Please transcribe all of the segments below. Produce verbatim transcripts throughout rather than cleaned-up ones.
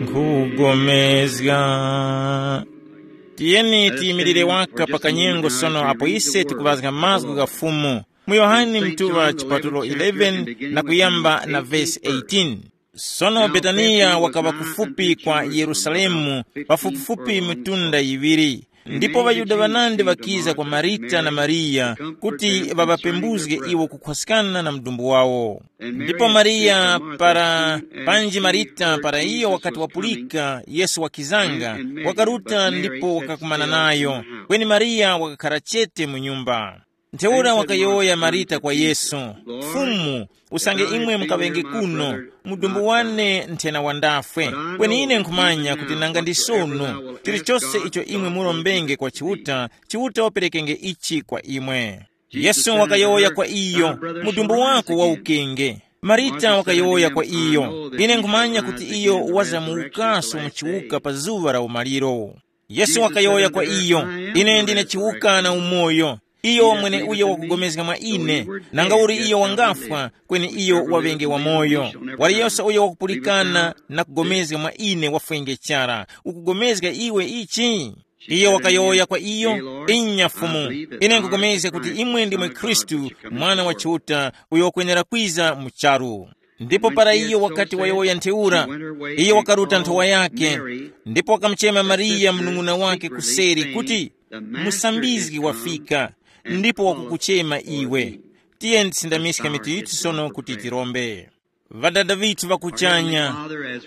Nkhugomezga. Tiyeni tiyimirire waka pa kanyengo sono apo ise tikuŵazga mazgu gha Fumu mu Yohane mtuŵa chipatulo eleven na kuyamba na vesi eighteen. Sono Betaniya wakaŵa kufupi kwa Yerusalemu, pafupifupi mitunda yiŵiri. Ndipo ŵaYuda ŵanandi ŵakiza kwa Marita na Mariya kuti ŵaŵapembuzge iwo kukhwaskana na mdumbu wawo. Ndipo Mariya para, panji Marita para iyo wakati wapulika Yesu wakizanga, wakaruta ndipo wakakumana nayo, kweni Mariya wakakhara chete mu nyumba. Ntheura wakayowoya Marita kwa Yesu, "Fumu, usange imwe mukaŵenge kuno, mudumbu wane nthena wandafwe. Kweni ine nkhumanya kuti nanga ndi sono, chilichose icho imwe murombenge kwa Chiuta, Chiuta waperekenge ichi kwa imwe." Yesu wakayowoya kwa iyo, "Mudumbu wako wawukenge." Marita wakayowoya kwa iyo, "Ine nkhumanya kuti iyo wazamuwukaso mu chiwuka pa zuŵa la umaliro." Yesu wakayowoya kwa iyo, "Ine ndine chiwuka na umoyo. Iyo mweneuyo wakugomezga mwa ine, nanga uli iyo wangafwa, kweni iyo waŵenge wamoyo. Waliyose uyo wakupulikana na kugomezga mwa ine wafwenge chara. Ukugomezga iwe ichi?" Iyo wakayowoya kwa iyo, "Inya Fumu, ine nkugomezga kuti imwe ndimwe Khristu, Mwana wa Chiuta, uyo wakwenera kwiza mu charu." Ndipo para iyo wakati wayowoya ntheura, iyo wakaruta nthowa yake, ndipo wakamuchema Mariya mnung'una wake kuseri kuti, "Musambizgi wafika, ndipo wakukuchema iwe." Tiyeni tisindamiske mitu yithu sono kuti tirombe. Ŵadada ŵithu ŵa kuchanya,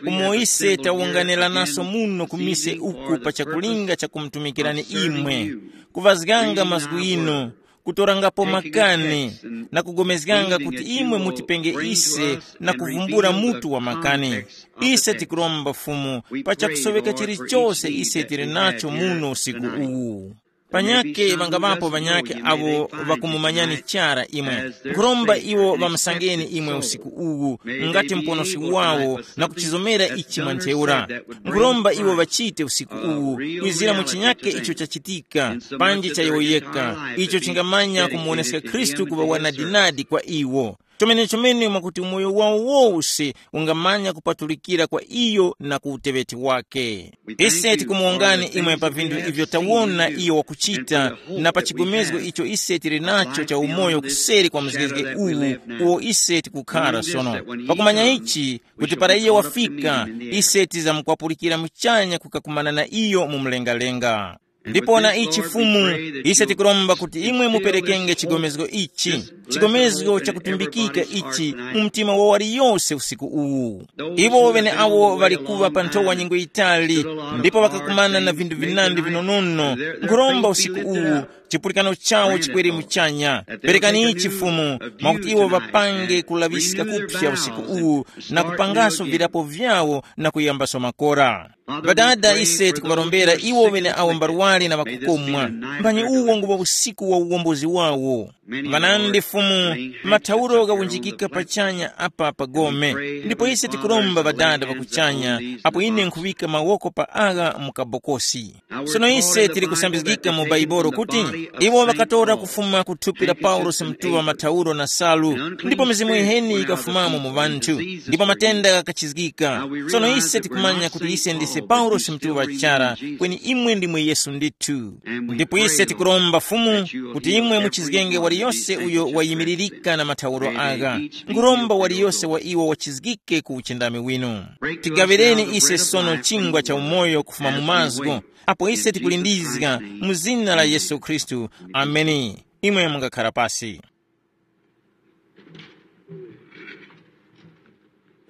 umo ise tawunganiranaso muno ku mise uku pa chakulinga cha kumutumikirani imwe, kuŵazganga mazgu inu, kutorangapo makani, na kugomezganga kuti imwe mutipenge ise na kuvumbula mutu wa makani. Ise tikuromba Fumu pa chakusoweka chilichose ise tili nacho muno usiku uwu. Panyakhe ŵangaŵapo ŵanyakhe awo ŵakumumanyani chara imwe. Nkhuromba iwo ŵamusangeni imwe usiku uwu ngati muponoski wawo na kuchizomera ichi mwa ntheura. Nkhuromba iwo ŵachite usiku uwu kwizira mu chinyakhe icho chachitika panji chayowoyeka, icho chingamanya kumuwoneska Khristu kuŵa wanadinadi kwa iwo. Chomenechomene mwakuti umoyo wawo wose ungamanya kupatulikira kwa iyo na ku uteŵeti wake. Ise tikumuwongani imwe pa vinthu ivyo tawona iyo wakuchita, na pa chigomezgo icho ise tili nacho cha umoyo kuseri kwa mzgezge uwu uwo ise tikukhara sono. Pakumanya ichi, kuti para iyo wafika, ise tizamkwapulira muchanya kukakumana na iyo mu mlengalenga. Ndipo na ichi Fumu, ise tikuromba kuti imwe muperekenge chigomezgo ichi, chigomezgo chakutumbikika ichi mu mtima wa waliyose usiku uwu. Iwo ŵeneawo ŵali kuŵa pa nthowa nyengo yitali, ndipo ŵakakumana na vinthu vinandi vinonono, nkhuromba usiku uwu chipulikano chawo chikwere muchanya. Perekani ichi Fumu, mwakuti iwo ŵapange kulaŵiska kupsa usiku uwu, na kupangaso virapo vyawo na kuyambaso makora. Ŵadada, ise tikuŵarombera iwo ŵeneawo mbarwari na ŵakukomwa. Mphanyi uwo nguwo usiku wa uwombozi wawo. Ŵanandi Fumu, mathauro ghawunjikika pachanya apa pa gome. Ndipo ise tikuromba Ŵadada ŵa kuchanya, apo ine nkhuŵika mawoko pa agha mu kabokosi. Sono ise tili kusambizgika mu Baibolo kuti iwo ŵakatora kufuma ku thupi la Paulosi mtuŵa mathauro na salu, ndipo mizimu yiheni yikafumamo mu ŵanthu, ndipo matenda ghakachizgika. Sono ise tikumanya kuti ise ndise Paulosi mtuŵa chara, kweni imwe ndimwe Yesu ndithu. Ndipo ise tikuromba Fumu kuti imwe muchizgenge waliyose uyo wayimiririka na mathauro agha. Nkhuromba waliyose wa iwo wachizgike ku uchindami winu. Tigaŵireni ise sono chingwa cha umoyo kufuma mu mazgu, apo ise tikulindizga mu zina la Yesu Khristu. Ameni. Imwe mungakhara pasi.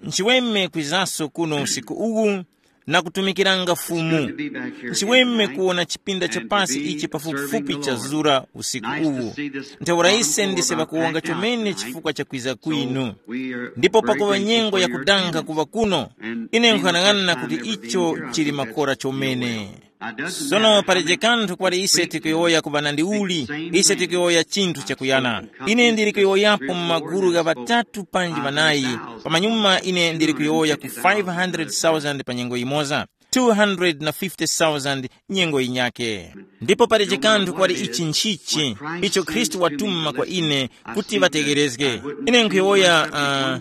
Nchiweme kwizaso kuno usiku uwu na kutumikiranga Fumu. Nchiweme kuwona chipinda cha pasi ichi pafupifupi chazura usiku uwu. Ntheura ise ndise ŵakuwonga chomene chifukwa cha kwiza kwinu. Ndipo pakuŵa nyengo yakudanga kuŵa kuno, ine nkhanang'ana kuti icho chili makora chomene. Sono palibe kanthu kwali ise tikuyowoya kuŵa na ndiuli, ise tikuyowoya chinthu chakuyana. Ine ndili kuyowoyapo mu magulu gha ŵatatu panji ŵanayi, pamanyuma ine ndili kuyowoya ku five hundred thousand pa nyengo yimoza, two hundred na fifty thousand nyengo yinyake. Ndipo palibe kanthu kwali ichi nchichi, icho Khristu watuma kwa ine kuti ŵategherezge. Ine nkhuyowoya,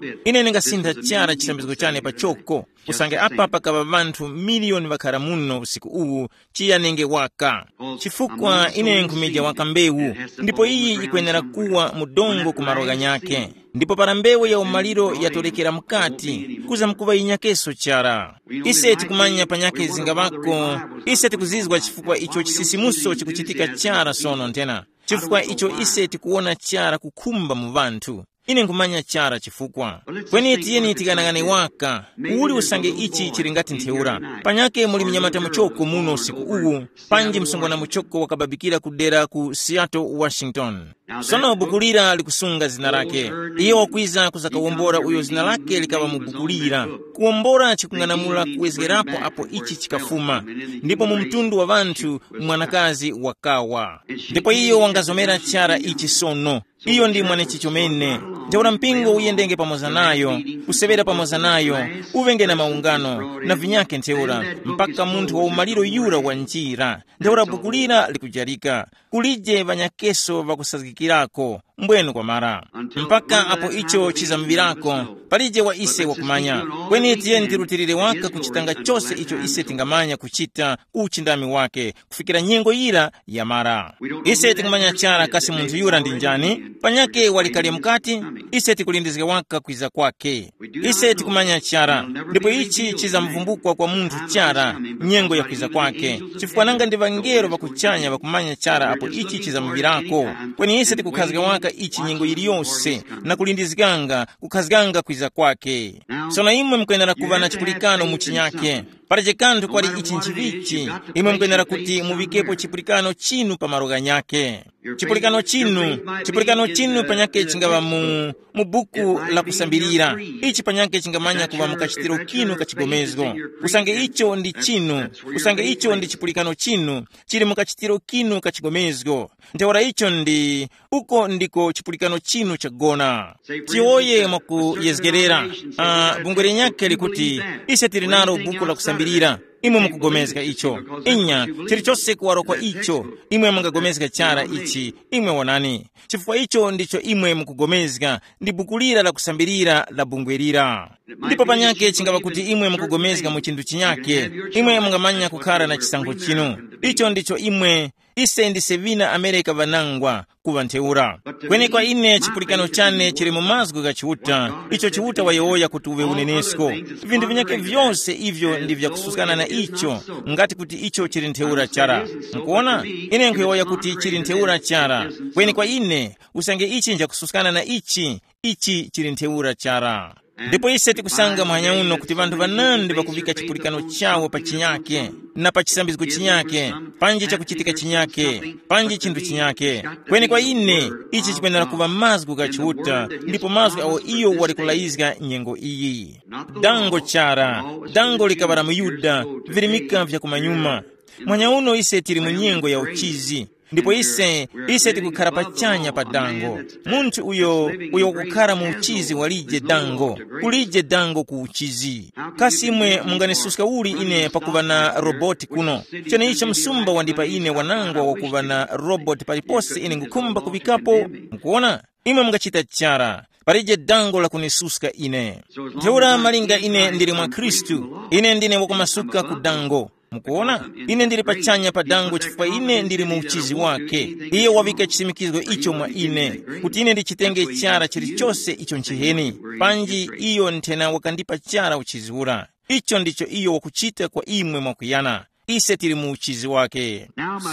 uh, ine ndingasintha chara chisambizgo chane pachoko. Usange apa pakava ŵanthu miliyoni ŵakhara muno usiku uwu, chiyanenge waka. Chifukwa ine nkhumija waka mbewu, ndipo iyi yikwenera kuwa mu dongo ku malo ghanyakhe. Ndipo para mbewu ya umaliro yatorekera mukati, kuza mkuŵa yinyakeso chara. Ise tikumanya panyakhe zingaŵako. Ise tikuzizwa chifukwa icho chisisimuso chikuchitika chara sono nthena, chifukwa icho ise tikuwona chara kukhumba mu ŵanthu. Ine nkhumanya chara chifukwa. Kweni tiyeni tikanang'ane waka. Uli usange ichi chili ngati ntheura, panyake muli mnyamata muchoko muno usiku uwu, panji msungwana muchoko wakababikira kudera ku Seattle, Washington. Sono buku lira likusunga zina lake. Iye wakwiza kuzakawombora uyo zina lake likaŵa mu buku lira. Kuwombora chikung'anamula kuwezgerapo apo ichi chikafuma. Ndipo mu mtundu wa ŵanthu, mwanakazi wakawa. Ndipo iyo wangazomera chara ichi sono. Iyo ndi mwanechi chomene. Ntheura mpingo uyendenge pamoza nayo, kusewera pamoza nayo, uŵenge na maungano na vinyakhe ntheura, mpaka munthu wa umaliro yura wa njira. Ntheura buku lira likujarika, kulije ŵanyakeso ŵakusazgikirako. Mbwenu kwa mara, mpaka apo icho chizamuŵirako, palije wa ise wakumanya. Kweni tiyeni tirutilire waka kuchitanga chose icho ise tingamanya kuchita ku uchindami wake, kufikira nyengo yira yamara. Ise tikumanya chara kasi munthu yura ndi njani, panyake wali kale mukati. Ise tikulindizga waka kwiza kwake. Ise tikumanya chara, ndipo ichi chizamuvumbukwa kwa munthu chara, nyengo ya kwiza kwake, chifukwa nanga ndi ŵangelo ŵa kuchanya ŵakumanya chara apo ichi chizamuŵirako. Kweni ise tikukhazga waka ichi nyengo yiliyose, na kulindizganga kukhazganga kwiza kwake. Sono imwe mukwenera kuŵa na chipulikano mu chinyake. Palibe kanthu kwali ichi nchivichi, imwe mukwenera kuti muŵikepo chipulikano chinu pa malo ghanyakhe. Chipulikano chinu, chipulikano chinu panyakhe chingaŵa mu, mu buku la kusambirira. Ichi panyakhe chingamanya kuŵa mu kachitiro kinu ka chigomezgo. Usange icho ndi chinu, usange icho ndi chipulikano chinu, chili mu kachitiro kinu ka chigomezgo. Ntheura icho ndi, uko ndiko chipulikano chinu chagona. Tiwoye mwakuyezgerera. Uh, bungwe linyakhe likuti, ise tili nalo buku la kusambirira. Imwe mukugomezga icho. Inya, chilichose kuwaro kwa icho. Imwe mungagomezga chara ichi. Imwe wonani, chifukwa icho ndicho imwe mukugomezga, ndi buku lira la kusambirira la bungwe lira. Ndipo panyakhe chingapa kuti imwe mukugomezga mu chinthu chinyake, imwe mungamanya kukhara na chisankho chinu. Icho ndicho imwe, ise ndise vina amereka vanangwa, kuŵa ntheura. Kweni kwa ine chipulikano chane chili mu mazgu gha Chiuta, icho Chiuta wayowoya kuti uŵe unenesko. Vinthu vinyakhe vyose ivyo ndi vyakususkana na icho, ngati kuti icho chili ntheura chara. Mukuona, ine nkhuyowoya kuti chili ntheura chara. Kweni kwa ine, usange ichi nchakususkana na ichi, ichi chili ntheura chara. Ndipo ise tikusanga muhanya uno kuti vanthu vanandi ŵakuŵika chipulikano chawo pa chinyake, na pa chisambizgo chinyake, panji chakuchitika chinyake, panji chinthu chinyake. Kweni kwa ine, ichi chikwenera kuŵa mazgu gha Chiuta, ndipo mazgu awo iyo wali kulayizga nyengo iyi. Dango chara, dango likaŵala mu Yuda, virimika vya kumanyuma. Mwanya uno ise tili mu nyengo ya uchizi. Ndipo ise, ise tikukhara pachanya pa dango. Munthu uyo, uyo wakukhara mu uchizi walije dango, kulije dango ku uchizi. Kasi imwe munganisuska uli ine pakuŵa na roboti kuno? Cheneicho msumba wandipa ine wanangwa wakuŵa na roboti palipose ine ngukhumba kuŵikapo. Mukuona? Imwe mungachita chara. Palije dango lakunisuska ine. Ntheura malinga ine ndili mwa Khristu, ine ndine wakumasuka ku dango. Mukuona, ine ndili pachanya pa dango chifukwa ine ndili mu uchizi wake. Iye waŵika chisimikizgo icho mwa ine, kuti ine ndichitenge chara chilichose icho nchiheni. Panji iyo nthena wakandipa chara uchizi ura. Icho ndicho iyo wakuchita kwa imwe mwakuyana. Ise tili mu uchizi wake.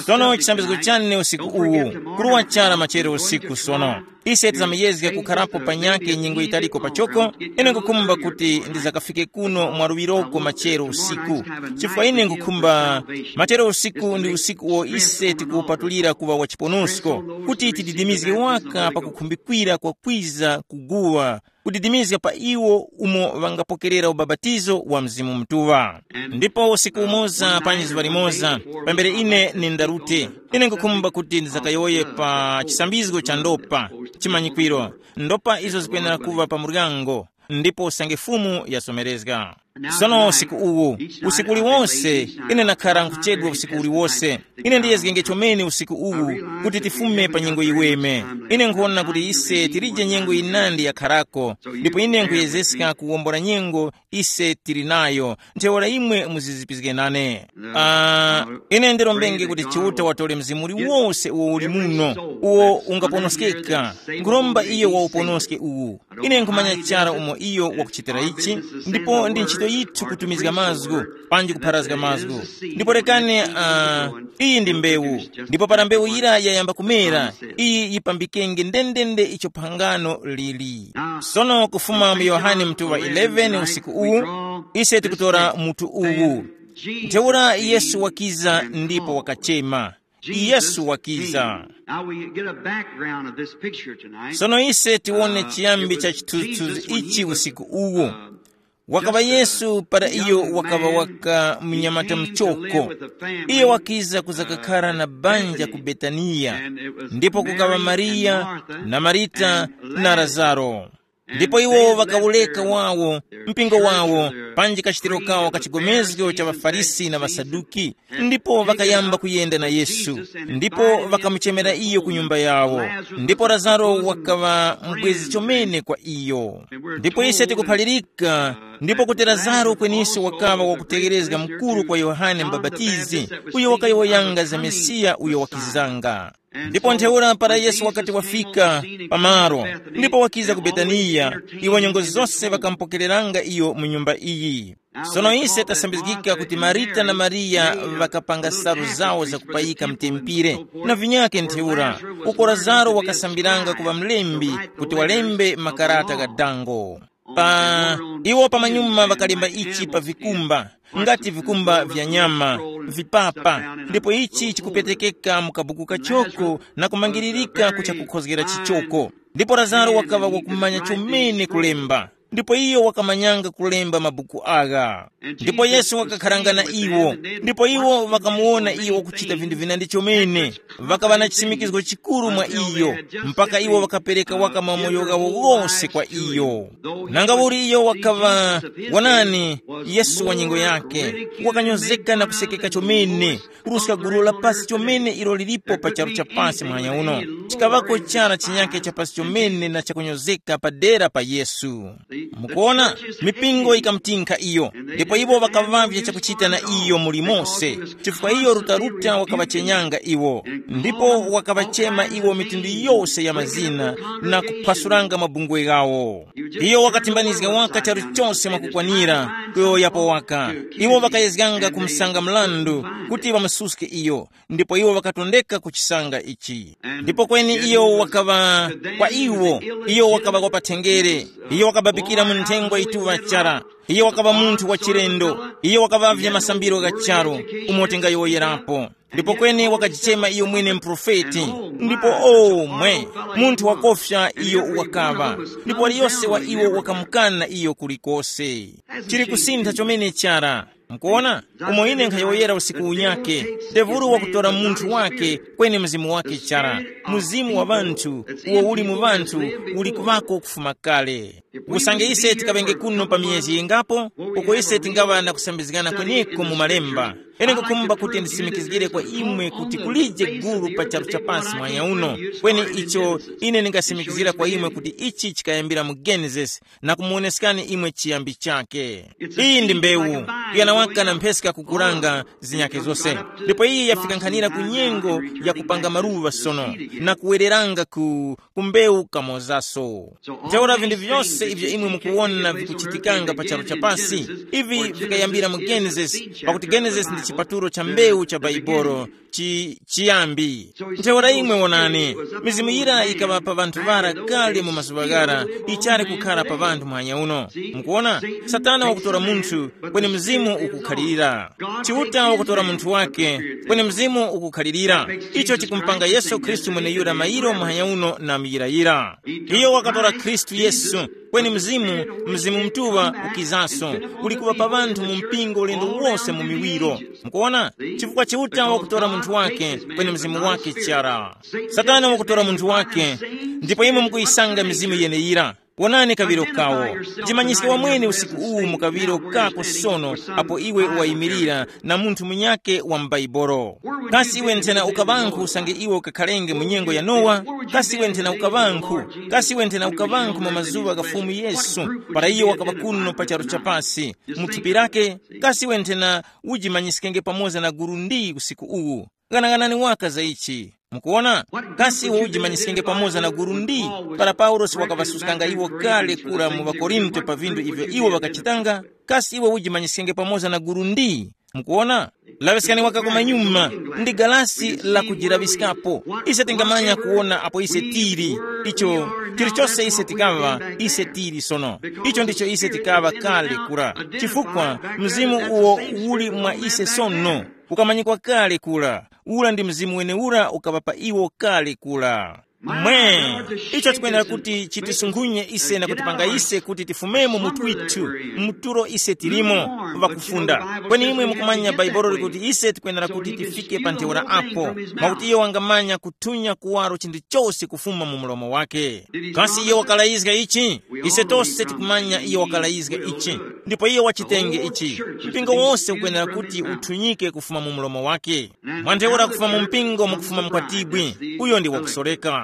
Sono chisambizgo chane usiku uwu, kuruwa chara machere usiku sono. Ise tizamuyezga kukharapo panyakhe nyengo yitaliko pachoko. Ine nkukhumba kuti ndizakafike kuno mwaluŵiroko machero usiku, chifukwa ine nkukhumba, machero usiku ndi usiku uwo ise tikuwupatulira kuŵa wa chiponosko, kuti tididimizge waka pa kukhumbikira kwa kwiza kuguwa, kudidimizga pa iwo umo ŵangapokerera ubapatizo wa Mzimu Mutuŵa. Ndipo usiku umoza panji zuŵa limoza, pambere ine nindarute, ine nkukhumba kuti ndizakayowoye pa chisambizgo cha ndopa, chimanyikwiro, ndopa izo zikwenera kuŵa pa muryango, ndipo usange Fumu yasomerezga. Sono usiku uwu, usiku uliwonse, ine nakhara nkuchedwa usiku uliwose. Ine ndiyezgenge chomene usiku uwu, kuti tifume pa nyengo yiweme. Ine nkhona kuti ise tilije nyengo yinandi yakharako, ndipo ine nkhuyezeska kuwombora nyengo ise tili nayo. Ntheura imwe muzizipizge nane. Ah, ine ndirombenge kuti Chiuta watole mzimu uliwose uwo uli muno, uwo ungaponoskeka. Nkhuromba iyo wauponoske uwu. Ine nkhumanya chara umo iyo wakuchitira ichi, ndipo ndi ntchito yithu kutumizga mazgu, panji kupharazga mazgu. Ndipo rekani, uh, iyi ndi mbewu, ndipo para mbewu yira yayamba kumera, iyi yipambikenge ndendende icho phangano lili. Sono kufuma mu Yohane mutuŵa eleven usiku uwu, ise tikutora mutu uwu. Ntheura Yesu wakiza ndipo wakachema. Yesu wakiza. Now we get a background of this picture tonight. Sono ise tiwone chiyambi cha chithunzithunzi ichi usiku uwu. Wakaŵa Yesu para iyo wakaŵa waka mnyamata mchoko. Iyo wakiza kuza kakhara na banja ku Betaniya, ndipo kukaŵa Mariya na Marita na Lazaro. Ndipo iwo ŵakawureka wawo, mpingo wawo, panji kachitiro kawo ka chigomezgo cha ŵaFarisi na ŵaSaduki, ndipo ŵakayamba kuyenda na Yesu, ndipo ŵakamuchemera iyo ku nyumba yawo. Ndipo Lazaro wakaŵa mubwezi chomene kwa iyo. Ndipo ise tikuphalirika, ndipo kuti Lazaro kweninso wakaŵa wakutegherezga mukuru kwa Yohane Mubapatizi, uyo wakayowoyanga za Mesiya uyo wakizanga. Ndipo ntheura para Yesu wakati wafika pamaro, ndipo wakiza ku Betaniya, iwo nyengo zose ŵakamupokereranga iyo mu nyumba iyi. Sono ise tasambizgika kuti Marita na Mariya ŵakapanga salu zawo zakupayika mtempire, na vinyakhe ntheura, uko Lazaro wakasambiranga kuŵa mlembi kuti walembe makarata gha dango. Pa iwo pamanyuma ŵakalemba ichi pa vikumba, ngati vikumba vya nyama, vipapa, ndipo ichi chikupetekeka mu kabuku kachoko na kumangiririka ku chakukhozgera chichoko. Ndipo Lazaro wakaŵa wakumanya chomene kulemba, ndipo iyo wakamanyanga kulemba mabuku agha. Ndipo Yesu wakakharanga na iwo, ndipo iwo ŵakamuwona iyo wakuchita vinthu vinandi chomene. Ŵakaŵa na chisimikizgo chikuru mwa iyo, mpaka iwo ŵakapereka waka mamoyo ghawo ghose kwa iyo. Nanga uli iyo wakaŵa, wonani, Yesu wa nyengo yake, wakanyozeka na kusekeka chomene, kuruska gulu la pasi chomene ilo lilipo pa charu cha pasi muhanya uno. Chikaŵako chara chinyakhe cha pasi chomene na chakunyozeka padera pa Yesu. Mukuona, mipingo yikamutinkha iyo, ndipo iwo ŵakaŵavya chakuchita na iyo muli mose, chifukwa iyo rutaruta wakaŵachenyanga iwo, ndipo wakaŵachema iwo mitundu yose ya mazina na kuphwasuranga mabungwe ghawo. Iyo wakatimbanizga waka charu chose mwakukwanira kuyowoyapo waka. Iwo ŵakayezganga kumusanga mrandu kuti ŵamususke iyo, ndipo iwo ŵakatondeka ku chisanga ichi. Ndipo kweni iyo wakaŵa kwa iwo, iyo wakaŵa wa pathenjere, iyo wakababikira mu nthengwa yituŵa chara, iyo wakaŵa munthu wa chilendo, iyo wakaŵavya masambiro gha charu, umo tingayowoyerapo. Ndipo kweni wakajichema iyo mwene muprofeti, ndipo omwe, munthu wakofya iyo wakaŵa, ndipo waliyose wa iwo wakamukana iyo kulikose. Chili kusintha chomene chara. Mukuona, umo ine nkhayowoyera usiku unyake, devulu wakutora munthu wake, kweni mzimu wake chara, mzimu wa ŵanthu, uwo uli mu ŵanthu, uli kuŵako kufuma kale. Usange ise tikaŵenge kuno pa miyezi yingapo, uko ise tingaŵa na kusambizgana kweneko mu malemba. Ine nkukhumba kuti ndisimikizgire kwa imwe kuti kulije gulu pa charu cha pansi mwanya uno, kweni icho ine ndingasimikizgira kwa imwe kuti ichi chikayambira mu Genesis, na kumuwoneskani imwe chiyambi chake. Iyi ndi mbewu, kuyana waka na mpheska kukuranga zinyakhe zose. Ndipo iyi yafika nkhanira ku nyengo ya kupanga maluŵa sono, na kuwereranga ku, ku mbewu kamozaso. Ntheura vinthu vyose ivyo imwe mukuwona vikuchitikanga pa charu cha pasi, ivi vikayambira mu Genesis, pakuti Genesis ndi chipatulo cha mbewu cha Baibolo, chi, chiyambi. Ntheura imwe wonani, mizimu yira ikaŵa pa ŵanthu ŵara kale mu mazuŵa ghara, ichali kukhara pa ŵanthu muhanya uno. Mukuona, Satana wakutora munthu, kweni mzimu ukukhalirira. Chiuta wakutora munthu wake, kweni mzimu ukukhalirira. Icho chikumupanga Yesu Khristu mweneyura mayiro muhanya uno na muyirayira. Iyo wakatora Khristu Yesu, kweni mzimu, mzimu mutuŵa ukizaso, uli kuŵa pa ŵanthu mu mpingo ulendo wose mu miwiro. Mukuona? Chifukwa Chiuta wakutora munthu wake, kweni mzimu wake chara. Satana wakutora munthu wake, ndipo imwe mukuyisanga mizimu yeneyira. Wonani kaŵiro kawo. Jimanyiske wamwene usiku uwu mu kaŵiro kako sono, apo iwe wayimirira na munthu munyake wa m'Baibolo. Kasi iwe nthena ukaŵankhu usange iwe ukakhalenge mu nyengo ya Nowa? Kasi iwe nthena ukaŵankhu? Kasi iwe nthena ukaŵankhu mu mazuŵa gha Fumu Yesu, para iyo wakaŵa kuno pa charu chapasi, mu thupi lake? Kasi iwe nthena ujimanyiskenge pamoza na gulu ndi usiku uwu? Ghanaghanani waka za ichi. Mukuwona? Kasi iwe ujimanyiskenge pamoza na gulu ndi? Para Paulosi wakavasuskanga iwo kale kura mu ŵakorinto pa vindu ivyo iwo vakachitanga, kasi iwe ujimanyiskenge pamoza na gulu ndi? Mukuwona? Laŵiskani waka kumanyuma, ndi galasi la kujiraŵiskapo. Ise tingamanya kuwona apo ise tili. Icho chilichose ise tikaŵa, ise tili sono. Icho ndicho ise tikaŵa kale kura. Chifukwa mzimu uwo uli mwa ise sono, ukamanyikwa kale kura. Ura ndi mzimu wenewura ukaŵa pa iwo kale kura. Mwe, icho tikwenera kuti chitisunkhunye ise na kutipanga ise kuti tifumemo mu twithu, muturo ise tilimo, vakufunda. Kweni imwe mukumanya Baibolo likuti ise tikwenera kuti tifike pa ntheura apo, mwakuti iyo wangamanya kuthunya kuwaro chinthu chose kufuma mu mlomo wake. Kasi iyo wakalayizga ichi? Ise tose tikumanya iyo wakalayizga ichi. Ndipo iyo wachitenge ichi. Mpingo wose ukwenera kuti uthunyike kufuma mu mlomo wake. Mwa ntheura kufuma mu mpingo mukufuma mkwatibwi, uyo ndi wakusoreka.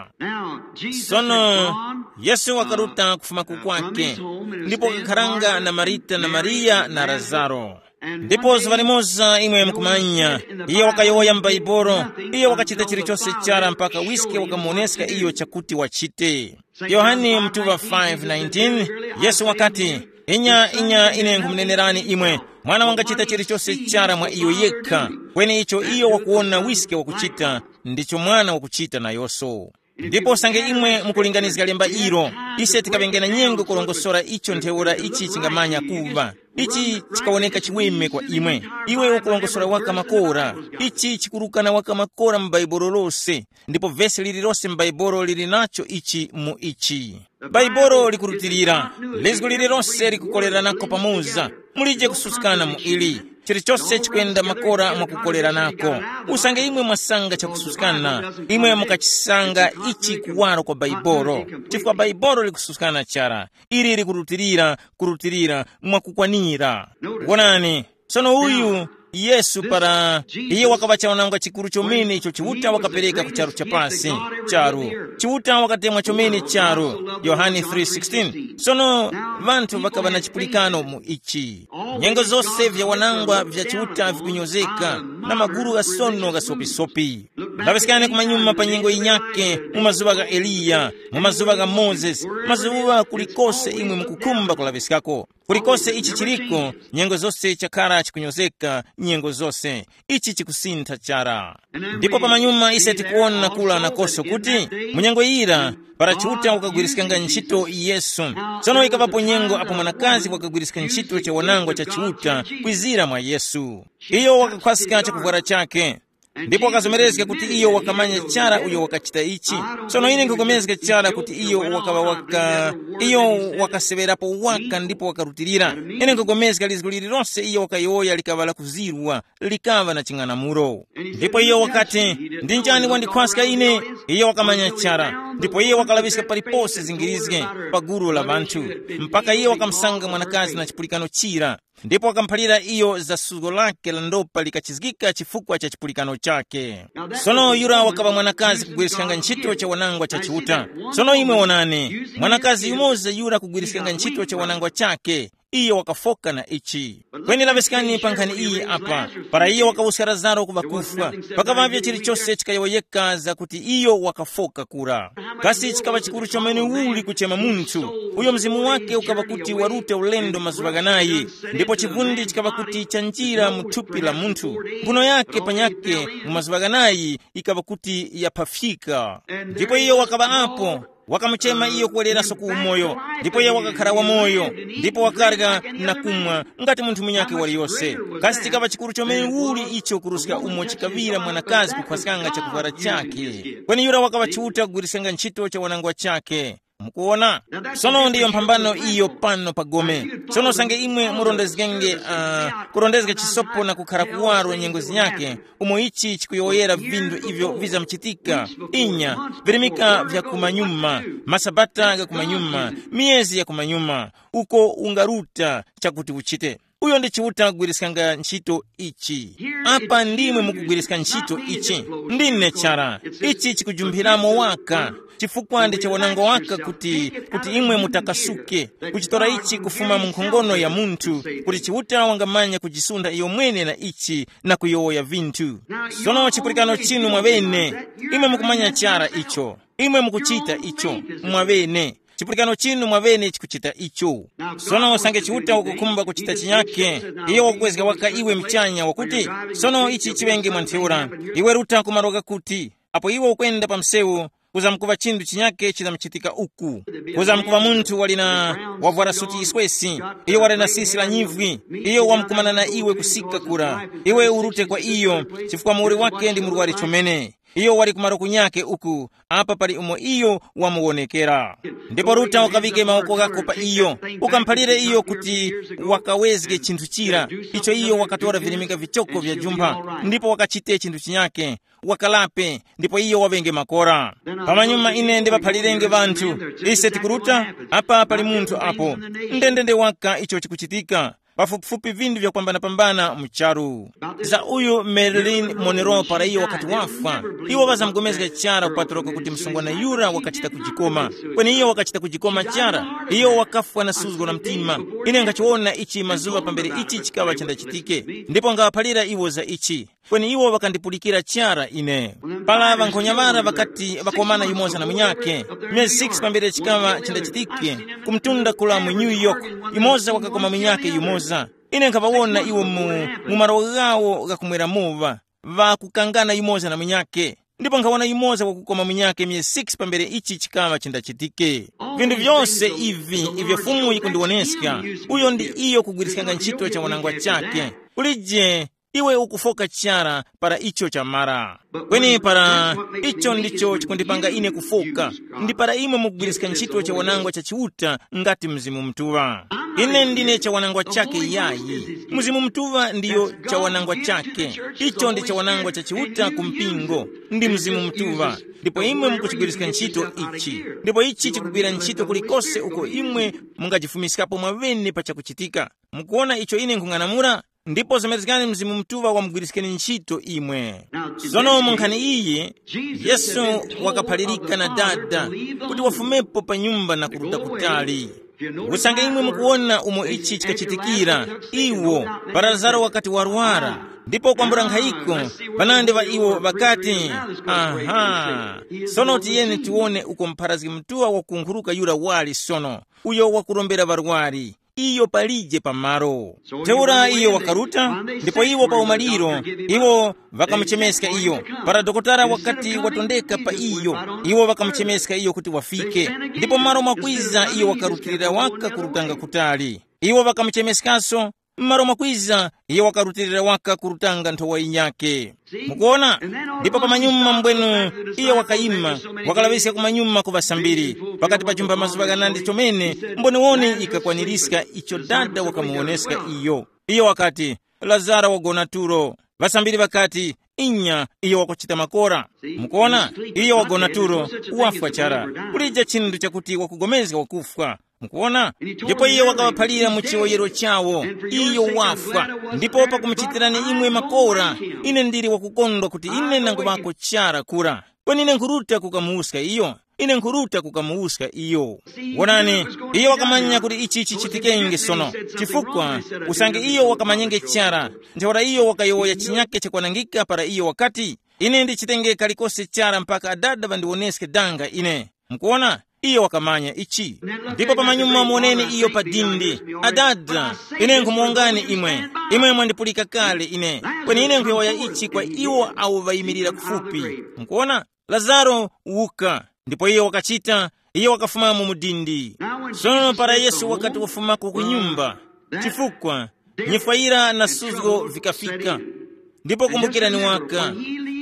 Sono, Yesu wakaruta kufuma kukwake, ndipo wakakharanga na Marita na Mariya na Lazaro. Ndipo zuŵa limoza imwe mukumanya, iye wakayowoya m'Baibolo, iye wakachita chilichose chara mpaka wiske wakamuwoneska iyo chakuti wachite. Yohane mtuŵa five nineteen, Yesu wakati, "Inya, inya, ine nkhumunenerani imwe, mwana wangachita chilichose chara mwa iyo yekha, kweni icho iyo wakuwona wiske wakuchita, ndicho mwana wakuchita nayonso." Ndipo usange imwe mukulinganizga lemba ilo, ise tikaŵenge na nyengo kurongosora icho ntheura ichi chingamanya kuŵa. Ichi chikawoneka chiweme kwa imwe. Iwe ukulongosora waka makora. Ichi chikurukana waka makora mu Bhaibuli lose. Ndipo vesi lililose m'Baibolo lili nacho ichi mu ichi. Baibolo likurutilira, lizgu lililose likukoleranako pamoza. Mulije kususkana mu ili. Chilichose chikwenda makora mwakukoleranako. Usange imwe mwasanga chakususkana, imwe mukachisanga ichi kuwaro kwa Baibolo. Chifukwa Baibolo likususkana chara. Ili likurutilira, kurutilira mwakukwanira. Wonani, sono uyu Yesu para iye wakaŵa chawanangwa chikuru chomene icho Chiuta wakapereka ku charu cha pasi, charu. Chiuta wakatemwa chomene charu, Yohane three sixteen. Sono ŵanthu ŵakaŵa na chipulikano mu ichi. Nyengo zose vya wanangwa vya Chiuta vikunyozeka, na maguru ghasono ghasopisopi. Laŵiskani kumanyuma pa nyengo yinyake, mu mazuŵa gha Eliya, mu mazuŵa gha Mozesi, mazuŵa kulikose imwe mukukhumba kulaŵiskako. Kulikose ichi chiliko, nyengo zose chakhala chikunyozeka, nyengo zose. Ichi chikusintha chara. Ndipo pamanyuma ise tikuwona kula nakoso kuti, mu nyengo yira, para Chiuta wakagwiriskanga ntchito Yesu. Tsono ikapapo nyengo apo mwanakazi wakagwiriska ntchito cha wanangwa cha Chiuta kwizira mwa Yesu. Iyo wakakhwaska chakuvwara chake. Ndipo wakazomerezga kuti iyo wakamanya chara uyo wakachita ichi. Sono ine nkupulikana chara kuti iyo wakaŵa waka, iyo wakaseŵerapo waka ndipo wakarutilira. Ine nkupulikana lizgu lililonse iyo wakayowoya likaŵa lakuzirwa, likaŵa na ching'anamulo. Ndipo iyo wakati, "Ndi njani wandikhwaska ine?" Iyo wakamanya chara, ndipo iyo wakalaŵiska palipose zingirizge pa gulu la ŵanthu, mpaka iyo wakamusanga mwanakazi na chipulikano chira. Ndipo wakamuphalira iyo za suzgo lake la ndopa likachizgika chifukwa cha chipulikano chake. Sono yura wakaŵa mwanakazi kugwiriskanga ntchito cha wanangwa cha Chiuta. Sono imwe wonani, mwanakazi yumoza yura kugwiriskanga ntchito cha wanangwa chake, iyo wakafoka na ichi. Kweni laŵiskani pa nkhani iyi apa, para iyo wakawuska Lazaro ku ŵakufwa, pakaŵavye chilichose chikayowoyeka zakuti iyo wakafoka kura. Kasi chikaŵa chikuru chomene uli kuchema munthu uyo mzimu wake ukaŵa kuti waruta ulendo mazuŵa ghanayi, ndipo chivundi chikaŵa kuti chanjira mu thupi la munthu, mbuno yake panyake mu mazuŵa ghanayi ikaŵa kuti yaphafyika. Ndipo iyo wakaŵa apo, wakamuchema iyo kuweleranso ku umoyo, ndipo iyo wakakhara wamoyo, ndipo wakarya na kumwa ngati munthu munyakhe waliyose. Kasi chikaŵa chikuru chomene uli icho kuruska umo chikaŵira mwanakazi kukhwaskanga chakuvwara chakhe? Kweni yura wakaŵa Chiuta kugwiriskanga ntchito cha wanangwa chakhe. Mukuwona? Sono ndiyo mphambano iyo pano pa gome. Sono usange imwe murondezgenge uh, kurondezga chisopo na kukhara kuwaro nyengo zinyake, umo ichi chikuyowoyera vinthu ivyo vizamuchitika, inya, virimika vya kumanyuma, masabata ga kumanyuma, miyezi ya kumanyuma, uko ungaruta chakuti uchite. Uyo ndi Chiuta kugwiriskanga ntchito ichi. Apa ndimwe mukugwiriska ntchito ichi. Ndine chara. Ichi chikujumphiramo waka, chifukwa ndi chawananga waka kuti kuti imwe mutakasuke, kuchitora ichi kufuma mu nkhongono ya munthu, kuti Chiuta wangamanya kujisunda iyo mwene na ichi na kuyowoya vinthu. Sono chipulikano chinu mwaŵene, imwe mukumanya chara icho. Imwe mukuchita icho mwaŵene. Chipulikano chinu mwaŵene chikuchita icho. Sono usange Chiuta ukukhumba kuchita chinyake, iyo wakukwezga waka iwe mchanya wakuti, sono ichi chiŵenge mwa ntheura, iwe ruta ku malo ghakuti, apo iwe ukwenda pa msewu, kuzamkuŵa chinthu chinyake chizamuchitika uku. Kuzamkuŵa munthu wali na wavwara suti iswesi, iyo wali na sisi la nyivwi, iyo wamkumana na iwe kusika kura, iwe urute kwa iyo, chifukwa muwoli wake ndi murwari chomene. Iyo wali kumaro kunyake uku, apa pali umo iyo wamuwonekera. Ndipo ruta ukaŵike mawoko ghako pa iyo, ukamuphalire iyo kuti wakawezge chinthu chira icho iyo wakatora virimika vichoko vya jumpha, ndipo wakachite chinthu chinyake, wakalape, ndipo iyo waŵenge makora. Pamanyuma ine ndiŵaphalirenge ŵanthu, ise tikuruta, apa pali munthu apo. Ndendende waka icho chikuchitika. Pafupifupi vindu vyakwambanapambana mu charu. Za uyu Marilyn Monroe para iyo wakati wafwa, iwo ŵazamugomezga chara kupatulika kuti msungwana yura wakachita kujikoma. Kweni iyo wakachita kujikoma chara, iyo wakafwa na suzgo la mtima. Ine ngachiwona ichi mazuŵa pambere ichi chikaŵa chandachitike, ndipo ngawaphalira iwo za ichi. Kweni iwo ŵakandipulikira chara ine. Para ŵankhonya ŵara ŵakati ŵakomana yumoza na munyakhe, myezi six pambere chikaŵa chindachitike, ku mtunda kula mu New York, yumoza wakakoma munyakhe yumoza. Ine nkhaŵawona iwo mu, mu malo ghawo ghakumwera muŵa, ŵakukangana yumoza na munyakhe. Ndipo nkhawona yumoza wakukoma munyakhe myezi six pambere ichi chikaŵa chindachitike. Vinthu vyose ivi ivyo Fumu yikundiwoneska, uyo ndi iyo kugwiriskanga ntchito cha wanangwa chakhe. Kulije iwe ukufoka chara para icho chamara. Kweni para icho ndicho chikundipanga ine kufoka, ndi para imwe mukugwiriska ntchito cha wanangwa cha Chiuta ngati Mzimu Mutuŵa. Ine ndine cha wanangwa chake yayi. Mzimu Mutuŵa ndiyo cha wanangwa chake. Icho ndi cha wanangwa cha Chiuta ku mpingo, ndi Mzimu Mutuŵa. Ndipo imwe mukuchigwiriska ntchito ichi. Ndipo ichi chikugwira ntchito kulikose uko imwe mungajifumiskapo mwaŵene pa chakuchitika. Mukuwona icho ine nkhung'anamula? Ndipo zemerezgani Mzimu Mutuŵa wamugwiriskeni ntchito imwe. Sono mu nkhani iyi, Yesu wakaphalirika na Dada kuti wafumepo pa nyumba na kuruta kutali. Usange imwe mukuwona umo ichi chikachitikira, iwo, para Lazaro wakati warwara, ndipo kwambula nkhayiko, ŵanandi ŵa iwo ŵakati, aha, sono tiyeni tiwone uko mpharazgi mutuŵa wakunkhuruka yura wali sono, uyo wakurombera ŵarwari. Iyo palije pamalo. Ntheura iyo wakaruta, ndipo iwo pa umaliro, iwo ŵakamuchemeska iyo. Para dokotala wakati watondeka pa iyo, iwo ŵakamuchemeska iyo kuti wafike. Ndipo malo mwakwiza iyo wakarutilira waka kurutanga kutali. Iwo ŵakamuchemeskanso, malo mwakwiza iyo wakarutilira waka kurutanga nthowa yinyakhe. Mukuona? Ndipo pamanyuma mbwenu iyo wakayima, wakalaŵiska kumanyuma ku ŵasambiri, pakati pa chumba mazuŵa ghanandi chomene, mboniwoni ikakwanirizga icho Dada wakamuwoneska iyo. Iyo wakati, Lazaro wagona tulo. Ŵasambiri ŵakati, inya, iyo wakuchita makora. Mukuona? Iyo wagona tulo, wafwa chara. Kulija chinthu chakuti wakugomezga wakufwa. Mukuona? Ndipo iye wakaŵaphalira mu chiwoyero chawo, iyo wafwa. Ndipo pakumuchitirani imwe makora, ine ndili wakukondwa kuti ine nanguvako chara kura. Kweni ine nkhuruta kukamuwuska iyo. Ine nkhuruta kukamuwuska iyo. Wonani, iyo wakamanya kuti ichi chichitikenge sono. Chifukwa, usange iyo wakamanyenge chara, ntheura iyo wakayowoya chinyake chakwanangika para iyo wakati, ine ndichitenge kalikose chara mpaka Adada ŵandiwoneske danga ine. Mukuona? Iyo wakamanya ichi. Ndipo pamanyuma muwoneni iyo pa dindi. Adada, ine nkhumuwongani imwe. Imwe mwandipulika kale ine. Kweni ine nkhuyowoya ichi kwa iwo awo ŵayimirira kufupi. Mukuona? Lazaro, wuka. Ndipo iyo wakachita, iyo wakafumamo mu dindi. Sono para Yesu wakati wafumako ku nyumba, chifukwa nyifwayira na suzgo vikafika. Ndipo kumbukirani waka,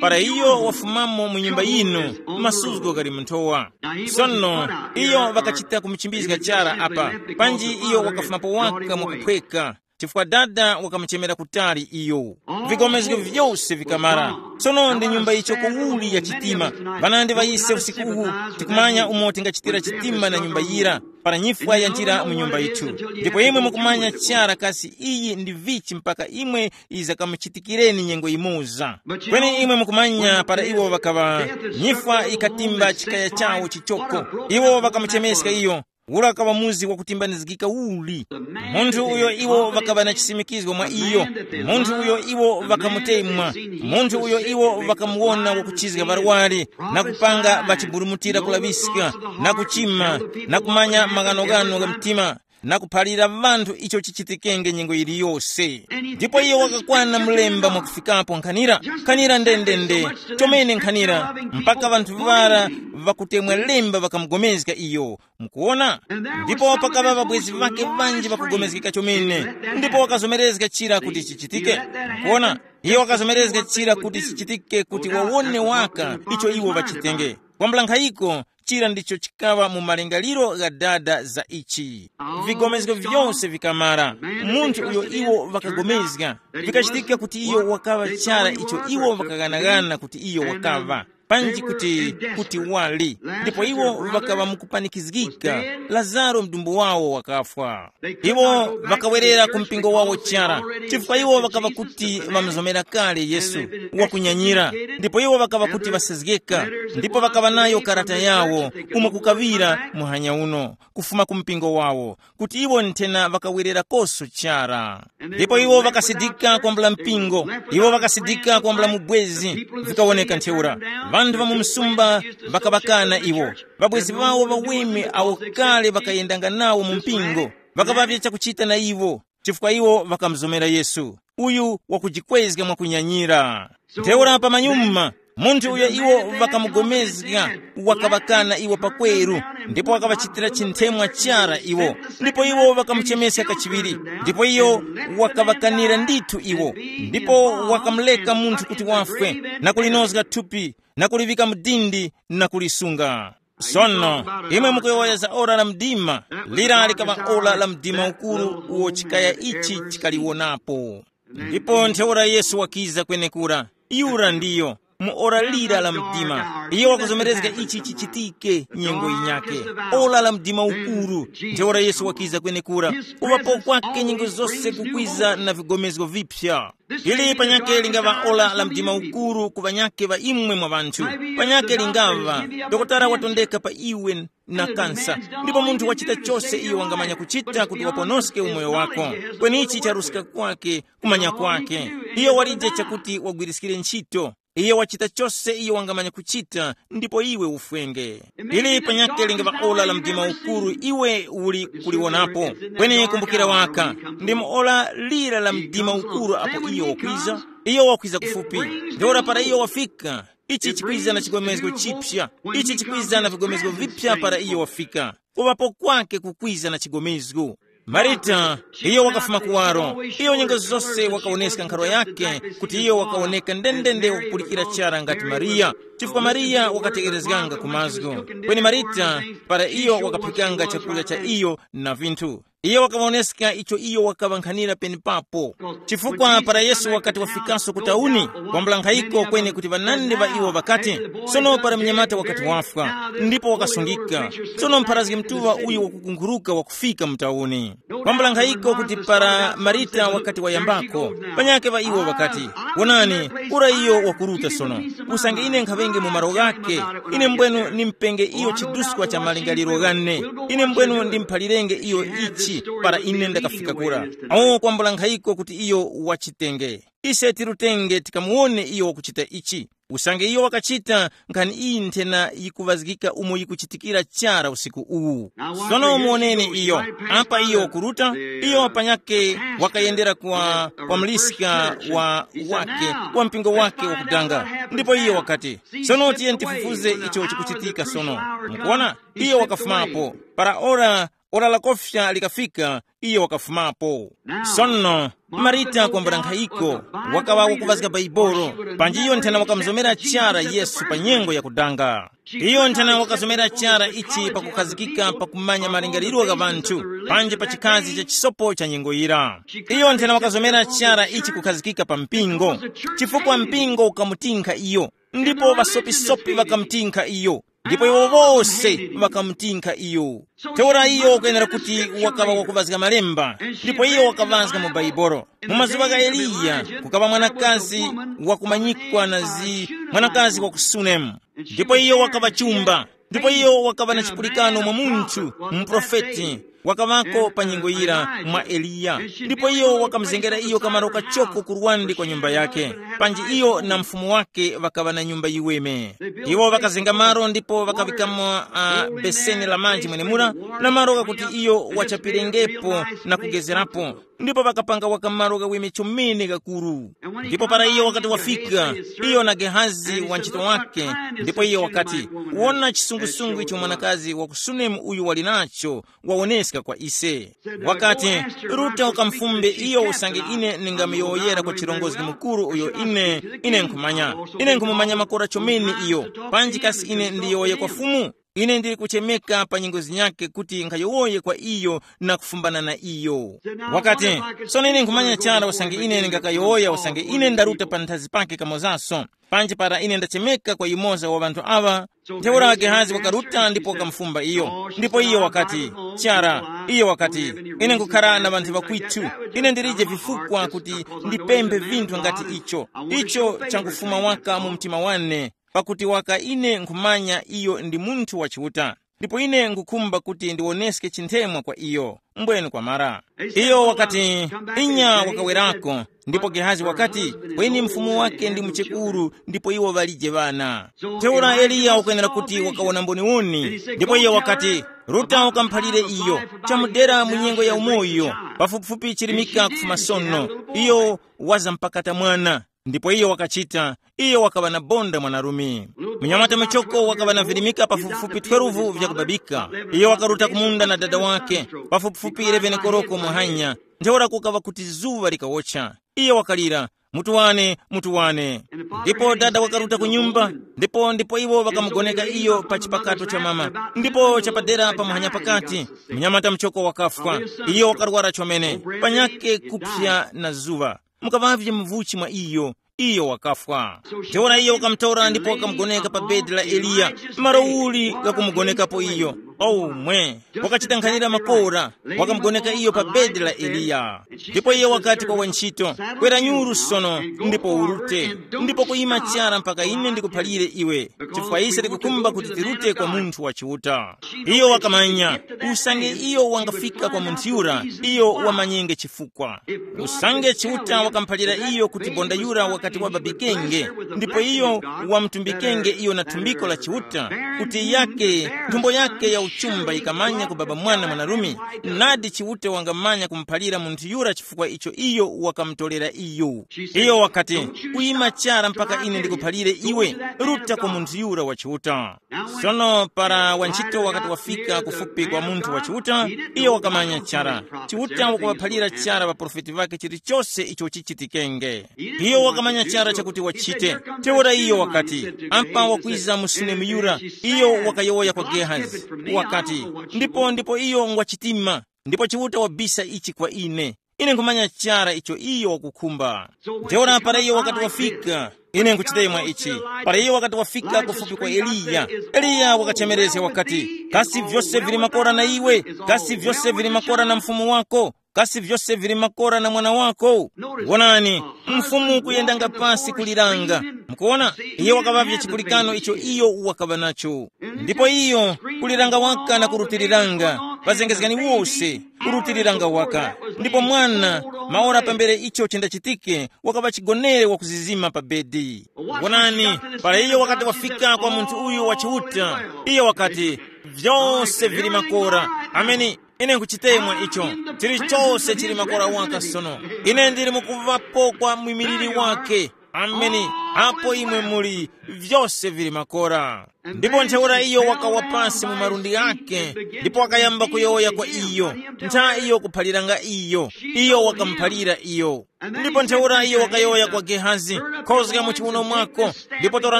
Para iyo wafumamo mu nyumba yinu, masuzgo ghali mu nthowa. Sono iyo ŵakachita kumuchimbizga chara apa, panji iyo wakafumapo waka mwakuphweka, chifukwa dada wakamuchemera kutali iyo. Vigomezgo vyose vikamara. Sono ndi nyumba yichoko uli ya chitima. Ŵanandi ŵa ise usiku uwu, tikumanya umo tingachitira chitima na nyumba yira, para nyifwa yanjira mu nyumba yithu. Ndipo imwe mukumanya chara kasi iyi ndi vichi mpaka imwe iza kamuchitikireni nyengo imoza. Kweni imwe mukumanya para iwo ŵakaŵa, nyifwa ikatimba chikaya chawo chichoko. Iwo ŵakamuchemeska iyo, ura kaŵa muzi wakutimbanizgika uli. Munthu uyo iwo ŵakaŵa na chisimikizgo mwa iyo, munthu uyo iwo ŵakamutemwa, munthu uyo iwo ŵakamuwona wakuchizga ŵarwari, na kupanga ŵachiburumutira kulaŵiska, na kuchima, na kumanya maghanoghano gha mtima, na kuphalira ŵanthu icho chichitikenge nyengo yiliyose. Ndipo iyo wakakwana mlemba mwakufikapo nkhanira, nkhanira ndendende, chomene nkhanira, mpaka ŵanthu ŵara ŵakutemwa lemba ŵakamugomezga iyo. Mukuona? Ndipo pakaŵa ŵabwezi ŵake ŵanji ŵakugomezgeka chomene, ndipo wakazomerezga chira kuti chichitike. Mukuona? Iyo wakazomerezga chira kuti chichitike kuti wawone waka icho iwo ŵachitenge. Kwambula nkhayiko, chira ndicho chikaŵa mu malingaliro gha dada za ichi. Vigomezgo vyose vikamara, munthu uyo iwo ŵakagomezga, vikachitika kuti iyo wakaŵa chara icho iwo ŵakaghanagana kuti iyo wakaŵa, panji kuti kuti wali. Ndipo iwo ŵakaŵa mukupanikizgika, lazaro mdumbu wawo wakafwa. Iwo ŵakawerera ku mpingo wawo chara, chifukwa iwo ŵakaŵa kuti ŵamuzomera kale yesu, wakunyanyira. Ndipo iwo ŵakaŵa kuti ŵasezgeka, ndipo ŵakaŵa nayo karata yawo, umo kukaŵira muhanya uno, kufuma ku mpingo wawo, kuti iwo nthena ŵakawererakoso chara. Ndipo iwo ŵakasidika kwambula mpingo, iwo ŵakasidika kwambula mubwezi. Vikawoneka ntheura, ŵanthu ŵa mu msumba ŵakaŵakana iwo, ŵabwezi ŵawo ŵaweme awo kale ŵakayendanga nawo mu mpingo, ŵakaŵavya chakuchita na iwo, chifukwa iwo ŵakamuzomera yesu, uyu wakujikwezga mwakunyanyira. Ntheura pamanyuma, munthu uyo iwo ŵakamugomezga, wakaŵakana iwo pakweru, ndipo wakaŵachitira chinthemwa chara iwo. Ndipo iwo ŵakamuchemeska kachiŵiri, ndipo iyo wakaŵakanira ndithu iwo, ndipo wakamuleka munthu kuti wafwe, na kulinozga thupi, na kuliŵika mu dindi, na kulisunga. Sono, imwe mukuyowoya za ora la mdima, lira likaŵa ora la mdima ukuru uwo chikaya ichi chikaliwonapo. Ndipo ntheura yesu wakiza kwenekura, yura ndiyo, mu ora lira la mdima iyo wakuzomerezga ichi chichitike nyengo yinyake. Ora la mdima ukuru. Ntheura yesu wakiza kwenekura, kuŵapo kwake nyengo zose kukwiza na vigomezgo vipya. Ili panyake lingaŵa ora la mdima ukuru ku ŵanyake ŵa imwe mwa ŵanthu. Panyake lingaŵa, dokotala watondeka pa iwe na kansa, ndipo munthu wachita chose iyo wangamanya kuchita kuti waponoske umoyo wako. Kweni ichi charuska kwake, kumanya kwake. Iyo walije chakuti wagwiriskire ntchito. Iyo wachita chose iyo wangamanya kuchita, ndipo iwe ufwenge. Ili panyake lingaŵa ora la mdima ukuru iwe uli kuliwonapo. Kweni kumbukira waka, ndi mu ora lira la mdima ukuru apo iyo wakwiza. Iyo wakwiza kufupi. Ntheura para iyo wafika, ichi chikwiza na chigomezgo chipya. Ichi chikwiza na vigomezgo vipya para iyo wafika. Kuŵapo kwake kukwiza na chigomezgo. Marita, iyo wakafuma kuwaro. Iyo nyengo zose wakawoneska nkharwa yake, kuti iyo wakawoneka ndendende wakupulikira chara ngati Mariya, chifukwa Mariya wakategerezganga ku mazgu. Kweni Marita, para iyo wakaphikanga chakurya cha iyo na vinthu, iyo wakawoneska icho iyo wakaŵankhanira penepapo. Chifukwa para Yesu wakati wafikaso ku tauni, kwambula nkhayiko kweni kuti ŵanandi ŵa iwo ŵakati, sono para mnyamata wakati wafwa, ndipo wakasungika, sono mpharazgi mtuŵa uyu wakukunkhuruka wakufika mu tauni. Kwambula nkhayiko kuti para Marita wakati wayambako, panyake ŵa iwo ŵakati, wonani, ura iyo wakuruta sono. Usange ine nkhaŵenge mu malo ghake, ine mbwenu nimpenge iyo chiduskwa cha malingaliro ghane. Ine mbwenu ndimphalirenge iyo ichi para ine ndakafika kura. Awo kwambula nkhayiko kuti iyo wachitenge. Ise tirutenge tikamuwone iyo wakuchita ichi. Usange iyo wakachita, nkhani iyi nthena yikuŵazgika umo yikuchitikira chara usiku uwu. Sono muwoneni iyo, apa iyo wakuruta, iyo panyake wakayendera kwa, kwa mliska wa wake, wa mpingo wake wakudanga. Ndipo iyo wakati, sono tiye tifufuze icho chikuchitika sono. Mukuona, iyo wakafumapo para ora Ora la kofya likafika, iyo wakafumapo. Sono, Marita kwambula nkhayiko, wakaŵa wakuvazga Baibolo, panji iyo nthena wakamuzomera chara Yesu pa nyengo yakudanga. Iyo nthena wakazomera chara ichi pakukhazikika pakumanya malingaliro gha ŵanthu, panji pa chikazi cha chisopo cha nyengo yira. Iyo nthena wakazomera chara ichi kukhazikika pa mpingo, chifukwa mpingo ukamutinkha iyo, ndipo ŵasopisopi ŵakamutinkha iyo, ndipo iwo wose ŵakamutinkha iyo. Ntheura iyo wakwenera kuti wakaŵa wakuvazga malemba, ndipo iyo wakavazga mu Baibolo. Mu mazuŵa gha Eliya, kukaŵa mwanakazi wakumanyikwa na zi, mwanakazi wa ku Sunemu, ndipo iyo wakaŵa chumba, ndipo iyo wakaŵa na chipulikano mwa munthu, muprofeti, wakaŵako pa nyengo yira mwa Eliya, ndipo iyo wakamuzengera iyo kamaro kachoko ku lwande kwa nyumba yake, panji iyo na mfumu wake ŵakaŵa na nyumba yiweme. Iwo ŵakazenga malo ndipo ŵakaŵikamo uh, beseni la manji mwenemura, na malo ghakuti iyo wachapirengepo na kugezerapo, ndipo ŵakapanga waka malo ghaweme chomene ghakuru. Ndipo para iyo wakati wafika, iyo na Gehazi wa ntchito wake, ndipo iyo wakati, wona chisungusungu icho mwanakazi wa ku Sunemu uyu wali nacho, wawoneska kwa ise. Wakati, ruta ukamfumbe iyo usange ine ningamuyowoyera kwa chirongozgi mukuru uyo ine, ine nkhumanya, ine nkhumumanya makora chomene iyo. Panji kasi ine ndiyowoye kwa Fumu? Ine ndili kuchemeka pa nyengo zinyakhe kuti nkhayowoye kwa iyo na kufumbana na iyo. Wakati, sono ine nkhumanya chara usange ine ndingakayowoya usange ine ndaruta panthazi pake kamozaso, panji para ine ndachemeka kwa yumoza wa ŵanthu aŵa. Ntheura Gehazi wakaruta ndipo wakamufumba iyo, ndipo iyo wakati, chara, iyo wakati, ine nkukhara na ŵanthu ŵakwitu, ine ndilije vifukwa kuti ndipemphe vinthu ngati icho. Icho changufuma waka mu mtima wane, pakuti waka ine nkhumanya iyo ndi munthu wa Chiuta, ndipo ine nkhukhumba kuti ndiwoneske chinthemwa kwa iyo. Mbwenu kwamara, iyo wakati, inya wakawerako. Ndipo Gehazi wakati, kweni mfumu wake ndi muchekuru, ndipo iwo ŵalije ŵana. Ntheura Eliya wakwenera kuti wakawona mboniwoni, ndipo iyo wakati, ruta ukamuphalire iyo, chamudera mu nyengo ya umoyo, pafupifupi chirimika kufuma sono, iyo waza mpakata mwana. Ndipo iyo wakachita, iyo wakaŵa na bonda mwanarume. Munyamata muchoko wakaŵa na virimika pafupifupi twelve vyakubabika. Iyo wakaruta kumunda na dada wake, pafupifupi eleven koroko muhanya, ntheura kukaŵa kuti zuŵa likawocha. Iyo wakalira, mutu wane, mutu wane. Ndipo dada wakaruta ku nyumba, ndipo ndipo iwo ŵakamugoneka iyo pa chipakato cha mama, ndipo chapadera pa muhanya pakati, munyamata muchoko wakafwa. Iyo wakarwara chomene, panyake kupsa na zuŵa. Mukaŵavye muvuchi mwa iyo, iyo wakafwa. Ntheura iyo wakamutora ndipo wakamugoneka pa bedi la Eliya, malo uli ghakumugonekapo iyo. Omwe wakachita nkhanira makora, wakamugoneka iyo pa bedi la Eliya. Ndipo iye wakati kwa wantchito, kwera nyuru sono, ndipo urute, ndipo kuyima chara mpaka ine ndikuphalire iwe, chifukwa ise tikukhumba kuti tirute kwa munthu wa Chiuta. Iyo wakamanya, usange iyo wangafika kwa munthu yura, iyo wamanyenge chifukwa. Usange Chiuta wakamphalira iyo kuti bonda yura wakati wababikenge, ndipo iyo wamutumbikenge iyo na thumbiko la Chiuta, kuti yake, nthumbo yake ya uchumba yikamanya kubaba mwana mwanarume, nadi Chiuta wangamanya kumuphalira munthu yura chifukwa icho iyo wakamutolera iyo. Iyo wakati, kuyima chara mpaka ine ndikuphalire iwe, ruta kwa munthu yura wa Chiuta. Sono para wantchito wakati wafika kufupi kwa munthu wa Chiuta, iyo wakamanya chara. Chiuta wakuŵaphalira chara ŵaprofeti ŵake chilichose icho chichitikenge. Iyo wakamanya chara chakuti wachite. Ntheura iyo wakati, apa wakwiza mu Sunemu yura, iyo wakayowoya kwa Gehazi. Wakati, ndipo ndipo iyo ngwachitima, ndipo Chiuta wabisa ichi kwa ine. Ine nkhumanya chara icho iyo wakukhumba. Ntheura para iyo wakati wafika, ine nkuchita mwa ichi. Para iyo wakati wafika kufupi kwa Eliya, Eliya wakachemerezga wakati, kasi vyose vili makora na iwe? Kasi vyose vili makora na mfumu wako? Kasi vyose vili makora na mwana wako? Wonani, mfumu kuyendanga pasi kuliranga. Mukuona, iyo wakaŵavye chipulikano icho iyo wakaŵa nacho. Ndipo iyo kuliranga waka na kurutiriranga, ŵazengezgani wose, kurutiriranga waka. Ndipo mwana, maora pambere icho chindachitike, wakaŵa chigonere wakuzizima pa bedi. Wonani, para iyo wakati wafika kwa munthu uyu wa Chiuta, iyo wakati, vyose vili makora. Ameni. Ine nkuchitemwa icho. Chilichose chili makora waka sono. Ine ndili mukuvapo kwa mwimiliri wake. Ameni. Apo imwe muli, vyose vili makora. Ndipo ntheura iyo wakawa pasi mu malundi ghake, ndipo wakayamba kuyowoya kwa iyo, ntha iyo kuphaliranga iyo, iyo wakamuphalira iyo. Ndipo ntheura iyo wakayowoya kwa Gehazi, khozga mu chiwuno mwako, ndipo tora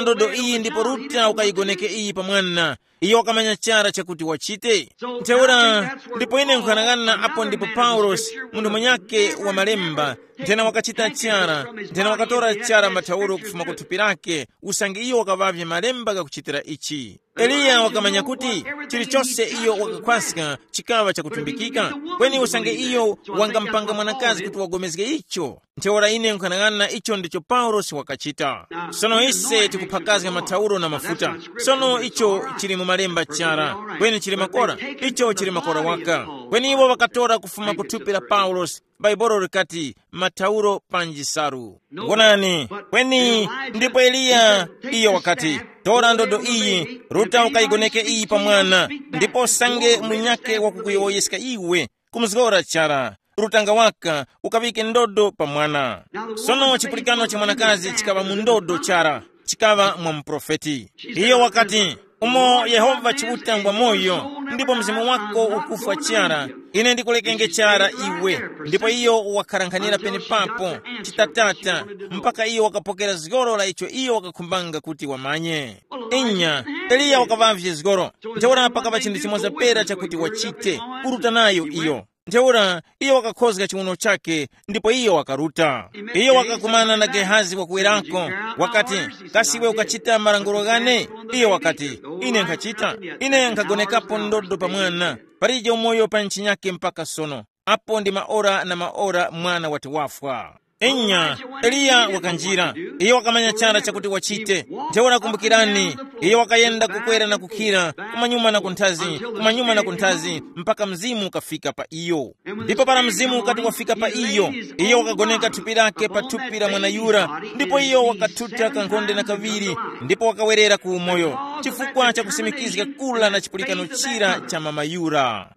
ndodo iyi ndipo ruta ukayigoneke iyi pa mwana. Iyo wakamanya chara chakuti wachite. Ntheura, ndipo ine nkhanang'ana apo ndipo Paulosi, munthu munyake wa malemba, nthena wakachita chara, nthena wakatora chara mathauro kufuma ku thupi lake, usange iyo wakaŵavye malemba ghakuchitira ichi. Eliya wakamanya kuti chilichose iyo wakakhwaska chikaŵa chakutumbikika, kweni usange iyo wangamupanga mwanakazi kuti wagomezge icho. Ntheura ine nkhanang'ana icho ndicho Paulosi wakachita. Sono ise tikuphakazga mathauro na mafuta. Sono icho chili mu malemba chara, kweni chili makora. Icho chili makora waka. Kweni iwo ŵakatora kufuma ku thupi la Paulosi. Bhaibuli likati, mathauro panji salu. Wonani, kweni ndipo Eliya, iyo wakati, tora ndodo iyi, ruta ukayigoneke iyi pa mwana, ndipo usange munyake wakukuyowoyeska iwe, kumuzgora chara, rutanga waka, ukaŵike ndodo pa mwana. Sono chipulikano cha mwanakazi chikaŵa mu ndodo chara, chikaŵa mwa muprofeti. Iyo wakati, umo Yehova Chiuta ngwa moyo, ndipo mzimu wako ukufwa chara, ine ndikulekenge chara iwe. Ndipo iyo wakharankhanira penepapo, chitatata, mpaka iyo wakapokera zgoro la icho iyo wakakhumbanga kuti wamanye. Inya, Eliya wakaŵavye zgoro. Ntheura pakaŵa chinthu chimoza pera chakuti wachite, kuruta nayo iyo. Ntheura iyo wakakhozga chiwuno chake, ndipo iyo wakaruta. Iyo wakakumana na Gehazi wakuwerako, wakati, kasi iwe ukachita malangulo ghane? Iyo wakati, ine nkhachita. Ine nkhagonekapo ndodo pa mwana. Palije umoyo pa ntchinyake mpaka sono. Apo ndi maora na maora mwana wati wafwa. Enya, Eliya wakanjira. Iyo wakamanya chara chakuti wachite. Ntheura kumbukirani, iyo wakayenda kukwera na kukhira, kumanyuma na kunthazi, kumanyuma na kunthazi, mpaka mzimu ukafika pa iyo. Ndipo para mzimu ukati wafika pa iyo, iyo wakagoneka thupi lake pa thupi la mwana yura, ndipo iyo wakathuta kankhonde na kaviri, ndipo wakawerera ku umoyo, chifukwa cha kusimikizga kula na chipulikano chira cha mama yura.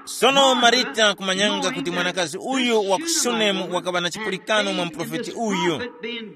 Sono Marita kumanyanga kuti mwanakazi uyu wa ku Sunemu wakaŵa na chipulikano mwa muprofeti uyu,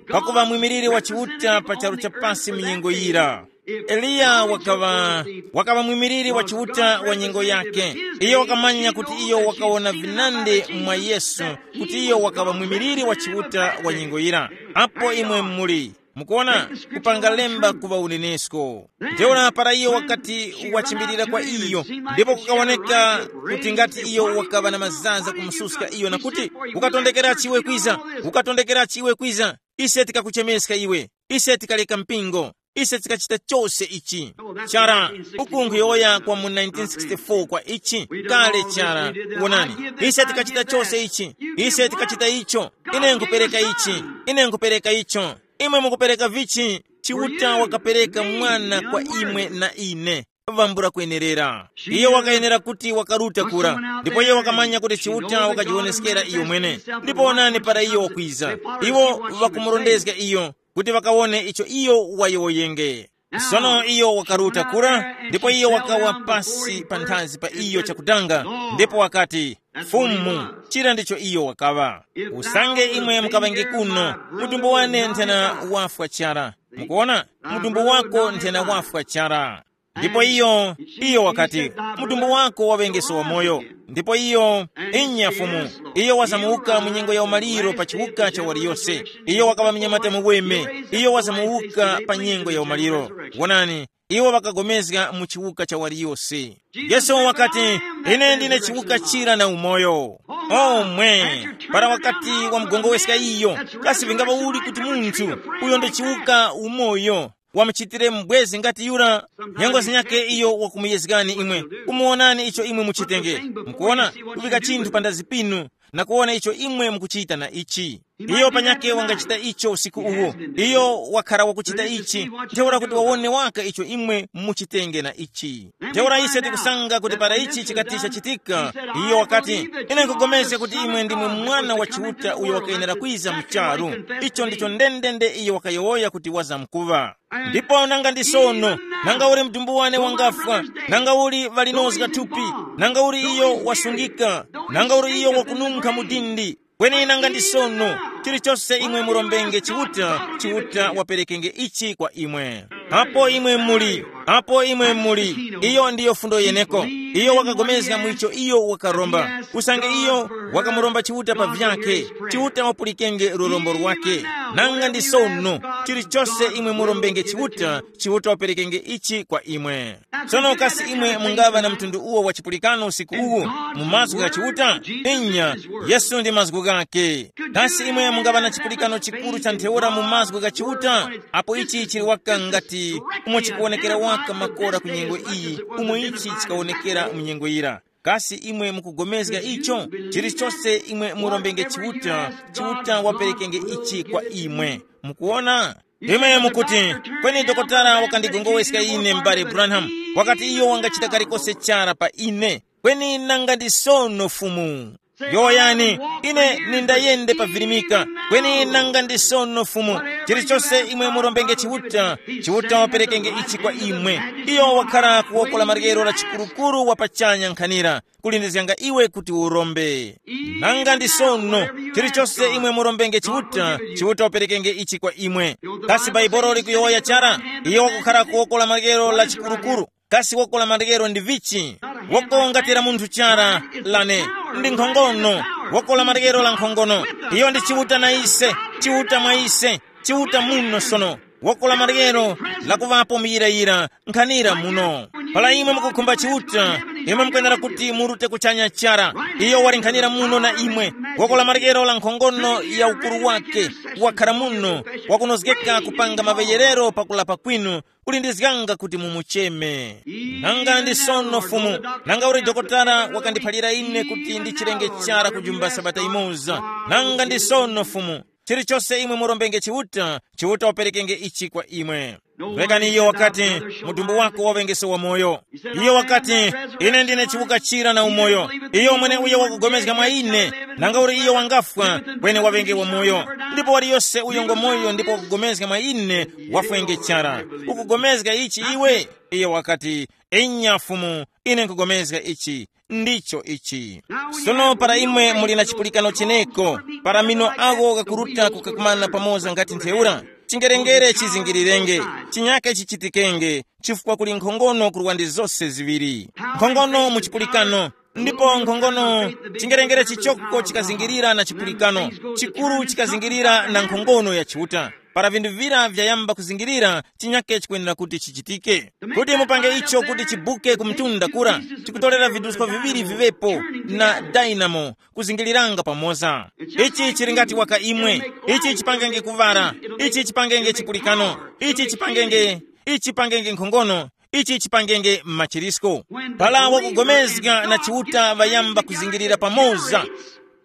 pakuŵa mwimiliri wa Chiuta pa charu cha pasi mu nyengo yira. Eliya wakaŵa, wakaŵa mwimiliri wa Chiuta wa nyengo yake. Iyo wakamanya kuti iyo wakawona vinandi mwa Yesu, kuti iyo wakaŵa mwimiliri wa Chiuta wa nyengo yira. Apo imwe muli, mukuona, kupanga lemba kuŵa unenesko. Ntheura para iyo wakati wachimbilira kwa iyo, ndipo kukawoneka kuti ngati iyo wakaŵa na mazaza kumususka iyo na kuti, ukatondekerachi iwe kwiza, ukatondekerachi iwe kwiza, ise tikakuchemeska iwe, ise tikaleka mpingo, ise tikachita chose ichi. Chara, uku nkhuyowoya kwa mu nineteen sixty-four kwa ichi, kale chara, wonani, ise tikachita chose ichi, ise tikachita icho, ine nkupereka ichi, ine nkupereka icho. Imwe mukupereka vichi? Chiuta wakapereka mwana kwa imwe na ine. Vambula kwenerera. Iyo wakayenera kuti wakaruta kura, ndipo iyo wakamanya kuti Chiuta wakajiwoneskera iyo mwene. Ndipo onani para iyo wakwiza, iwo ŵakumurondezga iyo kuti ŵakawone icho iyo wayowoyenge. Sono iyo wakaruta kura, ndipo iyo wakawa pasi pa nthazi pa iyo chakutanga, ndipo wakati, Fumu, chira ndicho iyo wakaŵa. Usange imwe mukaŵenge kuno, mudumbu wane nthena wafwa chara. Mukuona, mudumbu wako nthena wafwa chara. Ndipo iyo, iyo wakati, mudumbu wako waŵengeso wamoyo. Ndipo iyo, inya Fumu, iyo wazamuwuka mu nyengo ya umaliro pa chiwuka cha waliyose. Iyo wakaŵa mnyamata muweme, iyo wazamuwuka pa nyengo ya umaliro. Wonani, iwo ŵakagomezga mu chiwuka cha waliyose. Yesu wakati, ine ndine chiwuka chira na umoyo. Omwe, para wakati wamugongoweskha iyo, kasi vingaŵa uli kuti munthu uyo ndi chiwuka umoyo wamuchitire mbwezi ngati yura? Nyengo zinyakhe iyo wakumuyezgani imwe, kumuwonani icho imwe muchitenge. Mukuwona, kuvika chinthu pa ndazi pinu na kuwona icho imwe mukuchita na ichi. Iyo panyakhe wangachita icho usiku uwu. Iyo wakhara wakuchita ichi, ntheura kuti wawone waka icho imwe muchitenge na ichi. Ntheura ise tikusanga kuti para ichi chikati chachitika, iyo wakati, ine nkugomezga kuti imwe ndimwe Mwana wa Chiuta uyo wakayenera kwiza mu charu. Icho ndicho ndendende iyo wakayowoya kuti wazamkuŵa. Ndipo nanga ndi sono, nanga uli mdumbu wane wangafwa, nanga uli ŵalinozga thupi, nanga uli iyo wasungika, nanga uli iyo wakununkha mudindi, Kweni nanga ndi sono, chilichose imwe murombenge Chiuta, Chiuta waperekenge ichi kwa imwe. Apo imwe muli, apo imwe muli, iyo ndiyo fundo yeneko. Iyo wakagomezga mwicho iyo wakaromba. Usange iyo wakamuromba Chiuta pa vyakhe, Chiuta wapulikenge lurombo lwakhe. Nanga ndi sono, chilichose imwe murombenge Chiuta, Chiuta waperekenge ichi kwa imwe. Tsono kasi imwe mungaŵa na mtundu uwo wa chipulikano usiku uwu mu mazgu gha Chiuta? Inya, Yesu ndi mazgu ghake. Kasi imwe mungaŵa na chipulikano chikuru cha ntheura mu mazgu gha Chiuta? Apo ichi chili waka ngati umo chikuwonekera waka makora ku nyengo iyi, umo ichi chikawonekera mu nyengo yira. Kasi imwe mukugomezga icho? Chilichose imwe murombenge Chiuta, Chiuta waperekenge ichi kwa imwe. Mukuona? Imwe mukuti, kweni dokotala wakandigongoweska ine, m'bale Branham, wakati iyo wangachita kalikose chara pa ine. Kweni nanga ndi sono, Fumu. Yowoyani, ine nindayende pa virimika. Kweni nanga ndi sono, Fumu, chilichose imwe murombenge Chiuta, Chiuta waperekenge ichi kwa imwe. Iyo wakhala kuwoko la maryero la chikurukuru wa pachanya nkhanira, kulindizganga iwe kuti urombe. Nanga ndi sono, chilichose imwe murombenge Chiuta, Chiuta waperekenge ichi kwa imwe. Kasi Baibolo likuyowoya chara? Iyo wakukhala ku woko la maryero la chikurukuru. Kasi woko la maryero ndi vichi? Woko ngati la munthu chara, lane ndi nkhongono. Woko la maryero la nkhongono. Iyo ndi Chiuta na ise, Chiuta mwa ise, Chiuta muno sono. Woko la maryero lakuŵapo muyirayira nkhanira muno. Para imwe mukukhumba Chiuta, imwe mukwenera kuti murute kuchanya chara. Iyo wali nkhanira muno na imwe. Woko la maryero la nkhongono ya ukuru wake, wakhara muno, wakunozgeka kupanga maŵeyerero pakulapa kwinu, kulindizganga kuti mumucheme. Nanga ndi sono, Fumu, nanga uli dokotala wakandiphalira ine kuti ndichirenge chara kujumba sabata imoza. Nanga ndi sono, Fumu, chilichose imwe murombenge Chiuta, Chiuta waperekenge ichi kwa imwe. Rekani iyo wakati, mudumbu wako waŵengese wamoyo. Iyo wakati, ine ndine chiwuka chira na umoyo. Iyo mwene uyo wakugomezga mwa ine, nanga uli iyo wangafwa, kweni waŵenge wamoyo. Ndipo waliyose uyo ngomoyo ndipo wakugomezga mwa ine, wafwenge chara. Ukugomezga ichi iwe? Iyo wakati, inya Fumu, ine nkugomezga ichi. Ndicho ichi. Sono para imwe muli na chipulikano cheneko, para mino agho ghakuruta kukakumana pamoza ngati ntheura, chingerengere chizingirirenge, chinyake chichitikenge, chifukwa kuli nkhongono kurwa ndi zose ziŵiri. Nkhongono mu chipulikano, ndipo nkhongono, chingerengere chichoko chikazingirira na chipulikano, chikuru chikazingirira na nkhongono ya Chiuta. Para vinthu vira vyayamba kuzingirira, chinyake chikwenera kuti chichitike. Kuti mupange icho kuti chibuke ku mtunda kura, chikutolera vidusko viŵiri viŵepo na dynamo kuzingiliranga pamoza. Ichi chili ngati waka imwe, ichi chipangenge kuvara, ichi chipangenge chipulikano, ichi chipangenge, ichi chipangenge nkhongono, ichi chipangenge machirisko. Para wakugomezga na Chiuta ŵayamba kuzingirira pamoza.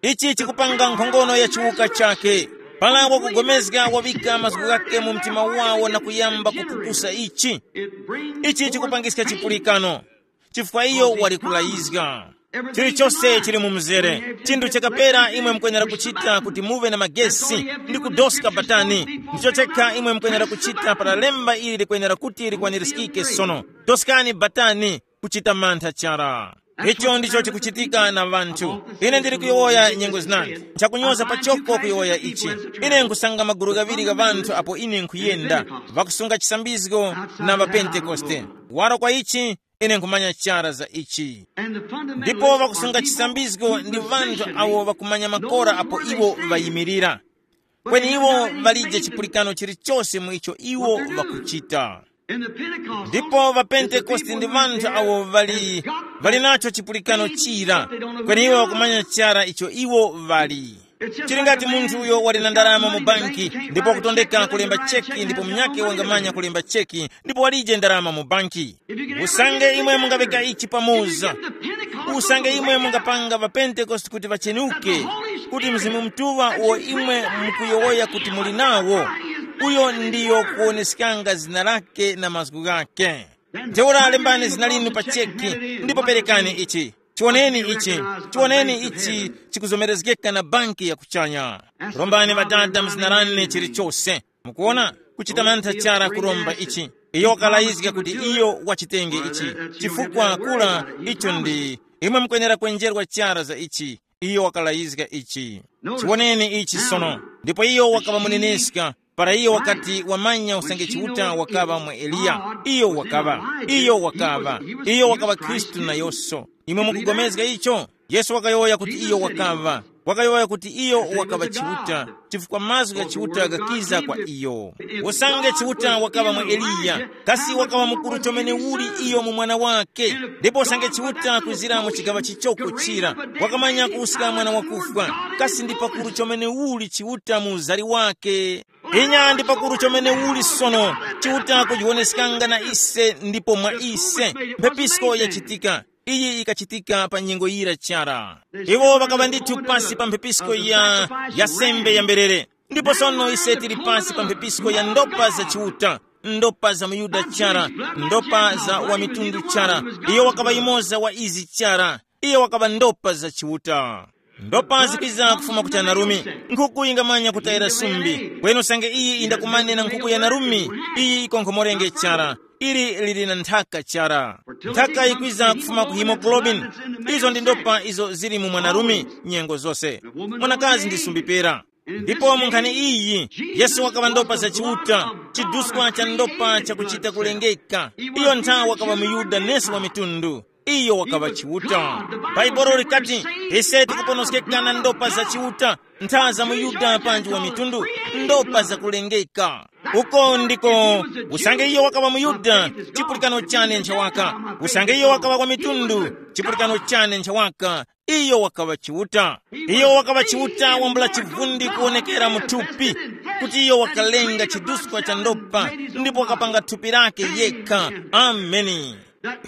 Ichi chikupanga nkhongono ya chiwuka chakhe. Para wakugomezga wavika mazgu ghakhe mu mtima wawo na kuyamba kupukusa ichi. Ichi chikupangiska chipulikano, chifukwa iyo wali kulayizga. Chilichose chili mu mzere. Chinthu chakapera imwe mukwenera kuchita kuti muve na magesi ndi kudoska batani. Ndicho chekha imwe mukwenera kuchita para lemba ili likwenera kuti likwanirizgike sono. Doskani batani, kuchita mantha chara. Icho ndicho chikuchitika na ŵanthu. Ine ndili kuyowoya nyengo zinandi. Nchakunyoza pachoko kuyowoya ichi. Ine nkusanga magulu ghaŵiri gha ŵanthu apo ine nkhuyenda, ŵakusunga chisambizgo na ŵapentekoste. Waro kwa ichi, ine nkhumanya chara za ichi. Ndipo ŵakusunga chisambizgo ndi ŵanthu awo ŵakumanya makora apo iwo ŵayimirira. Kweni iwo ŵalije chipulikano chilichose mu icho iwo ŵakuchita. Ndipo ŵapentekoste ndi ŵanthu awo ŵali, ŵali nacho chipulikano chira, kweni iwo ŵakumanya chara icho iwo ŵali. Chili ngati munthu uyo wali na ndalama mu banki, ndipo wakutondeka kulemba cheki, ndipo munyakhe wangamanya kulemba cheki, ndipo walije ndalama mu banki. Usange imwe mungaŵika ichi pamoza, usange imwe mungapanga ŵapentekoste kuti ŵachenuke, kuti Mzimu Mutuŵa uwo imwe mukuyowoya kuti muli nawo, uyo ndiyo kuwoneskanga zina lake na mazgu ghake. Ntheura lembani zina linu pa cheki, ndipo perekani ichi. Chiwoneni ichi, chiwoneni ichi chikuzomerezgeka na banki ya kuchanya. Rombani Ŵadada mu zina lane chilichose. Mukuona, kuchita mantha chara kuromba ichi. Iyo wakalayizga kuti iyo wachitenge ichi, chifukwa kula icho ndi imwe mukwenera kwenjerwa chara za ichi. Iyo wakalayizga ichi. Chiwoneni ichi sono. Ndipo iyo wakaŵa muneneska. Para iyo wakati wamanya usange Chiuta wakaŵa mwa Eliya, iyo wakaŵa, iyo wakaŵa, iyo wakaŵa Khristu nayonso. Imwe mukugomezga icho? Yesu wakayowoya kuti iyo wakaŵa, wakayowoya kuti iyo wakaŵa Chiuta, chifukwa mazgu gha Chiuta ghakiza kwa iyo. Usange Chiuta wakaŵa mwa Eliya, kasi wakaŵa mukuru chomene uli iyo mu mwana wake? Ndipo usange Chiuta kwizira mu chigaŵa chichoko chira, wakamanya kuwuska mwana wakufwa, kasi ndi pakuru chomene uli Chiuta mu uzari wake? Inya ndi pakuru chomene uli sono, Chiuta kujiwoneskanga na ise ndipo mwa ise. Mphepisko yachitika. Iyi ikachitika pa nyengo yira chara. Iwo ŵakaŵa ndithu pasi pa mphepisko ya, ya sembe ya mberere. Ndipo sono ise tili pasi pa mphepisko ya ndopa za Chiuta, ndopa za muYuda chara, ndopa za wamitundu chara. Iyo wakaŵa yumoza wa izi chara. Iyo wakaŵa ndopa za Chiuta. Ndopa zikwiza kufuma ku chanarumi. Nkhuku yingamanya kutayira sumbi. Kweni usange iyi indakumane na nkhuku ya narumi, iyi ikonkhomorenge chara. Ili lili na nthaka chara. Nthaka yikwiza kufuma ku hemoglobin. Izo ndi ndopa izo zili mu mwanarume nyengo zose. Mwanakazi ndi sumbi pera. Ndipo mu nkhani iyi, Yesu wakaŵa ndopa za Chiuta, chiduskwa cha ndopa chakuchita kulengeka. Iyo nthawi wakaŵa muYuda nesi wa mitundu. Iyo wakaŵa Chiuta. Bhaibuli likati, ise tikuponoskeka na ndopa za Chiuta, ntha za muYuda panji wa mitundu, ndopa zakulengeka. Uko ndiko, usange iyo wakaŵa muYuda, chipulikano chane nchawaka. Usange iyo wakaŵa wa mitundu, chipulikano chane nchawaka. Iyo wakaŵa Chiuta. Iyo wakaŵa Chiuta wambula chivundi kuwonekera mu thupi, kuti iyo wakalenga chiduskwa cha ndopa, ndipo wakapanga thupi lake yekha. Ameni.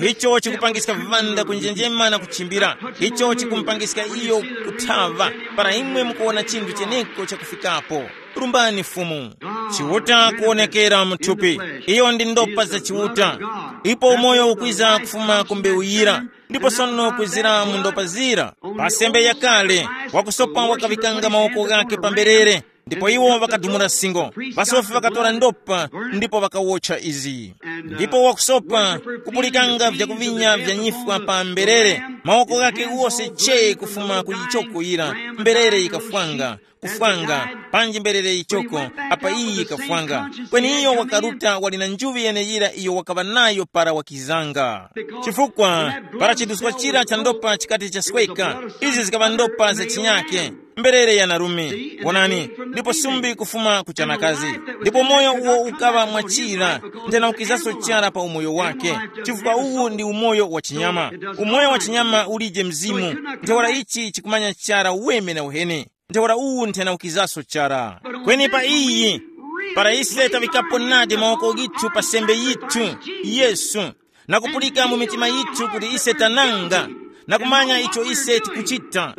Icho chikupangiska vivanda kunjenjema na kuchimbira. Icho chikumupangiska iyo kuthava. Para imwe mukuwona chinthu cheneko chakufikapo, lumbani Fumu. Chiuta kuwonekera mu thupi. Iyo ndi ndopa za Chiuta. Ipo umoyo ukwiza kufuma ku mbewu yira, ndipo sono kwizira mu ndopa zira. Pa sembe yakale, wakusopa wakaŵikanga mawoko ghake pa mberere, ndipo iwo ŵakadumula singo. Pasofi ŵakatora ndopa, ndipo ŵakawotcha izi. Ndipo wakusopa kupulikanga vyakuvinya vya nyifwa pa mberere, mawoko ghake wose che kufuma ku yichoko yira, mberere yikafwanga, kufwanga, panji mberere yichoko, apa iyi yikafwanga. Kweni iyo wakaruta wali na njuŵi yeneyira iyo wakaŵa nayo para wakizanga. Chifukwa, para chiduskwa chira cha ndopa chikati chasweka, izi zikaŵa ndopa za chinyake, mberere ya narume. Wonani, ndipo sumbi kufuma ku chanakazi. Ndipo moyo uwo ukaŵa mwachira, nthena ukizaso chara pa umoyo wake, chifukwa uwu ndi umoyo wa chinyama. Umoyo wa chinyama ulije mzimu, ntheura ichi chikumanya chara weme na uhene. Ntheura uwu nthena ukizaso chara. Kweni pa iyi, para ise taŵikapo nadi mawoko ghithu pa sembe yithu, Yesu, na kupulika mu mitima yithu kuti ise tananga, na kumanya icho ise tikuchita.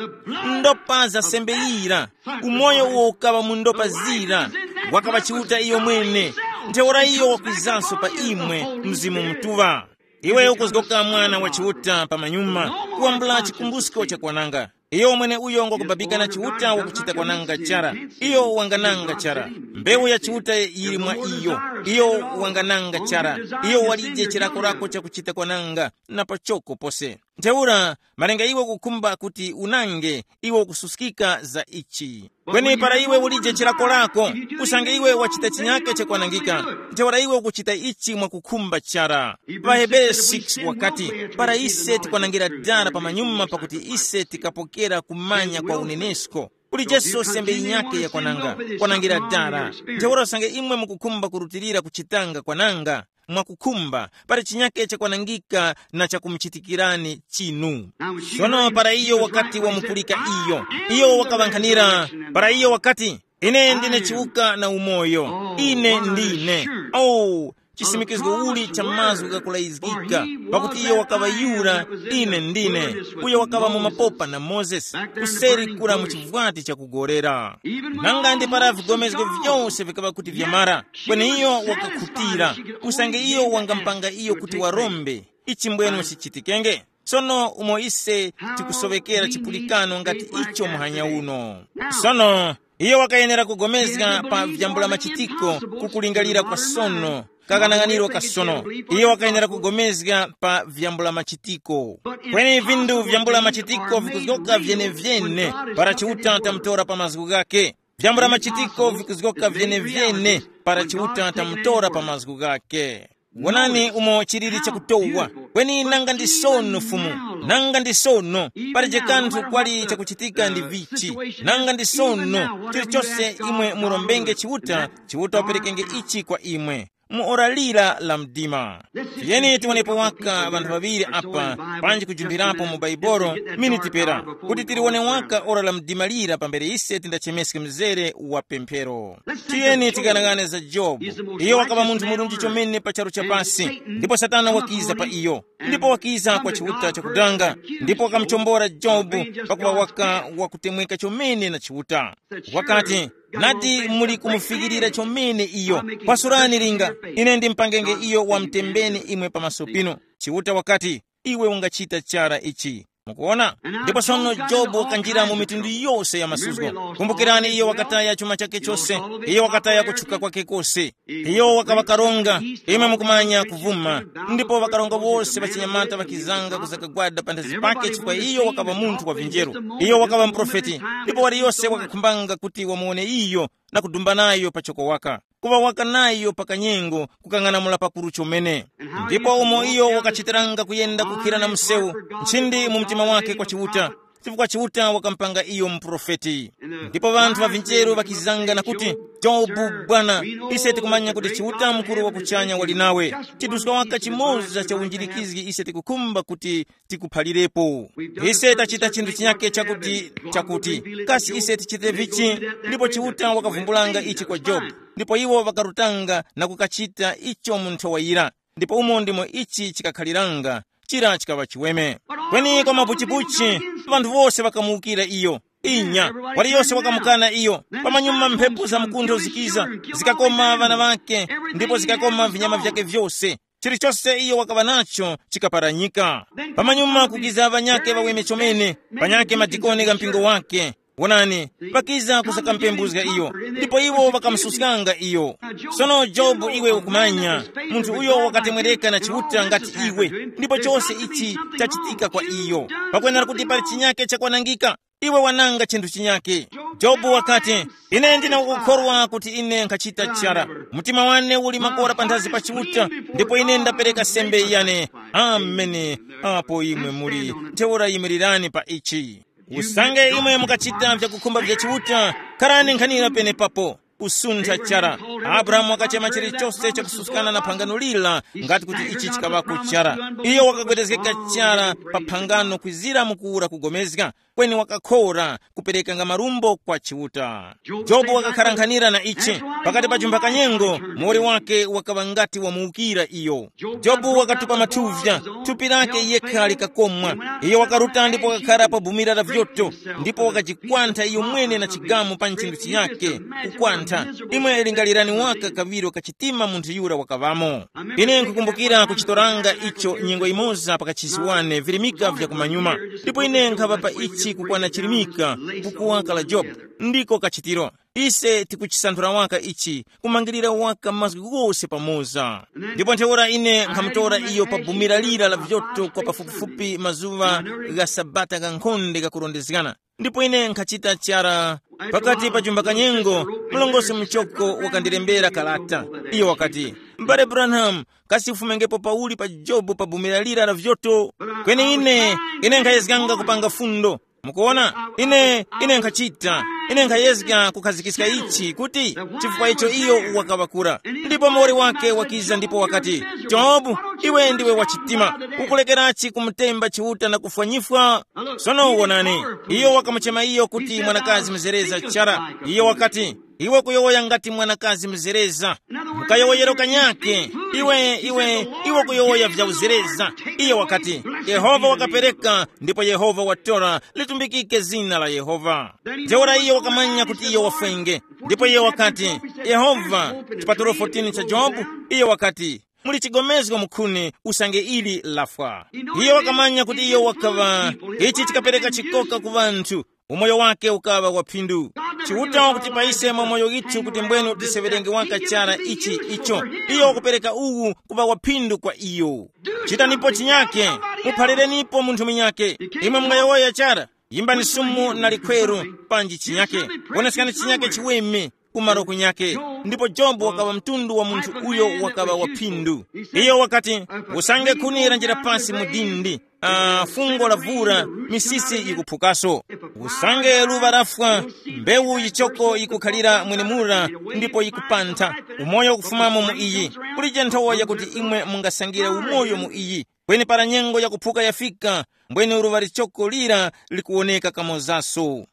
Ndopa za sembe yira, umoyo uwo ukaŵa mu ndopa zira, wakaŵa Chiuta iyo mwene. Ntheura iyo wakwizanso pa imwe, Mzimu Mutuŵa. Iwe ukuzgoka mwana wa Chiuta pa manyuma, kuwambula chikumbusko cha kwananga. Iyo mwene uyo ngwakubabika na Chiuta wakuchita kwananga chara. Iyo wangananga chara. Mbewu ya Chiuta yili mwa iyo. Iyo wangananga chara. Iyo walije chilakolako chakuchita kwananga na pachoko pose. Ntheura, malinga iwe ukukhumba kuti unange, iwe ukususkika za ichi. Kweni para iwe ulije chilakolako, usange iwe wachita chinyake chakwanangika, ntheura iwe ukuchita ichi mwakukhumba chara. Ŵahebere six wakati, para ise tikwanangira dara pamanyuma pakuti ise tikapokera kumanya kwa unenesko. Ulijeso sembe yinyake yakwananga, kwanangira dara. Ntheura usange imwe mukukhumba kurutilira kuchitanga kwananga, mwakukhumba, pali chinyake chakwanangika na chakumuchitikirani chinu. Sono para iyo wakati wamupulika iyo, iyo wakaŵankhanira, para iyo wakati, ine ndine chiwuka na umoyo, ine ndine. Oh, chisimikizgo uli cha mazgu ghakulayizgika, pakuti iyo wakaŵa yura, ine ndine, uyo wakaŵa mu mapopa na Mozesi, kuseri kura mu chivwati chakugorera. Nanga ndi para vigomezgo vyose vikaŵa kuti vyamara, kweni iyo wakakhutira, usange iyo wangampanga iyo kuti warombe, ichi mbwenu chichitikenge. Sono umo ise tikusoŵekera chipulikano ngati icho muhanya uno. Sono, iyo wakayenera kugomezga pa vyambula machitiko kukulingalira kwa sono, Kakanang'aniro kasono. Iyo wakayenera kugomezga pa vyambula machitiko. Kweni vindu vyambula machitiko vikuzgoka vyenevyene para Chiuta tamutora pa mazgu ghake. Vyambula machitiko vikuzgoka vyenevyene para Chiuta tamutora pa mazgu ghake. Wonani umo chilili chakutowa. Kweni nanga ndi sono, Fumu, nanga ndi sono, palije kanthu kwali chakuchitika ndi vichi. Nanga ndi sono, chilichose imwe murombenge Chiuta, Chiuta waperekenge ichi kwa imwe. Mu ora lira la mdima. Tiyeni tiwonepo waka ŵanthu ŵaŵiri apa, panji kujumbirapo mu Baibolo miniti pera, kuti tiliwone waka ora la mdima lira pambere ise tindachemeske mzere wa pemphero. Tiyeni tikanang'ane za Jobu. Iyo wakaŵa munthu murunji chomene pa charu cha pasi, ndipo Satana wakiza pa iyo. Ndipo wakiza kwa Chiuta chakudanga, ndipo wakamuchombora Jobu, pakuŵa waka wakutemweka chomene na Chiuta. Wakati, nati muli kumufikirira chomene iyo. Pasurani linga, ine ndimpangenge iyo wamtembeni imwe pamaso pinu. Chiuta wakati, iwe ungachita chara ichi. Mukuona? Ndipo sono Jobu wakanjira mu mitundu yose ya masuzgo. Kumbukirani, iyo wakataya chuma chake chose. Iyo wakataya kutchuka kwake kose. Iyo wakaŵa karonga. Imwe mukumanya kuvuma. Ndipo ŵakaronga wose ŵachinyamata ŵakizanga kuzakagwada panthazi pake chifukwa iyo wakaŵa munthu wa vinjeru. Iyo wakaŵa muprofeti. Ndipo waliyose wakakhumbanga kuti wamuwone iyo, na kudumba nayo pachoko waka, kuŵa waka nayo pa kanyengo, kukang'anamula pakuru chomene. Ndipo umo iyo wakachitiranga kuyenda kukhira na msewu, nchindi mu mtima wake kwa Chiuta, chifukwa Chiuta wakamupanga iyo muprofeti. Ndipo ŵanthu ŵa vinjeru ŵakizanga na kuti, Jobu, bwana, ise tikumanya kuti Chiuta mukuru wa kuchanya wali nawe. Chiduska waka chimoza cha unjirikizgi ise tikukhumba kuti tikuphalirepo. Ise tachita chinthu chinyake chakuti, chakuti, kasi ise tichite vichi? Ndipo Chiuta wakavumbulanga ichi kwa Jobu. Ndipo iwo ŵakarutanga na kukachita icho mu nthowa yira. Ndipo umo ndimo ichi chikakhaliranga, chira chikaŵa chiweme. Kweni kwa mapuchipuchi, ŵanthu wose ŵakamuwukira iyo. Inya, waliyose wakamukana iyo. Pamanyuma mphepo za mkuntho zikiza, zikakoma ŵana ŵake, ndipo zikakoma vinyama vyake vyose. Chilichose iyo wakaŵa nacho chikaparanyika. Pamanyuma kukiza ŵanyake ŵaweme chomene, panyake madikoni gha mpingo wake. Wonani, ŵakiza kusakampembuzga iyo, ndipo iwo ŵakamususkanga iyo. Sono Jobu, iwe ukumanya, munthu uyo wakatemwereka na Chiuta ngati iwe, ndipo chose ichi chachitika kwa iyo. Pakwenera kuti pali chinyake chakwanangika, iwe wananga chinthu chinyake. Jobu wakati, ine ndina kukhorwa kuti ine nkhachita chara. Mtima wane uli makora panthazi pa Chiuta, ndipo ine ndapereka sembe yane. Ameni. Apo imwe muli, ntheura yimirirani pa ichi. Usange imwe mukachita vyakukhumba vya Chiuta, kharani nkhanira penepapo. Kusuntha chara. Abrahamu wakachema chilichose chakususkana na phangano lira, ngati kuti ichi chikaŵako chara. Iyo wakagwedezgeka chara pa phangano kwizira mukuwura kugomezga, kweni wakakhora kuperekanga marumbo kwa Chiuta. Jobu wakakharankhanira na ichi. Pakati pa chumba kanyengo, muwoli wake wakaŵa ngati wamuwukira iyo. Jobu wakatupa mathuvya, thupi lake yekha likakomwa. Iyo wakaruta ndipo wakakhara pa bumira la vyoto, ndipo wakajikwantha iyo mwene na chigamu pa nchindutchi yake, kukwantha. Imwe lingalirani waka kaŵiro ka chitima munthu yura wakaŵamo. Ine nkukumbukira kuchitoranga icho nyengo imoza pa kachisi wane virimika vya kumanyuma, ndipo ine nkhapa pa ichi kukwana chirimika, kukuwaka la Jobu, ndiko kachitiro. Ise tikuchisanthula waka ichi, kumangirira waka mazgu ghose pamoza. Ndipo ntheura ine nkhamutora iyo pa bumira lira la vyoto kwa pafupifupi mazuŵa gha sabata ghankhonde ghakurondezgana. Ndipo ine nkhachita chara. Pakati pa chumba kanyengo, mlongosi muchoko wakandilembera kalata. Iyo wakati, mbale Branham, kasi ufumengepo pauli pa Jobu pa bumira lira la vyoto? Kweni ine, ine nkhayezganga kupanga fundo. Mukuona, ine, ine nkhachita, ine nkhayezga kukhazikiska ichi kuti, chifukwa icho iyo wakaŵa kura. Ndipo muwoli wake wakiza ndipo wakati, Jobu, iwe ndiwe wachitima, ukulekerachi kumutemba Chiuta na kufwanyifwa? Sono wonani, iyo wakamuchema iyo kuti mwanakazi mzereza chara. Iyo wakati, iwe kuyowoya ngati mwanakazi mzereza. Mukayowoyero kanyake, iwe, iwe, iwe kuyowoya vya uzereza. Iyo wakati, Yehova wakapereka, ndipo Yehova watora, litumbikike zina la Yehova. Ntheura iyo wakamanya kuti iyo wafwenge. Ndipo iyo wakati, Yehova, chipatulo fourteen cha Jobu, iyo wakati, muli chigomezgo mukhuni usange ili lafwa. Iyo wakamanya kuti iyo wakaŵa, ichi chikapereka chikoka ku ŵanthu, umoyo wake ukaŵa wa phindu. Chiuta wakutipa ise mwa moyo withu kuti mbwenu tiseŵerenge waka chara ichi icho. Iyo wakupereka uwu kuŵa waphindu kwa iyo. Chitanipo chinyake, muphalirenipo munthu munyake. Imwe mungayowoya chara, yimbani sumu na likhweru, panji chinyake, woneskani chinyake chiweme kumaro kunyake. Ndipo Jobu wakaŵa mtundu wa munthu uyo wakaŵa waphindu. Iyo wakati, usange khuni lanjira pasi mu dindi, ah, fungo lavura, misisi yikuphukaso. Usange luva lafwa, mbewu yichoko yikukhalira mwenemura, ndipo yikupantha, umoyo ukufumamo mu iyi. Kulije nthowa yakuti imwe mungasangire umoyo mu iyi. Kweni para nyengo yakuphuka yafika, mbwene luva lichoko lira likuwoneka kamozaso.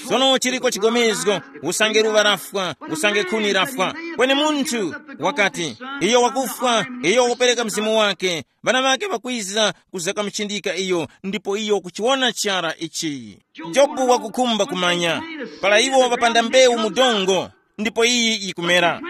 Sono chiriko chigomezgo, usange luva lafwa, usange khuni lafwa. Kweni munthu wakati, iyo wakufwa, iyo wakupereka mzimu wake, ŵana ŵake ŵakwiza kuzakamuchindika iyo, ndipo iyo kuchiwona chara ichi. Jobu wakukhumba kumanya, para iwo ŵapanda mbewu mu dongo, ndipo iyi yikumera.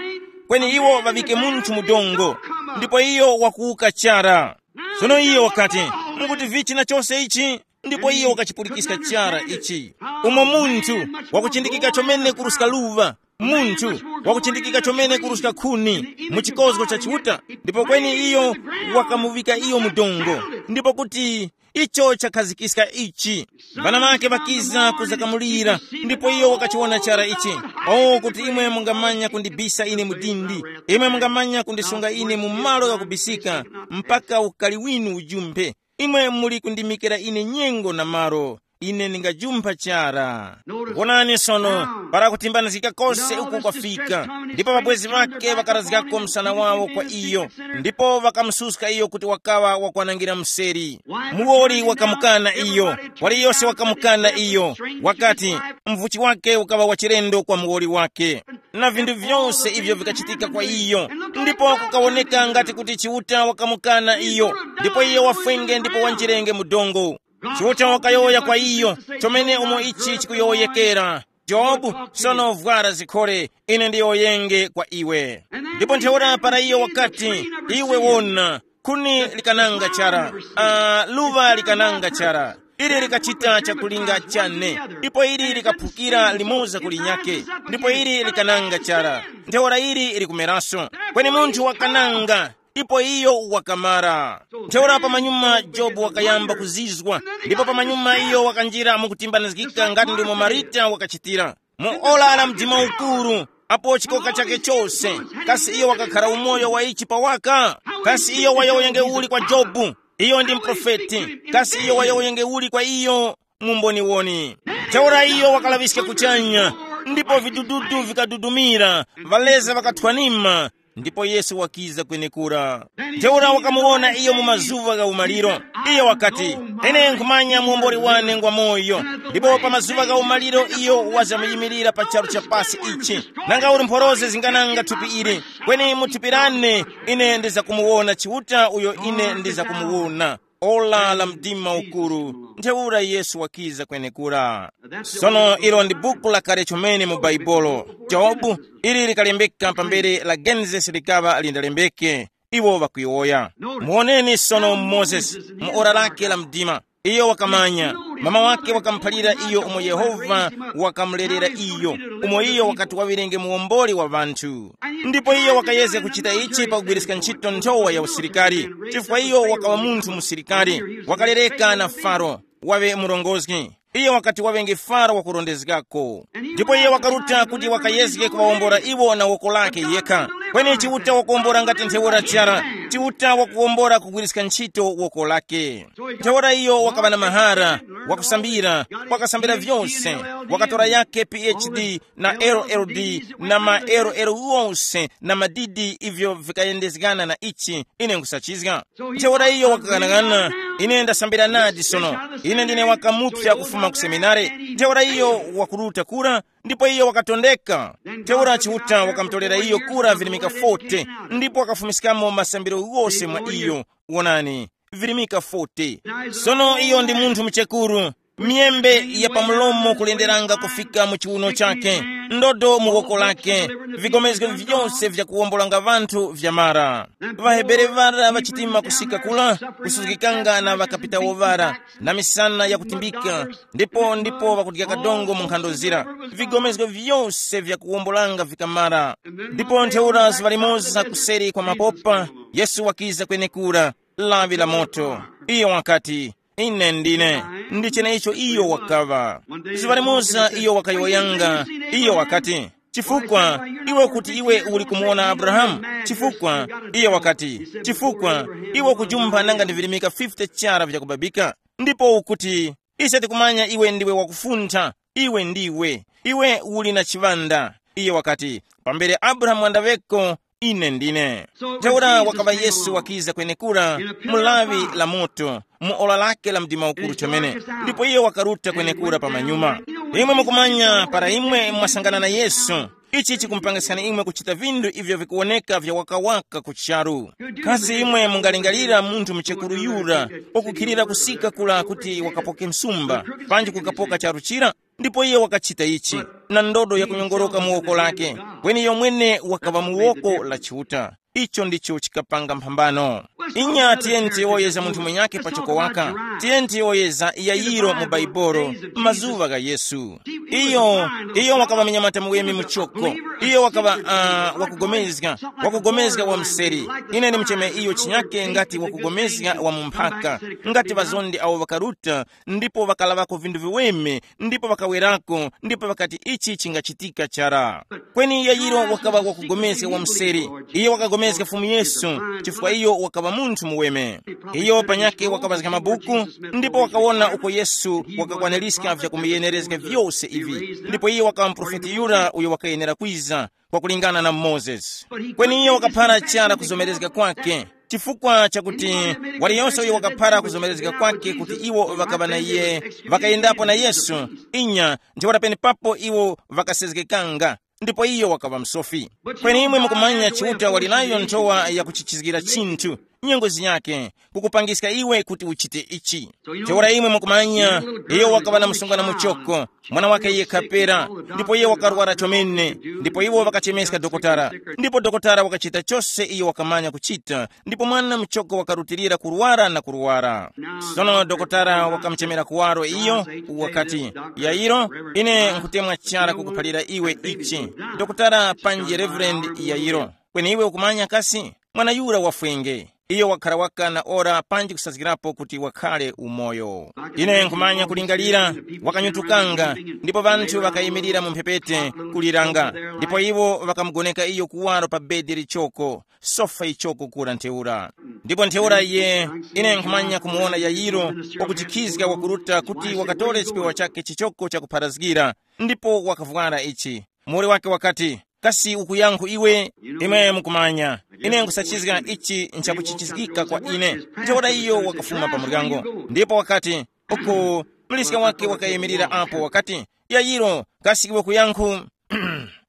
Kweni iwo ŵaŵike munthu mu dongo, ndipo iyo wakuwuka chara. Sono iyo wakati, mukuti vichi na chose ichi? Ndipo iyo wakachipulikiska chara ichi. Umo munthu wakuchindikika chomene kuruska luva, munthu wakuchindikika chomene kuruska khuni mu chikozgo cha Chiuta, ndipo kweni iyo wakamuŵika iyo mu dongo, ndipo kuti icho chakhazikiska ichi. Ŵana ŵake ŵakiza kuzakamulira, ndipo iyo wakachiwona chara ichi. O, kuti imwe mungamanya kundibisa ine mu dindi, imwe mungamanya kundisunga ine mu malo ghakubisika, mpaka ukali winu ujumphe. Imwe muli kundimikira ine nyengo na malo, ine ndingajumpha chara. Wonani sono, para kutimbanizgika kose uku kwafika, ndipo ŵabwezi ŵake ŵakarazgako msana wawo kwa iyo, ndipo ŵakamususka iyo kuti wakaŵa wakwanangira mseri. Muwoli wakamukana iyo, waliyose wakamukana iyo, wakati, mvuchi wake ukaŵa wachilendo kwa muwoli wake. Na vinthu vyose ivyo vikachitika kwa iyo, ndipo kukawoneka ngati kuti Chiuta wakamukana iyo, ndipo iyo wafwenge ndipo wanjirenge mu dongo. Chiuta wakayowoya kwa iyo, chomene umo ichi chikuyowoyekera, Jobu, sono vwara zikhole, ine ndiyowoyenge kwa iwe. Ndipo ntheura para iyo wakati, iwe wona, khuni likananga chara, uh, luva likananga chara, ili likachita chakulinga chane, ndipo ili likaphukira limoza ku linyake, ndipo ili likananga chara, ntheura ili likumeraso. Kweni munthu wakananga, ndipo iyo wakamara. Ntheura pamanyuma Jobu wakayamba kuzizwa, ndipo pamanyuma iyo wakanjira mukutimbanizgika ngati ndimo Marita wakachitira. Mu ora la mdima ukuru, apo chikoka chake chose, kasi iyo wakakhara umoyo wa ichi pawaka? Kasi iyo wayowoyenge uli kwa Jobu? Iyo ndi mprofeti. Kasi iyo wayowoyenge uli kwa iyo? Mumboniwoni. Ntheura iyo wakalaŵiska kuchanya, ndipo vidududu vikadudumira, ŵaleza ŵakathwanima, ndipo Yesu wakiza kwenekura. Ntheura wakamuwona iyo mu mazuŵa gha umaliro. Iyo wakati, ine nkhumanya muomboli wane ngwa moyo, ndipo pa mazuŵa gha umaliro iyo wazamyimirira pa charu cha pasi ichi. Nanga uli mphoroze zingananga thupi ili, kweni mu thupi lane ine ndizakumuwona Chiuta uyo ine ndizakumuwona. Ola la mdima ukuru, ntheura Yesu wakiza kwenekura. Sono ilo ndi buku lakale chomene mu Baibulo. Jobu, ili likalembeka pambere la Genesis likaŵa lindalembeke. Iwo ŵakuyowoya. Muwoneni sono Mozesi, mu ora lake la mdima. Iyo wakamanya, mama wake wakamuphalira iyo umo Yehova wakamulerera iyo, umo iyo wakati waŵirenge muwomboli wa ŵanthu. Ndipo iyo wakayezga kuchita ichi pakugwiriska ntchito nthowa ya usilikari, chifukwa iyo wakaŵa munthu musilikari, wakalereka na Faro, waŵe murongozgi. Iyo wakati waŵenge Faro wakurondezgako. Ndipo iyo wakaruta kuti wakayezge kuŵawombora iwo na woko lake yekha. Kweni Chiuta wakuwombora ngati ntheura chara. Chiuta wakuwombora kugwiriska ntchito woko lake. Ntheura iyo wakaŵa na mahara, wakusambira, wakasambira vyose, wakatora yake P H D na L L D na ma L L wose na madidi ivyo vikayendezgana na ichi, ine nkusachizga. Ntheura iyo wakaghanaghana, ine ndasambira nadi sono. Ine ndine wakamupsa kufuma ku seminare. Ntheura iyo wakuruta kura, ndipo iyo wakatondeka. Ntheura Chiuta wakamutolera iyo kura virimika forty, ndipo wakafumiskamo masambiro ghose mwa iyo. Wonani, virimika forty. Sono iyo ndi munthu muchekuru, Myembe ya pamulomo kulenderanga kufika mu chiwuno chake, ndodo mu woko lake, vigomezgo vyose vyakuwombolanga vanthu vyamara. Vahebere vara vachitima kusika kula, kusuzgikanga na ŵakapitawo vara, na misana yakutimbika, ndipo ndipo ŵakudya kadongo mu nkhando zira. Vigomezgo vyose vyakuwombolanga vikamara. Ndipo ntheura zuŵa limoza kuseri kwa mapopa, Yesu wakiza kwenekura, lawi la moto. Iyo wakati, ine ndine. Ndi cheneicho iyo wakaŵa. Zuŵa limoza iyo wakayowoyanga, iyo wakati, chifukwa iwe kuti iwe uli kumuwona Abrahamu? Chifukwa, iyo wakati, chifukwa iwe ukujumpha nanga ndi virimika fifty chara vyakubabika? Ndipo ukuti, ise tikumanya iwe ndiwe wakufuntha, iwe ndiwe, iwe uli na chiŵanda. Iye wakati, pambere Abrahamu wandaŵeko, ine ndine. Ntheura wakaŵa Yesu wakiza kwenekura, mu lawi la moto, mu ora lake la mdima ukuru chomene. Ndipo iye wakaruta kwenekura pa manyuma. Imwe mukumanya para imwe mwasangana na Yesu, ichi chikumupangiskani imwe kuchita vinthu ivyo vikuwoneka vya wakawaka ku charu. Kasi imwe mungalingalira munthu muchekuru yura wakukhilira kusika kula kuti wakapoke msumba, panji kukapoka charu chira? Ndipo iye wakachita ichi, na ndodo yakunyongoroka mu woko lake, kweni yomwene wakaŵa mu woko la Chiuta. Icho ndicho chikapanga mphambano. Inya tiyeni tiyowoyeza munthu mwenyake pachoko waka. Tiyeni tiyowoyeza Yayiro mu Baibolo, mazuŵa gha Yesu. Iyo, iyo wakaŵa mnyamata muweme muchoko. Iyo wakaŵa uh, wakugomezga, wakugomezga wa mseri. Ine ndimucheme iyo chinyake ngati wakugomezga wa mumphaka, ngati ŵazondi awo ŵakaruta, ndipo ŵakalaŵako vinthu viweme, ndipo ŵakawerako, ndipo ŵakati ichi chingachitika chara. Kweni Yayiro wakaŵa wakupulikana wa mseri. Iyo wakapulikana Fumu Yesu, chifukwa iyo wakaŵa munthu muweme. Iyo panyakhe wakaŵazga mabuku, ndipo wakawona uko Yesu wakakwaniska vyakumuyenerezga vyose ivi. Ndipo iyo wakaŵa muprofeti yura uyo wakayenera kwiza, kwakulingana na Mozesi. Kweni iyo wakaphara chara kuzomerezga kwake, chifukwa chakuti waliyonse uyo wakaphara kuzomerezga kwake kuti iwo ŵakaŵa na iye, ŵakayendapo na Yesu, inya, ntheura penepapo iwo ŵakasezgekanga, ndipo iyo wakaŵa msofi. Kweni imwe mukumanya Chiuta wali nayo nthowa yakuchichizgira chinthu, nyengo zinyakhe, kukupangiska iwe kuti uchite ichi. Ntheura imwe mukumanya, iyo wakaŵa na msungwana muchoko, mwana wake yekha pera, ndipo iye wakarwara chomene, ndipo iwo ŵakachemeska dokotala, ndipo dokotala wakachita chose iyo wakamanya kuchita, ndipo mwana muchoko wakarutilira kurwara na kurwara. Sono dokotala wakamuchemera kuwaro iyo, wakati, Yairo, ine nkutemwa chara kukuphalira iwe ichi. Dokotala panji Reverend Yairo, kweni iwe ukumanya kasi? Mwana yura wafwenge. Iyo wakhara waka na ora panji kusazgirapo kuti wakhare umoyo. Ine nkhumanya kulingalira, wakanyutukanga, ndipo ŵanthu ŵakayimirira mu mphepete kuliranga, ndipo iwo ŵakamugoneka iyo kuwaro pa bedi lichoko, sofa ichoko kura ntheura. Ndipo ntheura iye, ine nkhumanya kumuwona Yayiro, wakuchikhizga wakuruta kuti wakatore chipewa chake chichoko chakupharazgira, ndipo wakavwara ichi. Muwoli wake wakati, kasi ukuyankhu iwe? Imwe mukumanya, ine nkusachizga ichi nchakuchichizgika kwa ine. Ntheura iyo wakafuma pa muryango, ndipo wakati, uku muliska wake wakayimirira apo wakati, Yayiro, kasi iwe kuyankhu?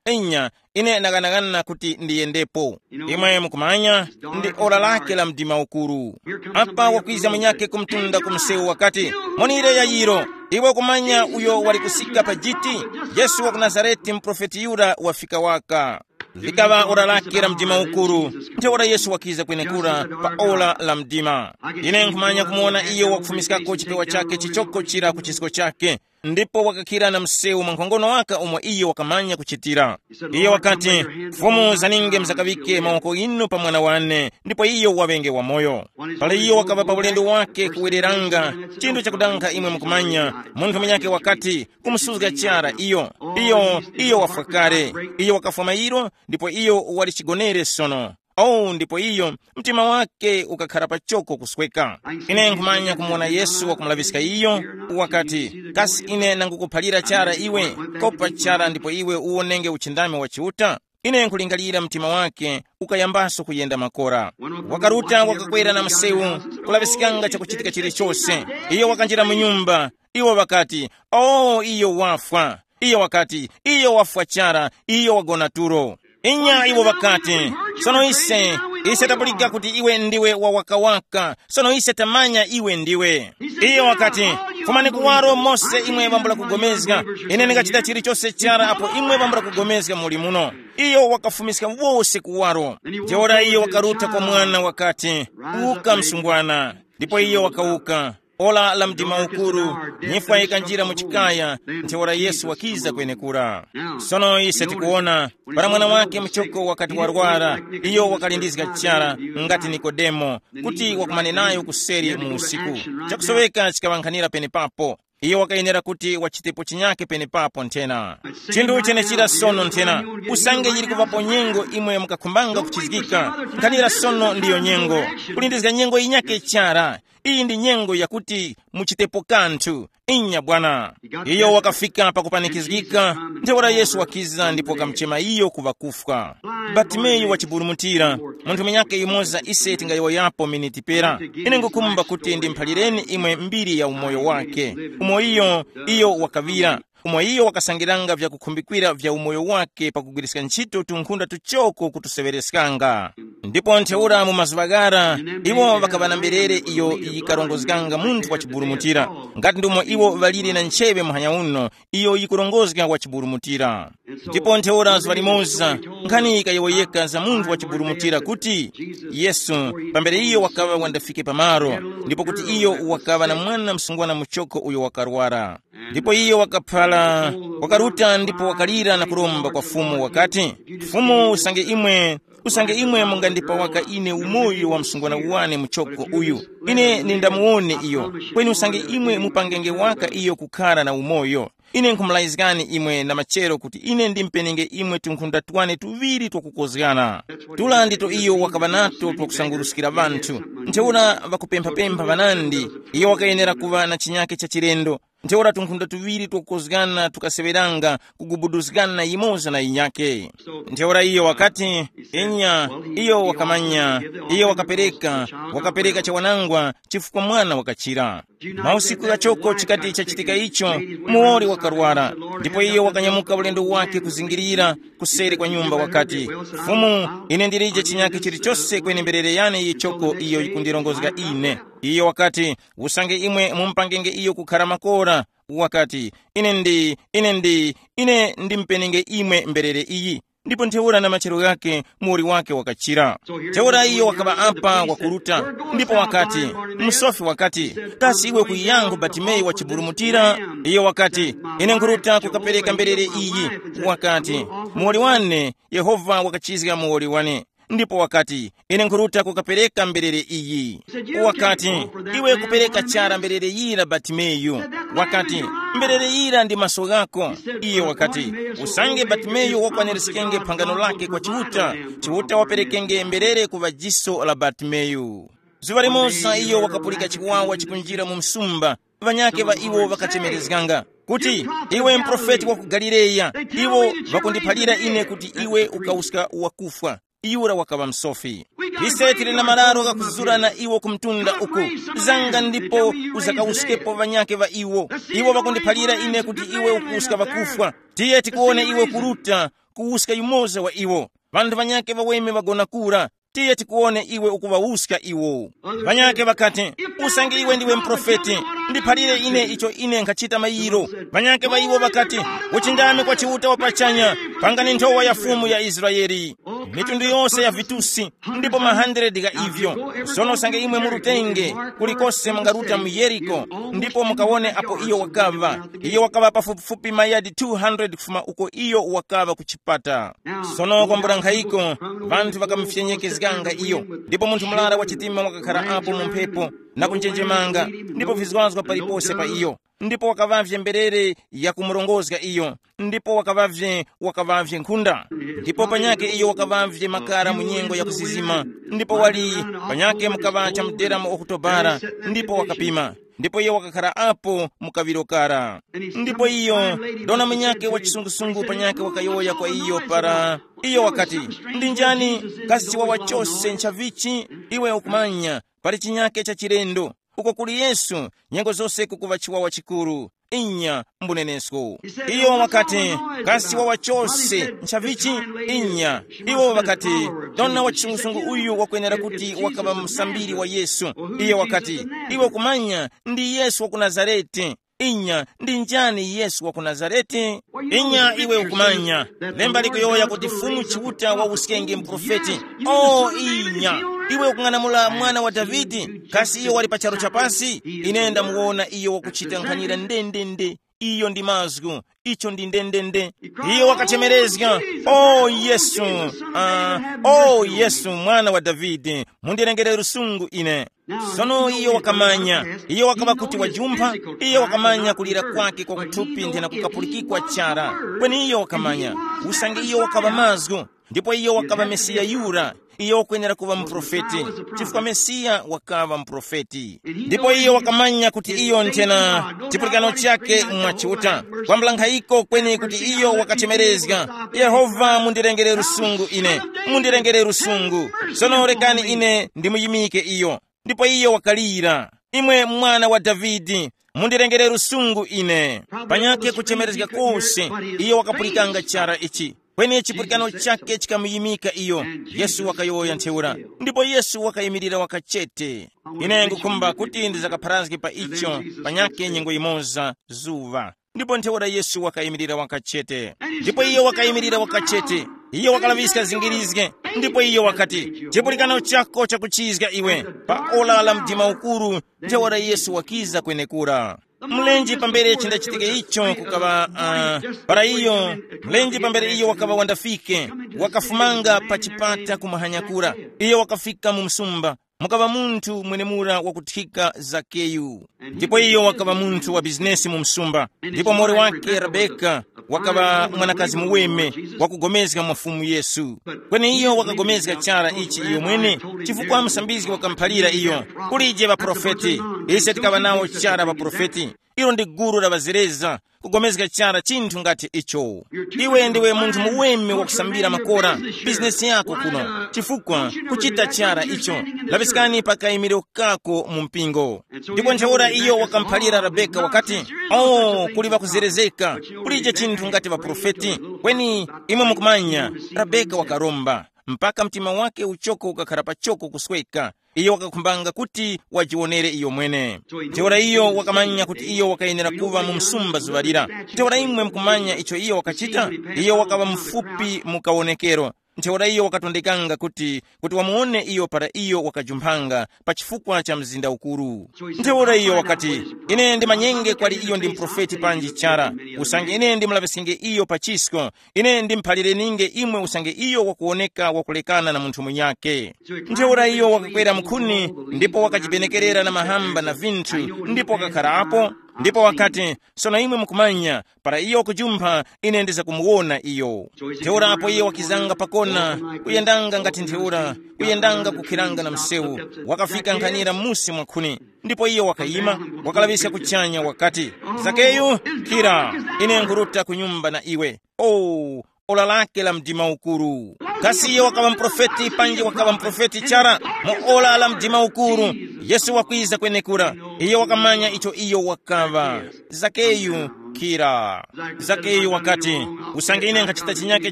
Inya, ine ndakanaghana kuti ndiyendepo. Imwe mukumanya, ndi ora lake la mdima ukuru. Apa wakwiza munyakhe kumtunda ku msewu wakati, monire Yayiro, iwe kumanya uyo wali kusika pa jiti? Yesu wa ku Nazareti, muprofeti yura wafika waka. Likaŵa ora lake la mdima ukuru, ntheura Yesu wakiza kwenekura pa ora la mdima. Ine nkhumanya kumuwona iyo wakufumiskako chipewa chake chichoko chira ku chisko chake, ndipo wakakhira na msewu mwankhongono waka umo iyo wakamanya kuchitira. Iyo wakati, Fumu zaninge mzakaŵike mawoko inu pa mwana wane, ndipo iyo waŵenge wamoyo. Pala iyo wakaŵa pa ulendo wake kuwereranga, chinthu chakudanga imwe mukumanya, munthu munyakhe wakati, kumusuzga chara iyo. Iyo, iyo wafwa kale. Iyo wakafwa mairo, ndipo iyo wali chigonere sono. Oh, ndipo iyo, mtima wake ukakhara pachoko kusweka. Ine nkhumanya kumuwona Yesu wakumulaŵiska iyo, wakati, kasi ine nangukuphalira chara iwe, kopa chara ndipo iwe uwonenge uchindami wa Chiuta? Ine nkulingalira mtima wake ukayambaso kuyenda makora. Wakaruta wakakwera na msewu, kulaŵiskanga chakuchitika chilichose. Iyo wakanjira mu nyumba, iwo ŵakati, oh, iyo wafwa. Iyo wakati, iyo wafwa chara, iyo wagona tulo. Inya iwo ŵakati, sono ise, ise tapulika kuti iwe ndiwe wa wakawaka, sono ise tamanya iwe ndiwe. Iyo wakati, Fumani kuwaro mose imwe ŵambula kugomezga. Ine ndingachita chilichonse chara apo imwe ŵambula kugomezga muli muno. Iyo wakafumiska wose kuwaro. Ntheura iyo wakaruta kwa mwana wakati, “Uka msungwana.” Ndipo iyo wakawuka. Ora la mdima ukuru, nyifwa yikanjira mu chikaya. Ntheura Yesu wakiza kwenekura. Sono ise tikuwona, para mwana wake muchoko wakati warwara, iyo wakalindizga chara, ngati Nikodemo, kuti wakumane nayo kuseri mu usiku. Chakusoweka chikaŵankhanira penepapo. Iyo wakayenera kuti wachitepo chinyake penepapo nthena. Chinthu chenechira sono nthena. Usange yili kuvapo nyengo imwe mukakhumbanga kuchizgika, nkhanira sono ndiyo nyengo. Kulindizga nyengo yinyake chara. Iyi ndi nyengo yakuti muchitepo kanthu. Inya bwana. Iyo wakafika pakupanikizgika. Ntheura Yesu wakiza ndipo wakamuchema iyo kuva kufwa. Batimeyu wachiburumutira. Munthu munyake yumoza ise tingayowoyapo miniti pera. Ine ngukhumba kuti ndimphalireni imwe mbiri ya umoyo wake. Umo iyo, iyo wakaŵira. Umo iyo wakasangiranga vyakukhumbikira vya umoyo wake pakugwiriska ntchito tunkhunda tuchoko kutuseŵereskanga. Ndipo ntheura mu mazuŵa ghara, iwo ŵakaŵa na mberere iyo yikarongozganga munthu wachiburumutira, ngati ndumo iwo ŵalire na ncheŵe muhanya uno, iyo yikurongozga wachiburumutira. Ndipo ntheura zuŵa limoza, nkhani yikayowoyeka za munthu wachiburumutira kuti, Yesu, pambere iyo wakaŵa wandafike pamaro, ndipo kuti iyo wakaŵa na mwana msungwana muchoko uyo wakarwara. Ndipo iyo wakaphara, wakaruta ndipo wakalira na kuromba kwa Fumu wakati, “Fumu, usange imwe, usange imwe mungandipawaka ine umoyo wa msungwana wane muchoko uyu, ine nindamuwone iyo. Kweni usange imwe mupangenge waka iyo kukhara na umoyo. Ine nkhumulayizgani imwe na machero kuti ine ndimpenenge imwe tunkhunda twane tuŵiri twakukozgana.” Tula ndito iyo wakaŵa nato twakusanguruskira ŵanthu. Ntheura ŵakupemphapempha ŵanandi, iyo wakayenera kuŵa na chinyake cha chilendo. Ntheura tunkhunda tuŵiri twakukozgana tukaseŵeranga kugubuduzgana yimoza na yinyake. Ntheura iyo wakati, “Inya, iyo wakamanya, iyo wakapereka, wakapereka chawanangwa chifukwa mwana wakachira.” Mausiku ghachoko chikati chachitika icho, muwoli wakarwara, ndipo iyo wakanyamuka ulendo wake kuzingirira kuseri kwa nyumba wakati, “Fumu, ine ndilije chinyake chilichose kweni mberere yane yichoko iyo yikundirongozga ine.” Iyo wakati, “Usange imwe mumupangenge iyo kukhara makora,” wakati, “ine ndi, ine ndi, ine ndimpenenge imwe mberere iyi.” Ndipo ntheura na machero ghakhe muwoli wake wakachira. Ntheura iyo wakaŵa apa wakuruta, ndipo wakati, musofi wakati, “Kasi iwe kuyiyangu Batimeyu wachiburumutira?” Iyo wakati, “Ine nkhuruta kukapereka mberere iyi.” Wakati, “Muwoli wane, Yehova wakachizga muwoli wane.” Ndipo wakati, “Ine nkhuruta kukapereka mberere iyi.” Wakati, “Iwe kupereka chara mberere yira Batimeyu.” Wakati, “Mberere yira ndi maso ghako.” Iye wakati, “Usange Batimeyu wakwanirizgenge phangano lake kwa Chiuta, Chiuta waperekenge mberere ku ŵajiso la Batimeyu.” Zuŵa limoza iyo wakapulika chiwawa chikunjira mu msumba. Ŵanyakhe ŵa iwo ŵakachemerezganga kuti, “Iwe mprofeti wa ku Galileya, iwo ŵakundiphalira ine kuti iwe ukawuska wakufwa.” Yura wakaŵa msofi. Ise tili na mararo ghakuzura na iwo ku mtunda uku. Zanga ndipo uzakawuskepo ŵanyakhe ŵa iwo. Iwo ŵakundiphalira ine kuti iwe ukuwuska ŵakufwa. Tiye tikuwone iwe kuruta kuwuska yumoza wa iwo. Ŵanthu ŵanyakhe ŵaweme ŵagona kura. Tiye tikuwone iwe ukuŵawuska iwo. Ŵanyakhe ŵakati, usange iwe ndiwe mprofeti, ndiphalire ine icho ine nkhachita mayiro. Ŵanyakhe ŵa iwo ŵakati, uchindame kwa Chiuta wa pachanya, pangani nthowa ya Fumu ya Israeli. Mitundu yose ya vitusi, ndipo ma hundred gha ivyo. Sono usange imwe murutenge, kulikose mungaruta mu Yeriko, ndipo mukawone apo iyo wakaŵa. Iyo wakaŵa pafupifupi mayadi two hundred kufuma uko iyo wakaŵa ku chipata. Sono kwambula nkhayiko, vanthu ŵakamufyenyekezganga iyo, ndipo munthu murara wa chitima wakakhala apo mu mphepo na kunjenjemanga, ndipo vizwazwa palipose pa iyo, ndipo wakaŵavye mberere yakumurongozga iyo, ndipo wakaŵavye wakaŵavye nkhunda. Ndipo panyake iyo wakaŵavye makara mu nyengo ya kuzizima, ndipo wali panyake mukaŵa chamudera mu Okutobara, ndipo wakapima. Ndipo iyo wakakhala apo mu kaŵiro kara. Ndipo iyo, dona munyakhe wa chisungusungu panyakhe wakayowoya kwa iyo para. Iyo wakati, ndi njani? Kasi chiwawa chose nchavichi? Iwe ukumanya, pali chinyakhe cha chilendo. Uko kuli Yesu, nyengo zose kukuŵa chiwawa chikuru. Inya, mbunenesko. Iyo wakati, kasi wawa chose nchavichi? Inya. Iwo ŵakati, dona wa chisungusungu uyu wakwenera kuti wakaŵa musambiri wa Yesu. Iyo wakati, iwe kumanya, ndi Yesu wa ku Nazarete. Inya, ndi njani Yesu wa ku Nazarete? Inya, iwe ukumanya, lemba likuyowoya kuti Fumu Chiuta wa uskenge mprofeti. O inya, iwe ukung'anamula mwana wa Davide, kasi iyo wali pa charu chapasi? Ine ndamuwona iyo wakuchita nkhanira ndendende. Iyo ndi mazgu, icho ndi ndendende. Iyo wakachemerezga, o Yesu, uh, o Yesu, mwana wa Davide, mundirengere lusungu ine. Sono iyo wakamanya, iyo wakaba kuti wajumpha, iyo wakamanya kulira kwake kwa kuthupi nthena kukapulikikwa chara. Kweni iyo wakamanya, usange iyo wakaba mazgu, ndipo iyo wakaba Mesiya yura, iyo wakwenera kuŵa muprofeti, chifukwa Mesiya wakaba muprofeti. Ndipo iyo wakamanya kuti iyo nthena chipulikano chake mwa Chiuta, kwambula nkhayiko kweni kuti iyo wakachemerezga, Yehova, mundirengere lusungu ine, mundirengere lusungu. Sono rekani ine ndimuyimike iyo. Ndipo iyo wakalira, imwe mwana wa Davide, mundirengere lusungu ine. Panyakhe kuchemerezga kose, iyo wakapulikanga chara ichi. Kweni chipulikano chake chikamuyimika iyo. Yesu wakayowoya ntheura. Ndipo Yesu wakayimirira wakachete. Ine ngukhumba kuti ndizakapharazge pa icho, panyakhe nyengo yimoza, zuŵa. Ndipo ntheura Yesu wakayimirira wakachete. Ndipo iyo wakayimirira wakachete. Iyo wakalaŵiska zingirizge. Ndipo iyo wakati, chipulikano chako chakuchizga iwe. Pa ora la mdima ukuru, ntheura Yesu wakiza kwenekura. Mlenje pambere chindachitike icho kukaŵa, uh, para iyo, mlenje pambere iyo wakaŵa wandafike, wakafumanga pa chipata kumahanyakura. Iyo wakafika mu msumba, mukaŵa munthu mwenemura wakuthika Zakeyu. Ndipo iyo wakaŵa munthu wa bizinesi mu msumba, ndipo mori wake Rebeka wakaŵa mwanakazi muweme, wakugomezga mwa Fumu Yesu. Kweni iyo wakagomezga chara ichi iyo mwene, chifukwa musambizgi wakamuphalira iyo, kulije ŵaprofeti. Ise tikaŵa nawo chara ŵaprofeti. Ilo ndi gulu la ŵazereza, kugomezga chara chinthu ngati icho. Iwe ndiwe munthu muweme wakusambira makora, bizinesi yako kuno, chifukwa kuchita chara icho. Laŵiskani pa kayimiro kako mu mpingo. Ndipo ntheura iyo wakamuphalira Rebeka wakati, o, kuli ŵakuzerezeka, kulije chinthu ngati ŵaprofeti. Kweni imwe mukumanya, Rebeka wakaromba, mpaka mtima wake uchoko ukakhala pachoko kusweka. Iyo wakakhumbanga kuti wajiwonere iyo mwene. Ntheura iyo wakamanya kuti iyo wakayenera kuŵa mu msumba zuŵa lira. Ntheura imwe mukumanya icho iyo wakachita? Iyo wakaŵa mufupi mu kawonekero. Ntheura iyo wakatondekanga kuti, kuti wamuwone iyo para iyo wakajumphanga pa chifukwa cha mzinda ukuru. Ntheura iyo wakati, ine ndimanyenge kwali iyo ndi mprofeti panji chara, usange ine ndimulaŵiskenge iyo pa chisko, ine ndimuphalireni'nge imwe usange iyo wakuwoneka wakulekana na munthu munyakhe. Ntheura iyo wakakwera mkhuni, ndipo wakajibenekerera na mahamba na vinthu, ndipo wakakharapo, ndipo wakati, sono imwe mukumanya, para iyo wakujumpha, ine ndizakumuwona iyo. Ntheura apo iyo wakizanga pakona, kuyendanga ngati ntheura, kuyendanga kukhiranga na msewu, wakafika nkhanira musi mwa nkhuni. Ndipo iyo wakayima, wakalaŵiska kuchanya wakati, zakeyu, khira, ine nkuruta ku nyumba na iwe. Oh, ora lake la mdima ukuru. Kasi iyo wakaŵa muprofeti panji wakaŵa muprofeti chara? Mu ora la mdima ukuru, Yesu wakwiza kwenekura. Iyo wakamanya icho iyo wakaŵa. Zakeyu, khira. Zakeyu wakati, usange ine nkhachita chinyake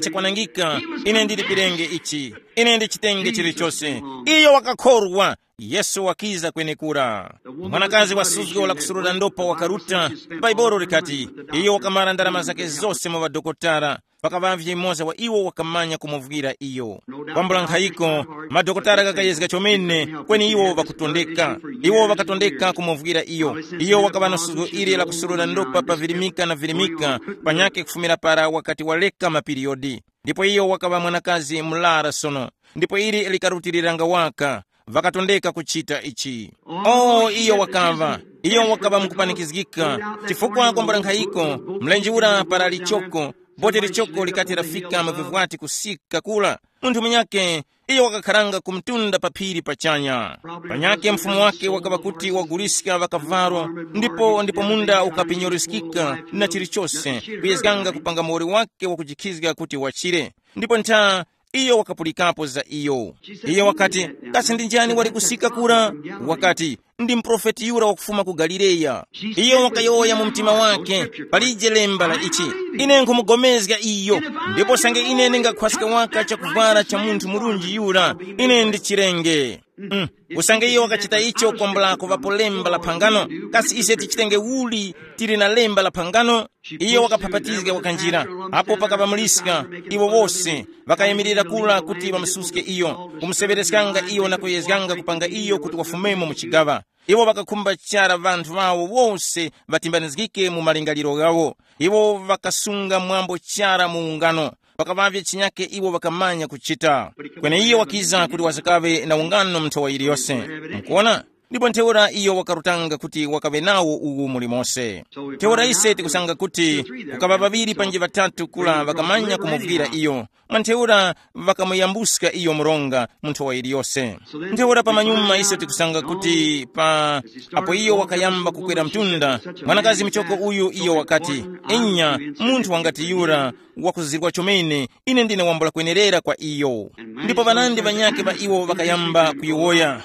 chakwanangika, ine ndilipirenge ichi, ine ndichitenge chilichose. Iyo wakakhorwa. Yesu wakiza kwenekura. Mwanakazi wa suzgo la kusurura ndopa wakaruta. Bhaibuli likati, iyo wakamara ndarama zake zose mu ŵadokotala. Pakaŵavye yumoza wa iwo wakamanya kumuvwira iyo. Kwambula nkhayiko, madokotala ghakayezga chomene, kweni iwo ŵakutondeka. Iwo ŵakatondeka kumuvwira iyo. Iyo wakaŵa na suzgo ili la kusurura ndopa pa virimika na virimika, panyakhe kufumira para wakati waleka mapiriyodi. Ndipo iyo wakaŵa mwanakazi murara sono, ndipo ili likarutiliranga waka, ŵakatondeka kuchita ichi. O, iyo wakaŵa, iyo wakaŵa mukupanikizgika, chifukwa kwambula nkhayiko, mlenje ura para lichoko, bote lichoko likati lafika mu vivwati kusika kura, munthu munyakhe, iyo wakakharanga ku mtunda pa phiri pachanya. Panyakhe mfumu wake wakaŵa kuti waguliska ŵakavalo, ndipo ndipo munda ukapenyeruskika na chilichose, kuyezganga kupanga muwoli wake wakujikhizga kuti wachire. Ndipo ntha Iyo wakapulikapo za iyo. Iyo wakati, kasi ndi njani wali kusika kura? Wakati, ndi muprofeti yura wakufuma ku Galileya. Iyo wakayowoya mu mtima wake, palije lemba la ichi, ine nkhumugomezga iyo, ndipo sange ine ndingakhwaska waka chakuvwara cha munthu murunji yura, ine ndichirenge. Mm. Usange iyo wakachita icho kwambula kuŵapo lemba la phangano, kasi ise tichitenge uli tili na lemba la phangano? Iyo wakaphapatizga wakanjira, apo pakaŵa muliska, iwo wose ŵakayimirira kula kuti ŵamususke iyo, kumuseŵereskanga iyo na kuyezganga kupanga iyo kuti wafumemo mu chigaŵa. Iwo ŵakakhumba chara ŵanthu ŵawo wose ŵatimbanizgike mu malingaliro ghawo. Iwo ŵakasunga mwambo chara mu ungano, pakaŵavye chinyake iwo ŵakamanya kuchita. Kweneiyo wakiza kuti wazakaŵe na ungano mu nthowa yiliyose. Mukuona? Ndipo ntheura iyo wakarutanga kuti wakaŵe nawo uwu muli mose. Ntheura ise tikusanga kuti kukaŵa ŵaŵiri panji ŵatatu kula ŵakamanya kumuvwira iyo, mwa ntheura ŵakamuyambuska iyo mronga mu nthowa yiliyose. Ntheura pamanyuma ise tikusanga kuti pa apo iyo wakayamba kukwera mtunda, mwanakazi muchoko uyu iyo wakati, inya, munthu wangati yura wakuzirwa chomene, ine ndine wambula kwenerera kwa iyo. Ndipo ŵanandi ŵanyakhe ŵa iwo ŵakayamba kuyowoya,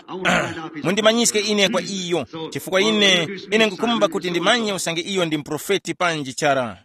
mundimanyiske ine kwa iyo, chifukwa ine ine nkukhumba kuti ndimanye usange iyo ndi muprofeti panji chara.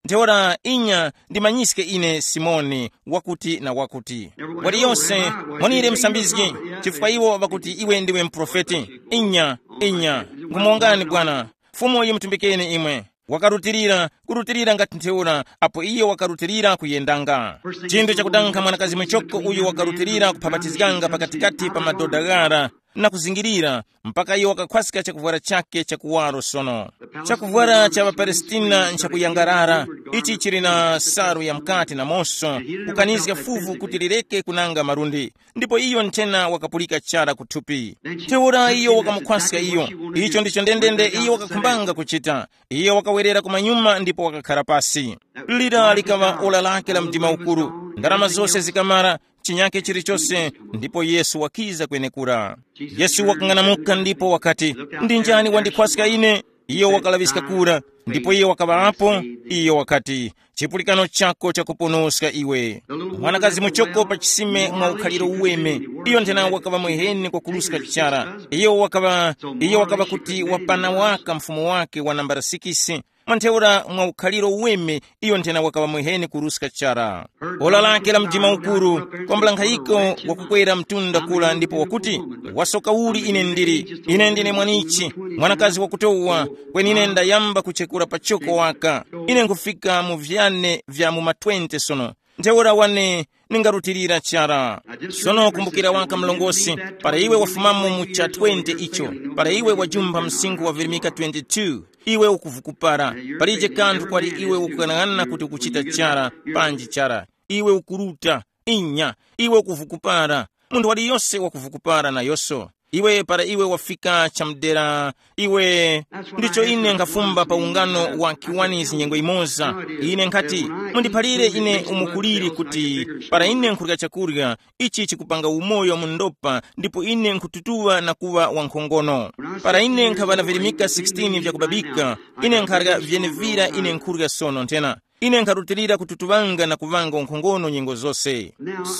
Ntheura inya ndimanyiske ine Simoni wakuti na wakuti. Waliyonse, mwanire msambizgi, chifukwa iwo ŵakuti iwe ndiwe muprofeti. Inya, inya, nkhumuwongani bwana, Fumu yimutumbikeni imwe. Wakarutilira, kurutilira ngati ntheura, apo iyo wakarutilira kuyendanga. Chinthu chakudanga mwanakazi muchoko uyo wakarutilira kuphabatizganga pakatikati pa madoda ghara na kuzingirira, mpaka iyo wakakhwaska chakuvwara chake chakuwaro sono. Chakuvwara cha ŵaPalestina nchakuyangarara, ichi chili na salu ya mkati na moso, kukanizga fuvu kuti lireke kunanga malundi. Ndipo iyo nthena wakapulika chara kuthupi. Ntheura iyo wakamukhwaska iyo. Icho ndicho ndendende iyo wakakhumbanga kuchita. Iyo wakawerera kumanyuma ndipo wakakhara pasi. Lira likaŵa ora lake la mdima ukuru. Ndarama zose zikamara, chinyake chilichose, ndipo Yesu wakiza kwenekura. Yesu wakang'anamuka ndipo wakati, ndi njani wandikhwaska ine? Iyo wakalaŵiska kura, ndipo iyo wakaŵa apo. Iyo wakati, chipulikano chako chakuponoska iwe. Mwanakazi muchoko pa chisime mwa ukhaliro uweme, iyo nthena wakaŵa mweheni kwa kuruska chara. Iyo wakaŵa, iyo wakaŵa kuti wapana waka mfumu wake wa nambara sikisi. Mwantheura mwa ukhaliro uweme, iyo nthena wakaŵa mweheni kuruska chara. Ola lake la mdima ukuru, kwambula nkhayiko, wakukwera mtunda kula ndipo wakuti, wasoka uli ine ndili? Ine ndine mwanichi, mwanakazi wakutowa, kweni ine ndayamba kuchekura pachoko waka. Ine nkufika mu vyane vya mu ma twenty sono. Ntheura wane ningarutilira chara. Sono kumbukira waka mlongosi, para iwe wafumamo mu cha twenty icho, para iwe wajumpha msinkhu wa virimika twenty-two, iwe ukuvukupara. Palije kanthu kwali iwe ukukang'ana kuti ukuchita chara, panji chara. Iwe ukuruta, inya, iwe ukuvukupara. Munthu waliyose wakuvukupara nayoso. Iwe para iwe wafika chamudera, iwe ndicho ine nkhafumba pa ungano wa kiwanizi nyengo imoza. Ine nkhati, mundiphalire ine umo kuliri kuti para ine nkhurya chakurya, ichi chikupanga umoyo mu ndopa ndipo ine nkhututuwa na kuŵa wankhongono. Para ine nkhaŵa na virimika sixteen vyakubabika, ine nkharya vyenevira ine nkhurya sono nthena. Ine nkharutilira kututuŵanga na kuŵanga unkhongono nyengo zose.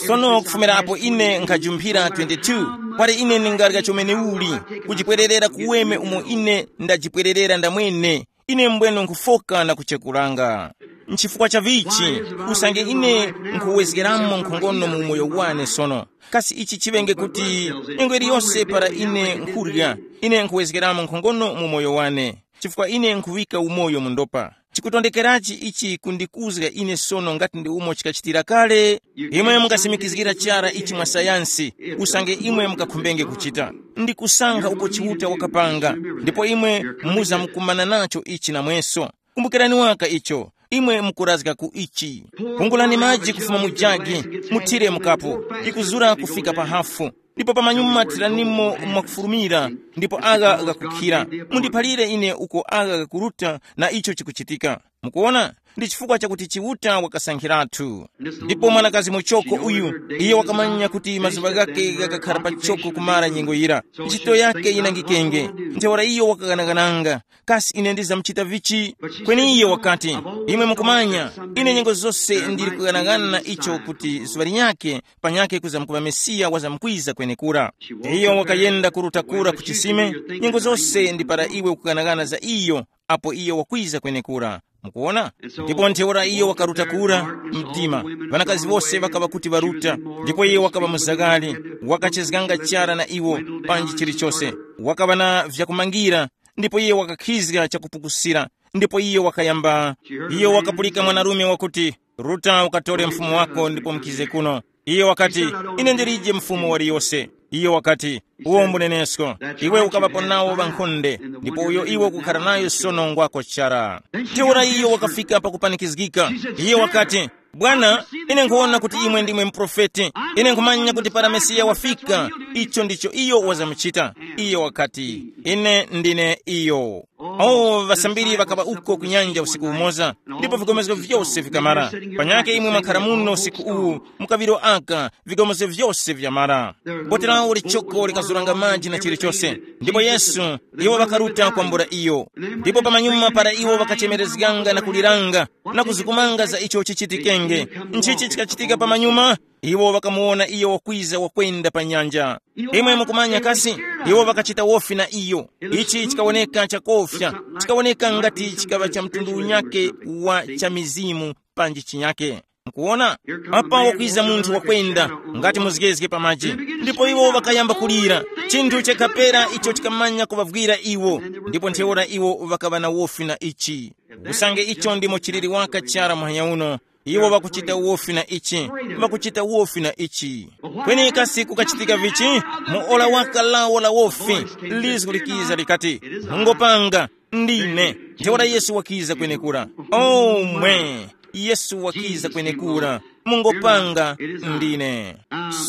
Sono kufumirapo ine nkhajumphira twenty-two, kwali ine ndingarya chomene uli, kujipwererera kuweme umo ine ndajipwererera ndamwene. Ine mbwene nkhufoka na kuchekuranga. Nchifukwa cha vichi, usange ine nkhuwezgeramo nkhongono mu umoyo wane sono, kasi ichi chiŵenge kuti nyengo iliyonse para ine nkhurya, ine nkhuwezgeramo nkhongono mu umoyo wane, chifukwa ine nkhuŵika umoyo mu ndopa. Chikutondekerachi ichi kundikuzga ine sono ngati ndi umo chikachitira kale? Imwe mungasimikizgira chara ichi mwa sayansi, usange imwe mungakhumbenge kuchita. Ndi kusankha uko Chiuta wakapanga, ndipo imwe muzamkumana nacho ichi namweso. Kumbukirani waka icho, imwe mukurazga ku ichi. Pungulani maji kufuma mu jagi, muthire mukapu, ikuzura kufika pa hafu. Ndipo pamanyuma thiranimo mwakufulumira, ndipo agha ghakukhira. Mundiphalire ine uko agha ghakuruta na icho chikuchitika. Mukuona, ndi chifukwa chakuti Chiuta wakasankhiratu. Ndipo mwanakazi muchoko uyu, iye wakamanya kuti mazuŵa ghake ghakakhara pachoko kumara nyengo yira, ntchito yake yinangikenge. Ntheura iyo wakaghanaghananga, kasi ine ndizamuchita vichi? Kweni iye wakati, imwe mukumanya, ine nyengo zose ndili kughanagana icho kuti zuŵa linyakhe panyakhe kuzamkuŵa Mesiya wazamkwiza kwenekura. Iyo wakayenda kuruta kura ku chisime, nyengo zose ndi para iwe ukughanagana za iyo, apo iyo wakwiza kwenekura. Mukuona? Ndipo ntheura iyo wakaruta kura mdima, ŵanakazi wose ŵakaŵa kuti ŵaruta, ndipo iye wakaŵa muzakali, wakachezganga chara na iwo, panji chilichose, wakaŵa na vyakumangira, ndipo iye wakakhizga chakupukusira, ndipo iyo wakayamba, iyo wakapulika mwanarume wakuti, ruta ukatore mfumu wako ndipo mukize kuno. Iyo wakati, ine ndilije mfumu waliyose. Iyo wakati, uwo mbunenesko, iwe ukaŵapo nawo ŵankhonde, ndipo uyo iwe ukukhala nayo sono ngwako chara. Ntheura iyo wakafika pakupanikizgika. Iyo wakati, bwana, ine nkhuwona kuti imwe ndimwe muprofeti. Ine nkhumanya kuti para Mesiya wafika, icho ndicho iyo wazamuchita. Iyo wakati, ine ndine iyo. Oh, ŵasambiri ŵakaŵa uko ku nyanja usiku umoza, ndipo vikomezgo vyose vikamara. Panyake imwe mwakhala muno usiku uwu, mukaŵiro aka, vikomezgo vyose vyamara. Boti lawo lichoko likazuranga maji na chilichose, ndipo Yesu, iwo ŵakaruta kwambula iyo. Ndipo pamanyuma para iwo ŵakachemerezganga na kuliranga na kuzikumanga za icho chichitikenge, nchichi chikachitika pamanyuma? Iwo ŵakamuwona iyo wakwiza wakwenda pa nyanja. Imwe mukumanya kasi, iwo ŵakachita wofi na iyo. Ichi chikawoneka chakofya, chikawoneka ngati chikaŵa cha mtundu unyake wa cha mizimu panji chinyake. Mukuwona? Apa wakwiza munthu wakwenda, ngati muzgezge pa maji. Ndipo iwo ŵakayamba kulira, chinthu chakhapera icho chikamanya kuŵavwira iwo. Ndipo ntheura iwo ŵakaŵa na wofi na ichi. Usange icho ndimo chiliri waka chara muhanya uno, iwo ŵakuchita wofi na ichi, ŵakuchita wofi na ichi. Kweni kasi kukachitika vichi? Mu ora waka lawo la wofi, lizgu likiza likati, mungopanga, ndine. Ntheura Yesu wakiza kwenekura. Omwe, Yesu wakiza kwenekura. Mungopanga, ndine.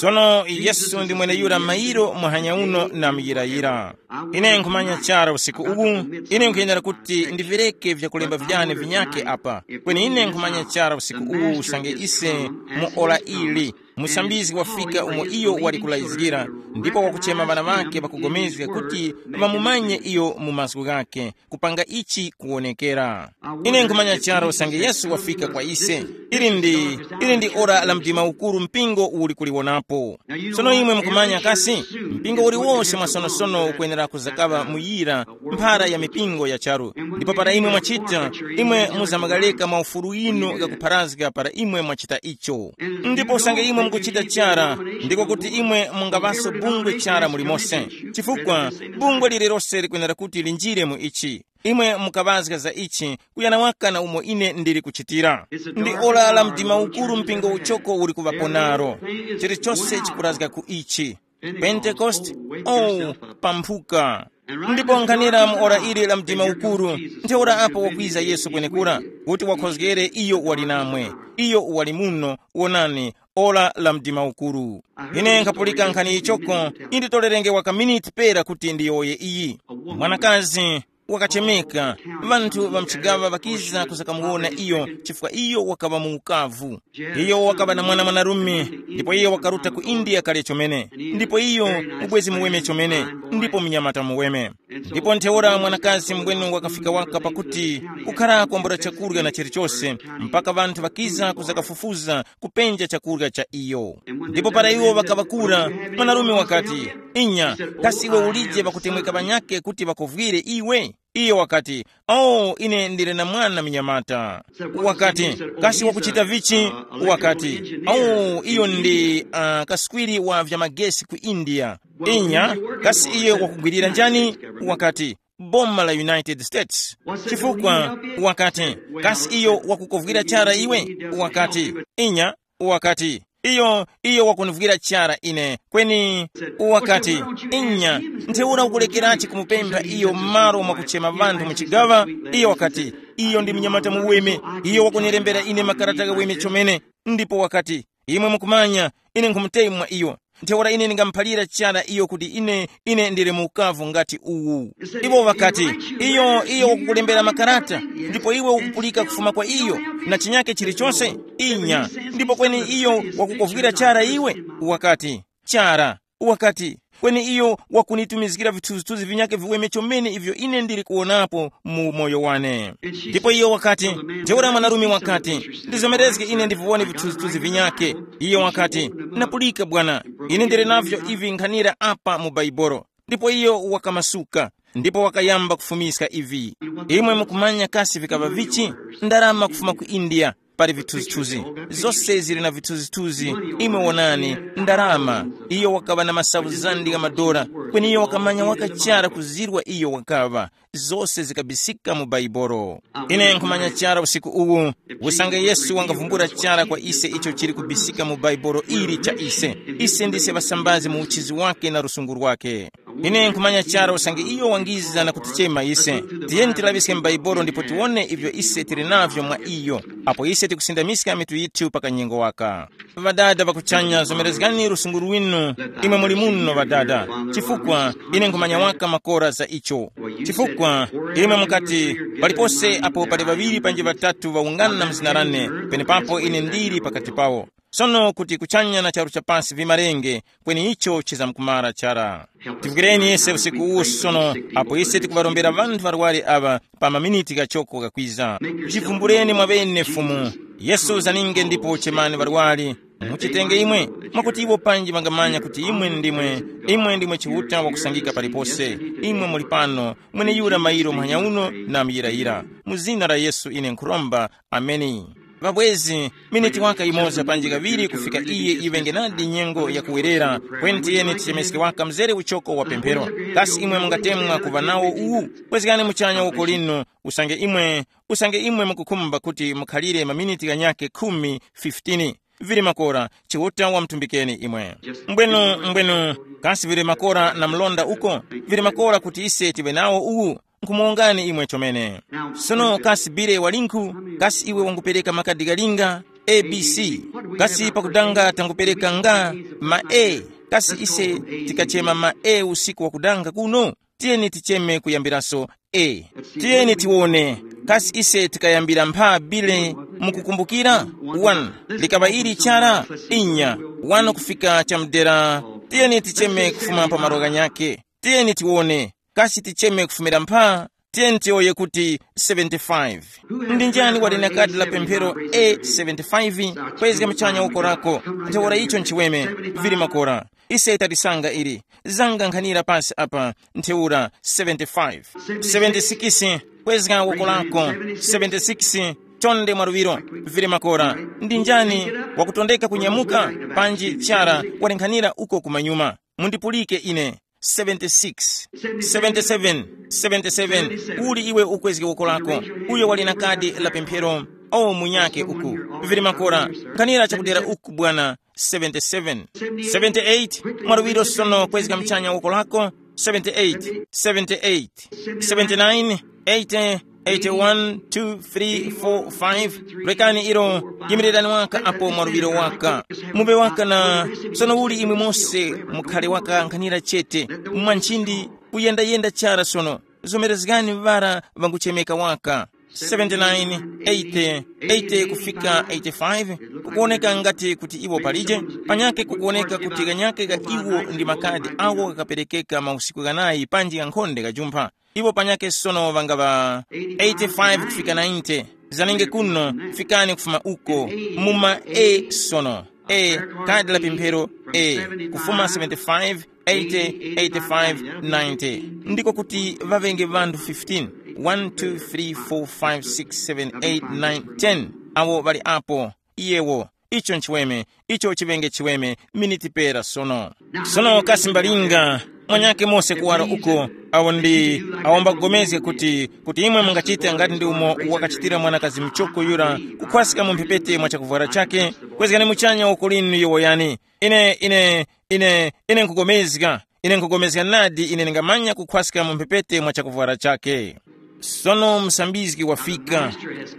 Sono Yesu ndi mweneyura mayiro muhanya uno na muyirayira. Ine nkhumanya chara usiku uwu, ine nkhuyenera kuti ndivireke vyakulemba vyane vinyake apa. Kweni ine nkhumanya chara usiku uwu usange ise mu ora ili, musambizgi wafika umo iyo wali kulayizgira, ndipo wakuchema ŵana ŵake ŵakugomezga kuti ŵamumanye iyo mu mazgu ghake, kupanga ichi kuwonekera. Ine nkhumanya chara usange Yesu wafika kwa ise. Ili ndi, ili ndi ora la mdima ukuru mpingo uli kuliwonapo. Sono imwe mukumanya kasi, mpingo uliwonse mwasonosono ukwenera kuzakaŵa muyira mphara ya mipingo ya charu. Ndipo para imwe mwachita, imwe muzamagaleka maufulu inu ghakupharazga para imwe mwachita icho. Ndipo usange imwe mukuchita chara, ndiko kuti imwe mungaŵaso bungwe chara mulimonse. Chifukwa bungwe lililose likwenera kuti linjire mu ichi. Imwe mukaŵazga za ichi, kuyana waka na umo ine ndili kuchitira. Ndi ora la mdima ukuru mpingo uchoko uli kuŵapo naro. Chilichose chikurazga ku ichi. Pentekoste, oh, pamphuka. Ndipo nkhanira mu ora ili la mdima ukuru, ntheura apo wakwiza Yesu kwenekura, kuti wakhozgere iyo wali namwe, iyo wali muno, wonani, ora la mdima ukuru. Ine nkhapulika nkhani ichoko, inditolerenge waka miniti pera kuti ndiyowoye iyi. Mwanakazi wakachemeka, ŵanthu ŵa mchigaŵa ŵakiza kuzakamuwona iyo, chifukwa iyo wakaŵa mu ukavu. Iyo wakaŵa na mwana mwanarume, ndipo iyo wakaruta ku India kale chomene, ndipo iyo ubwezi muweme chomene, ndipo mnyamata muweme. Ndipo ntheura mwanakazi mbwenu wakafika waka pakuti kukhara kwambula chakurya na chilichose, mpaka ŵanthu ŵakiza kuzakafufuza kupenja chakurya cha iyo. Ndipo para iwo ŵakaŵakura, mwanarume wakati, inya, kasi iwe ulije ŵakutemweka ŵanyakhe kuti ŵakuvwire iwe? Iyo wakati, oh, ine ndili na mwana mnyamata. Wakati, kasi wakuchita vichi? Wakati, oh, iyo ndi uh, kaswiri wa vyamagesi ku India. Inya, kasi iyo wakugwirira njani? Wakati, boma la United States. Chifukwa, wakati, kasi iyo wakukovwira chara iwe? Wakati, inya. Wakati, iyo, iyo wakunivwira chara ine. Kweni, wakati, inya, ntheura ukulekerachi kumupempha iyo m'malo mwakuchema ŵanthu mu chigaŵa? Iyo wakati, iyo ndi mnyamata muweme. Iyo wakunilembera ine makarata ghaweme chomene. Ndipo wakati, imwe mukumanya, ine nkhumutemwa iyo. Ntheura ine ndingamuphalira chara iyo kuti ine, ine ndili mu ukavu ngati uwu. Iwo ŵakati, iyo, iyo wakukulembera makarata, ndipo iwe ukupulika kufuma kwa iyo, na chinyake chilichonse? Inya. Ndipo kweni iyo wakukovwira chara iwe? Wakati, chara. Wakati, kweni iyo wakunitumizgira vithunzithunzi vinyakhe viweme chomene ivyo ine ndili kuwonapo mu moyo wane. Ndipo iyo wakati, ntheura mwanarume wakati, ndizomerezge ine ndiviwone vithunzithunzi vinyakhe. Iyo wakati, napulika bwana, ine ndili navyo ivi nkhanira apa mu Baibolo. Ndipo iyo wakamasuka, ndipo wakayamba kufumiska ivi. Imwe mukumanya kasi vikaŵa vichi? Ndarama kufuma ku India. Pali vithuzithuzi, zose zili na vithuzithuzi. Imwe wonani, ndarama. Iyo wakaŵa na masavu zandi gha madora, kweni iyo wakamanya wakachara kuzirwa iyo wakaŵa. Zose zikabisika mu Baibolo. Ine nkhumanya chara usiku uwu, usange Yesu wangavumbula chara kwa ise icho chili kubisika mu Baibolo ili cha ise. Ise ndise ŵasambazi mu uchizi wake na lusungu lwake. Ine nkhumanya chara usange iyo wangiza na kutichema ise. Tiyeni tilaŵiske m'Baibolo ndipo tiwone ivyo ise tili navyo mwa iyo. Apo ise tikusindamiska mitu yithu pa kanyengo waka. Ŵadada ŵakuchanya, zomerezgani lusungu lwinu. Imwe muli muno ŵadada, chifukwa ine nkhumanya waka makora za icho. Chifukwa imwe mukati, palipose apo pali ŵaŵiri panji ŵatatu ŵawungana mu zina lane, penepapo ine ndili pakati pawo. Sono kuti kuchanya na charu cha pasi vimarenge, kweni icho chizamkumara chara. Tivukireni ise usiku uwu sono, apo ise tikuŵarombera ŵanthu ŵarwari aŵa pa maminiti ghachoko ghakwiza. Chivumbuleni mwaŵene Fumu. Yesu zaninge ndipo chemani ŵarwari. Muchitenge imwe, mwakuti iwo panji ŵangamanya kuti imwe ndimwe, imwe ndimwe Chiuta wakusangika palipose. Imwe muli pano, mweneyura mairo muhanya uno na muyirayira. Mu zina la Yesu ine nkhuromba. Ameni. Ŵabwezi, miniti waka yimoza panji kaŵiri kufika iye iŵenge nadi nyengo yakuwerera, kweni tiyeni tichemeske waka mzere uchoko wa pemphero. Kasi imwe mungatemwa kuŵa nawo uwu? Kwezgani muchanya woko linu, usange imwe, usange imwe mukukhumba kuti mukhalire maminiti ghanyakhe khumi, fifteen. Vili makora, Chiuta wamutumbikeni imwe. Mbwenu, mbwenu, kasi vili makora na mlonda uko? Vili makora kuti ise tiŵe nawo uwu? Nkhumuwongani imwe chomene. Sono kasi bile walinkhu? Kasi iwe wangupereka makadi galinga? A B C. Kasi pakudanga tangupereka nga ma A? Kasi ise tikachema ma A usiku wakudanga kuno? Tiyeni ticheme kuyambiraso A. Tiyeni tiwone. Kasi ise tikayambira mpha bile? Mukukumbukira? One. Likaŵa ili chara? Inya. One kufika chamdera. Tiyeni ticheme kufuma pa malo ghanyakhe. Tiyeni tiwone. Kasi ticheme kufumira mpha? Tiyeni tiyowoye kuti seventy-five. Ndi njani wali na kadi la pemphero A seventy-five? Kwezga muchanya woko lako. Ntheura icho nchiweme. Vili makora. Ise tatisanga ili. Zanga nkhanira pasi apa. Ntheura seventy-five. Seventy-six. Kwezga woko lako. Seventy-six. Chonde mwaluŵiro. Vili makora. Ndi njani wakutondeka kunyamuka? Panji chara wali nkhanira uko kumanyuma. Mundipulike ine. Seventy-six, seventy-seven, seventy-seven. Uli iwe ukwezge woko lako? Uyo wali na kadi la pemphero. O munyake uku. Vili makora. Nkhanira chakudera uku bwana. Seventy-seven. Seventy-eight. Mwaluŵiro sono kwezga mchanya woko lako. Seventy-eight, seventy-eight, seventy-nine, eighty, eighty-one, two, three, four, five. Rekani ilo. Yimirirani waka apo mwaluŵiro waka. Mube waka na. Sono uli imwe mose mukhale waka nkhanira chete. Mwa nchindi kuyendayenda chara sono. Zomerezgani ŵara ŵanguchemeka waka. Seventy-nine, eighty, eighty kufika eighty-five. Kukuoneka ngati kuti iwo palije. Panyake kukuoneka kuti kanyake ka iwo ndi makadi awo kakaperekeka mausiku ghanayi panji ghankhonde gajumpha. Iwo panyake sono ŵangaŵa eighty-five kufika ninety. Zanenge kuno, fikani kufuma uko. Muma A sono. A, kadi la pemphero A. Kufuma seventy-five, eighty, eighty-five, ninety. Ndiko kuti ŵaŵenge ŵanthu fifteen. One, two, three, four, five, six, seven, eight, nine, ten. Awo ŵali apo. Iyewo. Icho nchiweme. Icho chiŵenge chiweme. Miniti pera sono. Sono kasi mbalinga, mwanyake mose kuwara uko, awo ndi, awo mbakugomezga kuti, kuti imwe mungachite ngati ndi umo wakachitira mwanakazi mchoko yura, kukhwaska mu mphepete mwa chakuvwara chake. Kwezgani muchanya uko linu yowoyani. Ine, ine, ine, ine nkugomezga. Ine nkugomezga nadi ine ndingamanya kukhwaska mu mphepete mwa chakuvwara chake. Sono msambizgi wafika.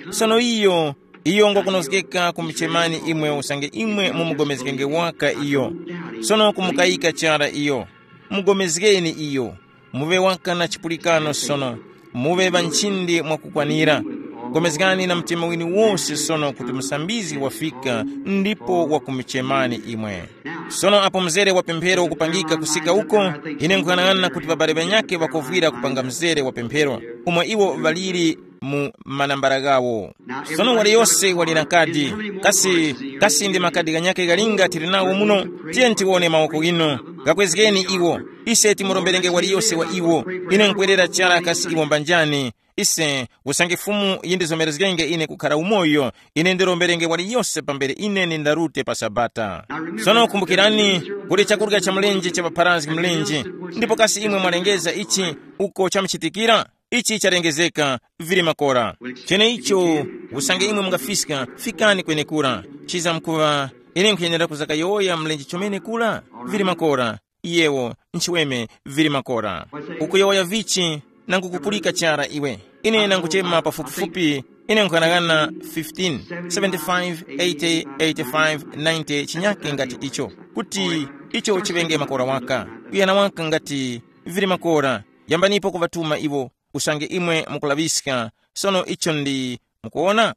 Sono iyo, iyo ngwakunozgeka kumuchemani imwe usange imwe mumugomezgenge waka iyo. Sono kumukayika chara iyo. Mugomezgeni iyo. Muŵe waka na chipulikano sono. Muŵe ŵa nchindi mwakukwanira. Gomezgani na mtima winu wose sono kuti musambizgi wafika ndipo wakumuchemani imwe. Sono apo mzere wa pemphero ukupangika kusika uko, ine nkuyang'ana kuti ŵabale ŵanyakhe ŵakovwira kupanga mzere wa pemphero, umo iwo ŵaliri mu manambala ghawo. Sono waliyose wali na kadi. Kasi, kasi ndi makadi ghanyakhe ghalinga tili nawo muno? Tiye tiwone mawoko ghinu. Ghakwezgeni iwo. Ise timuromberenge waliyose wa iwo. Ine nkwerera chara kasi iwo mbanjani. Ise, usange Fumu yindizomerezgenge ine kukhara umoyo, ine ndiromberenge waliyose pambere ine nindarute pa Sabata. Sono kumbukirani, kuli chakurya cha mlenje cha ŵapharazgi mlenje. Ndipo kasi imwe mwalengeza ichi uko chamuchitikira? Ichi chalengezeka, vili makora. Cheneicho, usange imwe mungafiska, fikani kwenekura. Chiza mkuva, ine nkhuyenera kuzakayowoya mlenje chomene kura? Vili makora. Iyewo, nchiweme, vili makora. Ukuyowoya vichi, nangu kupulika chara iwe. Ine nanguchema pafupifupi, ine nkhanang'ana fifteen, seventy-five, eighty, eighty-five, ninety chinyake ngati icho. Kuti icho chiŵenge makora waka. Kuyana waka ngati vili makora. Yambanipo kuŵatuma iwo, usange imwe mukulaŵiska. Sono icho ndi, mukuwona?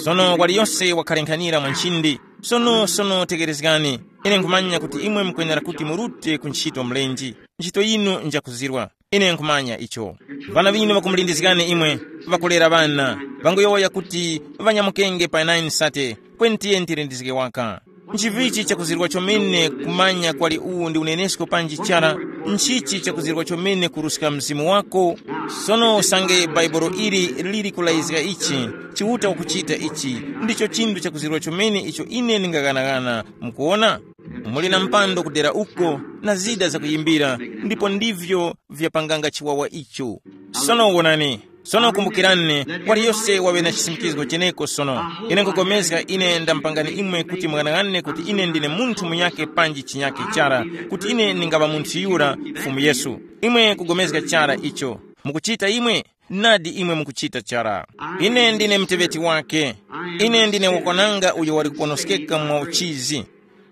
Sono waliyose wakhalenkhanira mwa nchindi. Sono, sono tekerezgani. Ine nkhumanya kuti imwe mukwenera kuti murute ku ntchito mlenji. Ntchito yinu njakuzirwa. Ine nkhumanya icho. Vana vinu ŵakumulindizgani imwe, ŵakulera ŵana. Ŵanguyowoya kuti ŵanyamukenge pa nine sate, kweni tiye ntilindizge waka. Nchivichi chakuzirwa chomene kumanya kwali uwu ndi unenesko panji chara? Nchichi chakuzirwa chomene kuruska mzimu wako? Sono usange bhaibolo ili lili kulayizga ichi, Chiuta ukuchita ichi, ndicho chinthu chakuzirwa chomene icho ine ndingaghanaghana. Mukuwona, muli na mpando kudera uko, na zida zakuyimbira, ndipo ndivyo vyapanganga chiwawa icho. Sono wonani, sono kumbukirani, waliyose waŵe na chisimikizgo cheneko sono. Ine nkugomezga ine ndamupangani imwe kuti mung'anang'ane kuti ine ndine munthu munyakhe panji chinyakhe chara, kuti ine ndingaŵa munthu yura Fumu Yesu. Imwe kugomezga chara icho. Mukuchita imwe? Nadi imwe mukuchita chara. Ine ndine muteŵeti wake. Ine ndine wakwananga uyo wali kuponoskeka mwa uchizi.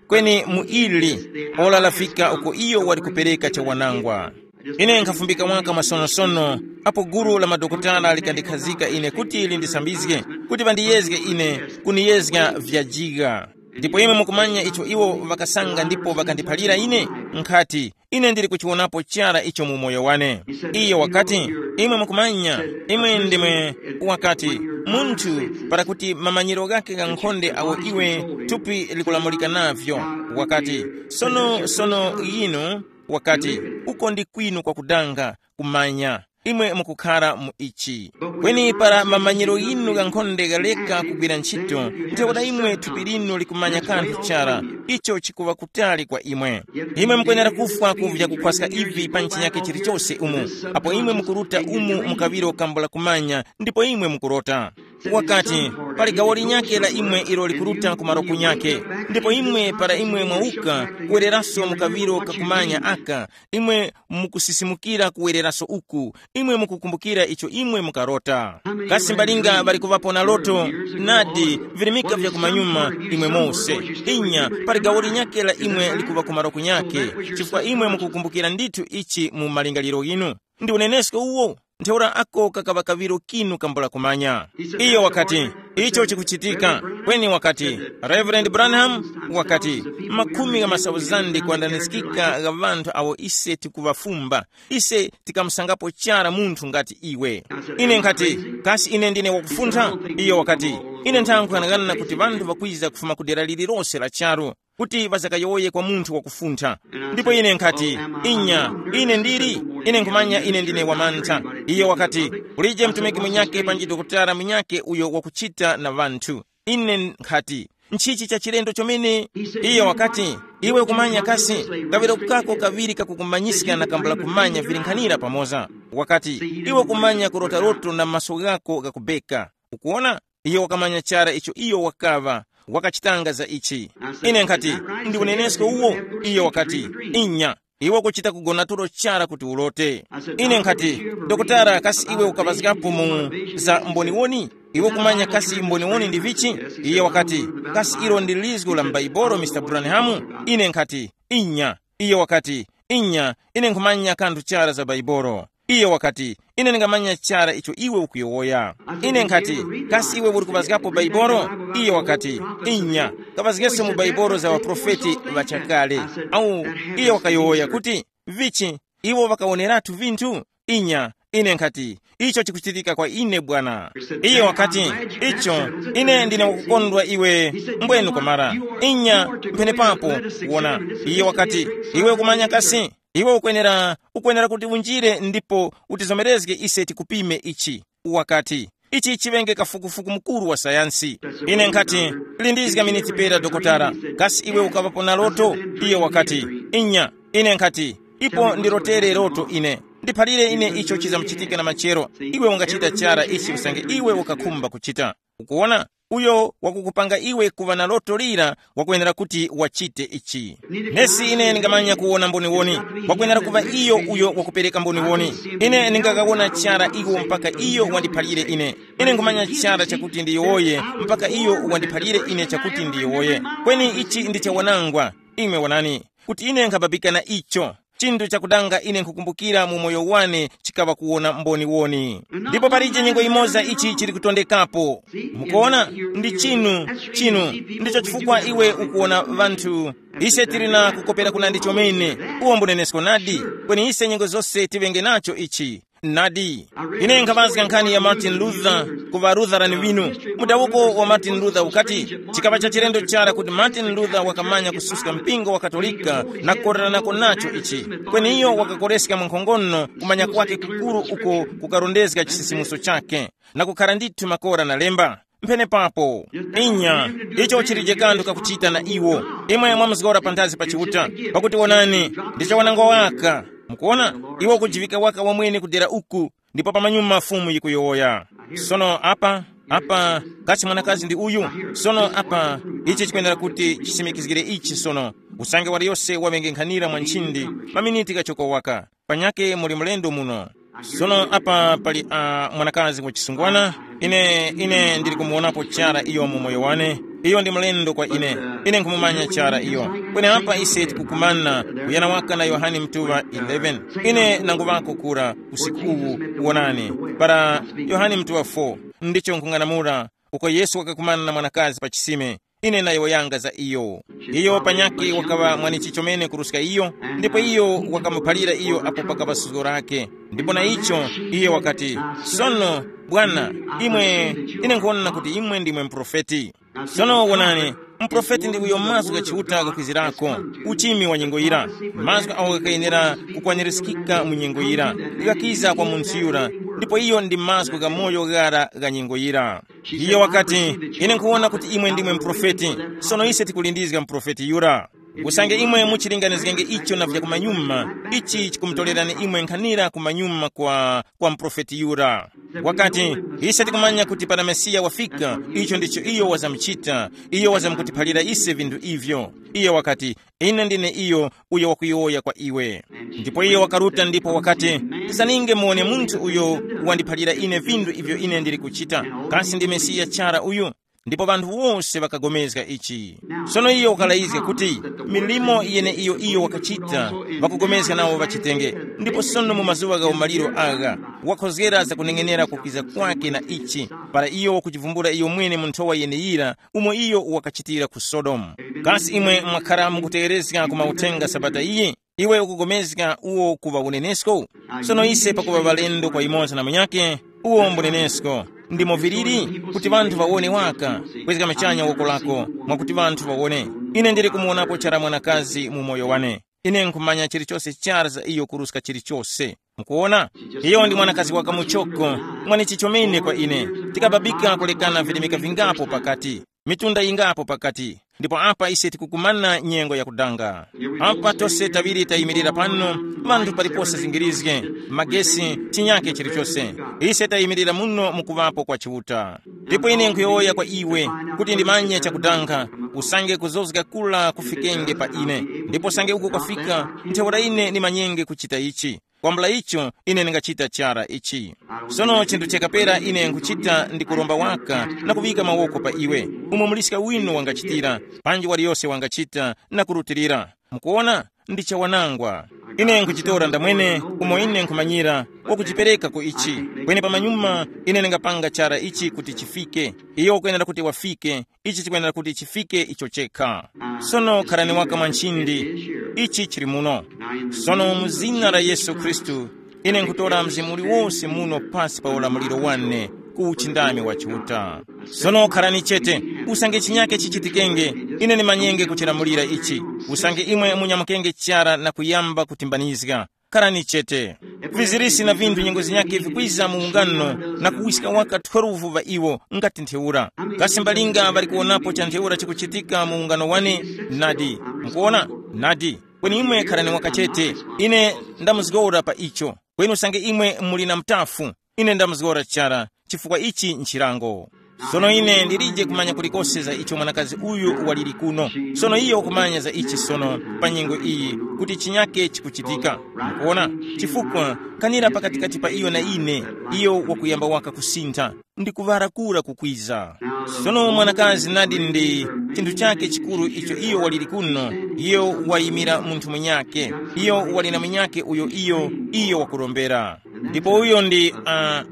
Kweni mu ili, ora lafika uko iyo wali kupereka chawanangwa. Ine nkhafumbika waka masonosono, apo gulu la madokotala likandikhazika ine kuti lindisambizge, kuti ŵandiyezge ine, kuniyezga vyajiga. Ndipo imwe mukumanya icho iwo ŵakasanga ndipo ŵakandiphalira ine? Nkhati, ine ndili kuchiwonapo chara icho mu moyo wane. Iyo wakati, imwe mukumanya, imwe ndimwe, wakati, munthu, para kuti mamanyiro ghakhe ghankhonde awo iwe thupi likulamulika navyo, wakati, sono, sono yinu, wakati, uko ndi kwinu kwakudanga, kumanya. Imwe mukukhara mu ichi. Kweni para mamanyiro ghinu ghankhonde ghaleka kugwira ntchito, ntheura imwe thupi linu likumanya kanthu chara, icho chikuŵa kutali kwa imwe. Imwe mukwenera kufwa ku vyakukhwaska ivi pa chinyakhe chilichose umu, apo imwe mukuruta umu mu kaŵiro kambula kumanya, ndipo imwe mukurota. Wakati, pali gawo linyakhe la imwe ilo likuruta ku maroku nyakhe, ndipo imwe para imwe mwauka, kuwereraso mu kaŵiro kakumanya aka, imwe mukusisimukira kuwereraso uku, imwe mukukumbukira icho imwe mukarota. Kasi mbalinga ŵali kuŵapo na loto? Nadi, virimika vya kumanyuma, imwe mose. Inya, pali gawo linyakhe la imwe likuŵa ku maroku nyakhe, chifukwa imwe mukukumbukira ndithu ichi mu malingaliro ghinu. Ndi unenesko uwo? Ntheura ako kakaŵa kaŵiro kinu kambula kumanya. Iyo wakati, icho chikuchitika. Kweni wakati, Reverend Branham, wakati, makhumi gha masauzande kwandaniskika gha ŵanthu awo ise tikuŵafumba, ise tikamusangapo chara munthu ngati iwe. Ine nkhati, kasi ine ndine wakufuntha? Iyo wakati, ine nthankhu yanang'ana kuti ŵanthu ŵakwiza kufuma ku dera lililose la charu, kuti ŵazakayowoye kwa munthu wakufuntha. Ndipo ine nkhati, inya, ine ndili, ine nkhumanya ine ndine wamantha. Iyo wakati, kulije mtumiki munyakhe panji dokotala munyakhe uyo wakuchita na ŵanthu. Ine nkhati, nchichi cha chilendo chomene? Iyo wakati, iwe ukumanya kasi, kaŵiro kako kaŵiri kakukumanyiska na kambula kumanya vilinkhanira pamoza. Wakati, iwe ukumanya kurota loto na maso ghako ghakubeka. Ukuwona? Iyo wakamanya chara icho iyo wakaŵa, wakachitanga za ichi. Ine nkhati, ndi unenesko uwo? Iyo wakati, inya, iwe ukuchita kugona tulo chara kuti ulote. Ine nkhati, dokotala, kasi iwe ukaŵazgapo mu za mboniwoni? Iwe ukumanya kasi mboniwoni ndi vichi? Iye wakati, kasi ilo ndi lizgu la m'Baibolo, Mister Branham? Ine nkhati, Inya. Iyo wakati, inya, ine nkhumanya kanthu chara za Baibolo. Iyo wakati, ine ndingamanya chara icho iwe ukuyowoya. Ine nkhati, kasi iwe uli kuŵazgapo Baibolo? Iyo wakati, inya, kaŵazgeso mu Baibolo za ŵaprofeti ŵachakale. Au, iyo wakayowoya kuti, vichi, iwo ŵakawoneratu vinthu? Inya, ine nkhati, icho chikuchitika kwa ine bwana. Iye wakati, icho, ine ndine wakukondwa iwe, mbwenu kwamara. Inya, mphenepapo, wona. Iye wakati, iwe ukumanya kasi, iwe ukwenera ukwenera kuti unjire ndipo utizomerezge ise tikupime ichi. Wakati, ichi chiŵenge kafukufuku mukuru wa sayansi. Ine nkhati, lindizga miniti pera dokotala, kasi iwe ukaŵapo na loto? Iye wakati, inya. Ine nkhati, ipo ndilotere loto ine. Ndiphalire ine icho chizamuchitika na machero. Iwe ungachita chara ichi usange iwe ukakhumba kuchita. Ukuwona, uyo wakukupanga iwe kuŵa na loto lira wakwenera kuti wachite ichi. Nesi ine ndingamanya kuwona mboniwoni, wakwenera kuŵa iyo uyo wakupereka mboniwoni. Ine ndingakawona chara iwo mpaka iyo wandiphalire ine. Ine nkhumanya chara chakuti ndiyowoye mpaka iyo wandiphalire ine chakuti ndiyowoye. Kweni ichi ndi chawanangwa. Imwe wonani, kuti ine nkhababika na icho. Chinthu chakudanga ine nkhukumbukira mu moyo wane chikaŵa kuwona mboniwoni. Ndipo palije nyengo imoza ichi chili kutondekapo. Mukuona, ndi chinu, chinu, ndicho chifukwa iwe ukuwona vanthu. Ise tili na kukopera kunandi chomene. Uwo mbunenesko nadi. Kweni ise nyengo zose tiŵenge nacho ichi. Nadi. Ine nkhaŵazga nkhani ya Martin Luther ku ŵa Lutheran winu. Mudawuko wa Martin Luther ukati, chikaŵa cha chilendo chara kuti Martin Luther wakamanya kususka mpingo wa Katolika na kukoreranako nacho ichi. Kweni iyo wakakoreska mwankhongono kumanya kwake kukuru uko kukarondezga chisisimuso chake na kukhara ndithu makora na lemba. Mphenepapo, inya, icho chilije kanthu kakuchita na iwo. Imwe mwamuzgora panthazi pa Chiuta, pakuti wonani, ndi chawanangwa waka. Mukuona, iwo kujivika waka wamwene kudera uku, ndipo pamanyuma Fumu yikuyowoya. Sono apa, apa, kasi mwanakazi ndi uyu? Sono apa, ichi chikwenera kuti chisimikizgire ichi sono. Usange waliyose waŵenge nkhanira mwa nchindi, maminiti kachoko waka. Panyake muli mlendo muno. Sono apa pali uh, mwanakazi wachisungwana. Ine ine ndili kumuwonapo chara iyo mu moyo wane. Iyo ndi mlendo kwa ine. Ine nkhumumanya chara iyo. Kweni apa ise tikukumana kuyana waka na Yohane mtuŵa eleven. Ine nanguŵako kura usiku uwu. Wonani, para Yohane mtuŵa four, ndicho nkhung'anamula uko Yesu wakakumana na mwanakazi pa chisime. Ine nayowoyanga za iyo. Iyo panyakhe wakaŵa mwanichi chomene kuruska iyo, ndipo iyo wakamuphalira iyo apo pakaŵa suzgo lake. Ndipo na icho, iyo wakati, sono, Bwana, imwe, ine nkhuwona kuti imwe ndimwe muprofeti. Sono wonani, muprofeti ndi uyo mazgu gha Chiuta ghakwizirako, uchimi wa nyengo yira, mazgu agho ghakayenera kukwanirizikika mu nyengo yira, ghakiza kwa munthu yura, ndipo iyo ndi mazgu gha moyo ghara gha nyengo yira. Iye wakati, ine nkhuwona kuti imwe ndimwe muprofeti. Sono ise tikulindizga muprofeti yura. Usange imwe muchilinganizgenge icho na vyakumanyuma, ichi chikumutorerani imwe nkhanira kumanyuma kwa, kwa muprofeti yura. Wakati, ise tikumanya kuti para Mesiya wafika, icho ndicho iyo wazamuchita, iyo wazamkutiphalira ise vinthu ivyo. Iye wakati, ine ndine iyo uyo wakuyowoya kwa iwe. Ndipo iye wakaruta ndipo wakati, tizaninge muwone munthu uyo wandiphalira ine vinthu ivyo ine ndili kuchita. Kasi ndi Mesiya chara uyu? Ndipo ŵanthu wose ŵakagomezga ichi. Sono iyo wakalayizga kuti milimo yeneiyo iyo wakachita, ŵakugomezga nawo ŵachitenge. Ndipo sono mu mazuŵa gha umaliro agha, wakhozgera zakuneng'enera kukwiza kwake na ichi, para iyo wakuchivumbula iyo mwene mu nthowa yeneyira, umo iyo wakachitira ku Sodomu. Kasi imwe mwakhara mukutegherezga ku mauthenga Sabata iyi? Iwe ukugomezga uwo kuŵa unenesko? Sono ise pakuŵa ŵalendo kwa yumoza na munyakhe, uwo mbunenesko. Ndimo viliri kuti ŵanthu ŵawone waka, kwezga machanya woko lako, mwakuti ŵanthu ŵawone. Ine ndili kumuwonapo chara mwanakazi mu moyo wane. Ine nkhumanya chilichose chara za iyo kuruska chilichose. Mukuwona? Iyo ndi mwanakazi waka muchoko, mwanichi chomene kwa ine. Tikababika kulekana vilemeka vingapo pakati, mitunda yingapo pakati, ndipo apa ise tikukumana nyengo yakudanga. Apa tose taŵiri tayimirira pano, vanthu palipose zingirizge, magesi, chinyake chilichose. Ise tayimirira muno mukuŵapo kwa Chiuta. Ndipo ine nkhuyowoya kwa iwe, kuti ndimanye chakudanga, usange kuzozga kula kufikenge pa ine, ndipo usange uko kwafika, ntheura ine ndimanyenge kuchita ichi. Kwambula icho, ine ndingachita chara ichi. Sono chinthu chakapera ine nkuchita ndi kuromba waka na kuŵika mawoko pa iwe, umo muliska winu wangachitira, panji waliyose wangachita na kurutilira. Mukuona? Ndi chawanangwa. Ine nkuchitora ndamwene, umo ine nkhumanyira, wakuchipereka ku ichi. Kweni pamanyuma ine ndingapanga chara ichi kuti chifike. Iyo ukwenera kuti wafike. Ichi chikwenera kuti chifike icho chekha. Sono kharani waka mwa nchindi. Ichi chili muno. Sono mu zina la Yesu Khristu, ine nkutora mzimu uliwose muno pasi pa ulamuliro wane, ku uchindami wa Chiuta. Sono kharani chete, usange chinyake chichitikenge, ine ndimanyenge kuchilamulira ichi. Usange imwe munyamukenge chara na kuyamba kutimbanizga, kharani chete. Vizirisi na vinthu nyengo zinyakhe vikwiza mu ungano, na kuwiska waka twelve ŵa iwo, ngati ntheura. Kasi mbalinga ŵali kuwonapo cha ntheura chikuchitika mu ungano wane? Nadi. Mukuona? Nadi. Kweni imwe kharani waka chete. Ine ndamuzgora pa icho. Kweni usange imwe muli na mutafu, ine ndamuzgora chara, chifukwa ichi nchilango. Sono ine ndilije kumanya kulikose za icho mwanakazi uyu waliri kuno. Sono iyo ukumanya za ichi sono, pa nyengo iyi, kuti chinyake chikuchitika. Mukuona? Chifukwa kanira pakatikati pa iyo na ine, iyo wakuyamba waka kusintha, ndi kuŵara kura kukwiza. Sono mwanakazi nadi ndi chinthu chake chikuru icho iyo waliri kuno. Iyo wayimira munthu munyake. Iyo wali na munyake uyo iyo iyo wakurombera. Ndipo uyo ndi uh,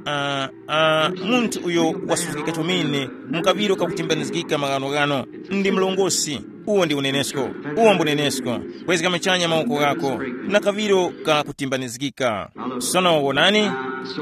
uh, uh, munthu uyo wasuzgika chomene, mu kaŵiro kakutimbanizgika maghanoghano. Ndi mlongosi. Uwo ndi unenesko. Uwo mbunenesko. Kwezga machanya mawoko ghako, na kaŵiro kakutimbanizgika. Sono wonani,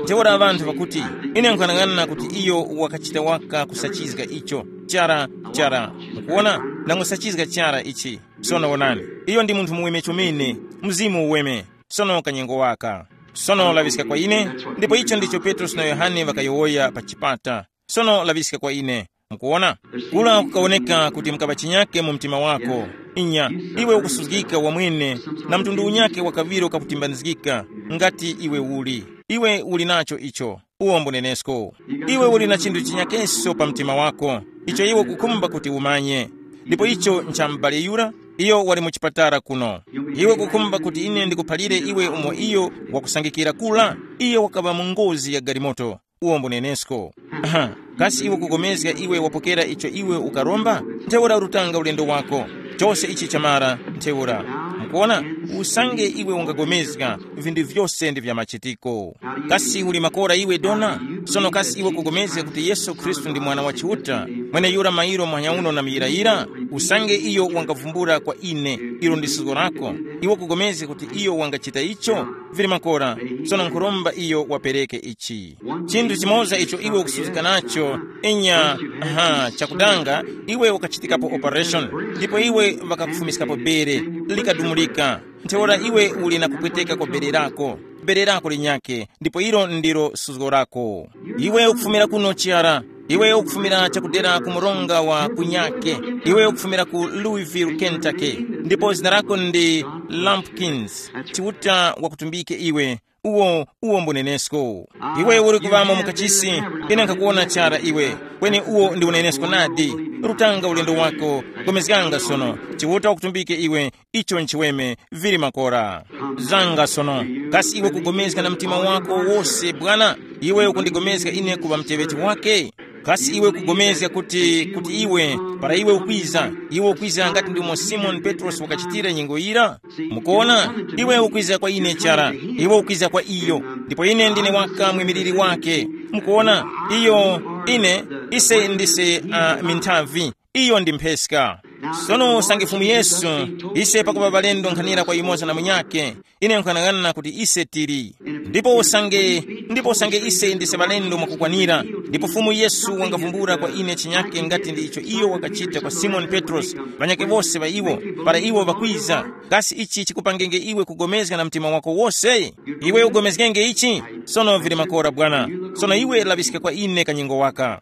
ntheura ŵanthu ŵakuti, ine nkhanang'ana kuti iyo wakachita waka kusachizga icho. Chara, chara. Mukuona? Nangusachizga chara ichi. Sono wonani, iyo ndi munthu muweme chomene, mzimu uweme. Sono kanyengo waka. Sono laŵiska kwa ine. Ndipo icho ndicho Petrosi na Yohane ŵakayowoya pa chipata. Sono laŵiska kwa ine. Mukuona? Kula kukawoneka kuti mukaŵa chinyake mu mtima wako. Inya, iwe ukusuzgika wamwene, na mtundu unyake wa kaŵiro kakutimbanizgika. Ngati iwe uli, iwe uli nacho icho. Uwo mbunenesko. Iwe uli na chinthu chinyakeso pa mtima wako, icho iwe kukhumba kuti umanye. Ndipo icho ncha m'bale yura, iyo wali mu chipatala kuno. Iwe kukhumba kuti ine ndikuphalire iwe umo iyo wakusangikira kula? Iyo wakaŵa mu ngozi ya galimoto. Uwo mbunenesko. Aha, kasi iwe kugomezga iwe wapokera icho iwe ukaromba? Ntheura urutanga ulendo wako. Chose ichi chamara. Ntheura, mukuona, usange iwe ungagomezga, vinthu vyose ndi vya machitiko. Kasi uli makora iwe dona? Sono kasi iwe kugomezga kuti Yesu Khristu ndi Mwana wa Chiuta, mweneyura mairo muhanya uno na muyirayira? Usange iyo wangavumbula kwa ine, ilo ndi suzgo lako. Iwe kugomezga kuti iyo wangachita icho? Vili makora. Sono nkhuromba iyo wapereke ichi. Chinthu chimoza icho iwe ukusuzika nacho, inya, aha, chakudanga, iwe ukachitikapo operation, ndipo iwe ŵakakufumiskapo bere, likadumulika. Ntheura iwe uli na kupweteka kwa bere lako, bere lako linyake, ndipo ilo ndilo suzgo lako. Iwe ukufumira kuno chara, iwe ukufumira chakudera ku mronga wa kunyake, iwe ukufumira ku Louisville, Kentucky, ndipo zina lako ndi Lumpkins. Chiuta wakutumbike iwe. Uwo, uwo mbunenesko. Iwe uri kuŵamo mu kachisi, ine nkhakuwona chara iwe. Kweni uwo ndi unenesko nadi. Rutanga ulendo wako, gomezganga sono. Chiuta wakutumbike iwe, icho nchiweme, vili makora. Zanga sono, kasi iwe kugomezga na mtima wako wose, Bwana? Iwe ukundigomezga ine kuŵa muteŵeti wake? Kasi iwe kugomezga kuti, kuti iwe, para iwe ukwiza, iwe ukwiza ngati ndimo Simoni Petrosi wakachitira nyengo yira? Mukuona, iwe ukwiza kwa ine chara, iwe ukwiza kwa iyo, ndipo ine ndine waka mwimiliri wake. Mukuona, iyo, ine, ise ndise uh, minthavi, iyo ndi mpheska. Sono usange Fumu Yesu, ise pakupa balendo nkhanira kwa yumoza na munyake, ine nkhanang'ana kuti ise tili. Ndipo usange, ndipo usange ise ndise balendo mwakukwanira, ndipo Fumu Yesu wangavumbula kwa ine chinyake ngati ndi icho iyo wakachita kwa Simoni Petrosi, ŵanyake wose ŵa iwo, para iwo ŵakwiza, kasi ichi chikupangenge iwe kugomezga na mtima wako wose? Iwe ugomezgenge ichi? Sono vili makora bwana. Sono iwe laŵiska kwa ine kanyengo waka.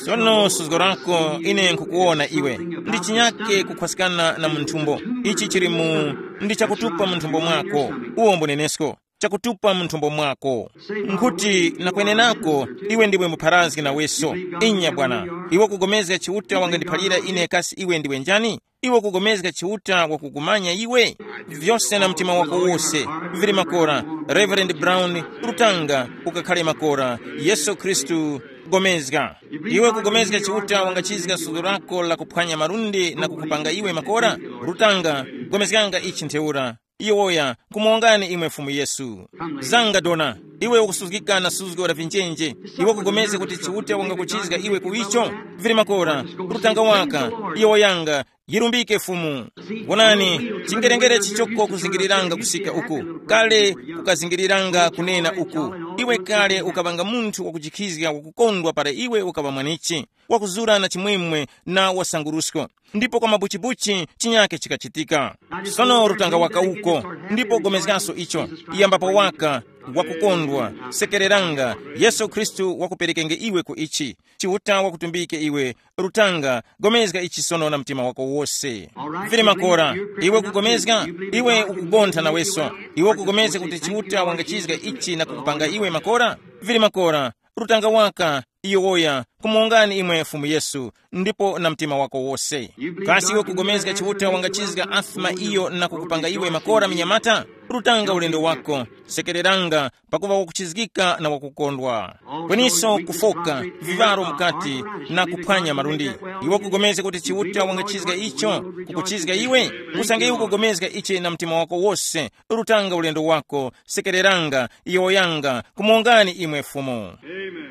Sono suzgo lako ine nkukuwona iwe. Ndi chinyake kukhwasikana na munthumbo. Ichi chili mu, ndi chakutupa munthumbo mwako. Uwo mbunenesko. Chakutupa munthumbo mwako. Nkhuti nakwenenako, iwe ndiwe mupharazgi naweso. Inya bwana. Iwe kugomezga Chiuta wangandiphalira ine kasi iwe ndiwe njani? Iwe kugomezga Chiuta wakukumanya iwe? Vyose na mtima wako wose. Vili makora. Reverend Brown, rutanga, ukakhale makora. Yesu Khristu, gomezga. Iwe kugomezga Chiuta wangachizga suzgo lako la kuphwanya malundi na kukupanga iwe makora? Rutanga, Gomezganga ichi ntheura. Iwoya, kumuwongani imwe Fumu Yesu. Zanga dona, iwe ukusuzgika na suzgo la vinjenje. Iwe kugomezga kuti Chiuta wangakuchizga iwe ku icho? Vili makora, rutanga waka. Iwoyanga, yirumbike Fumu. Wonani, chingerengere chichoko kuzingiriranga kusika uku. Kale kukazingiriranga kunena uku. Iwe kale ukaŵanga munthu wakujikhizga wakukondwa para iwe ukaŵa mwanichi, wakuzura na chimwemwe na wasangurusko. Ndipo kwa mabuchibuchi chinyake chikachitika. Sono rutanga waka uko, ndipo gomezgaso icho. Yambapo waka, wakukondwa, sekereranga, Yesu Khristu wakuperekenge iwe ku ichi. Chiuta wakutumbike iwe, rutanga, gomezga ichi sono na mtima wako wose. Vili makora, iwe kugomezga, iwe ukugontha naweso. Iwe ukugomezga kuti Chiuta wangachizga ichi na kukupanga iwe makora? Vili makora, rutanga waka, iyo woya, kumuwongani imwe Fumu Yesu, ndipo na mtima wako wose. Kasi iwe kugomezga Chiuta wangachizga afima iyo na kukupanga iwe makora minyamata? Rutanga ulendo wako, sekereranga, pakuva wakuchizgika na wakukondwa. Kweniso kufoka, vivaro mukati, na kuphwanya malundi. Iwe kugomezga kuti Chiuta wangachizga icho, kukuchizga iwe? Usange iwe kugomezga ichi na mtima wako wose, rutanga ulendo wako, sekereranga, yowoyanga, kumuwongani imwe Fumu.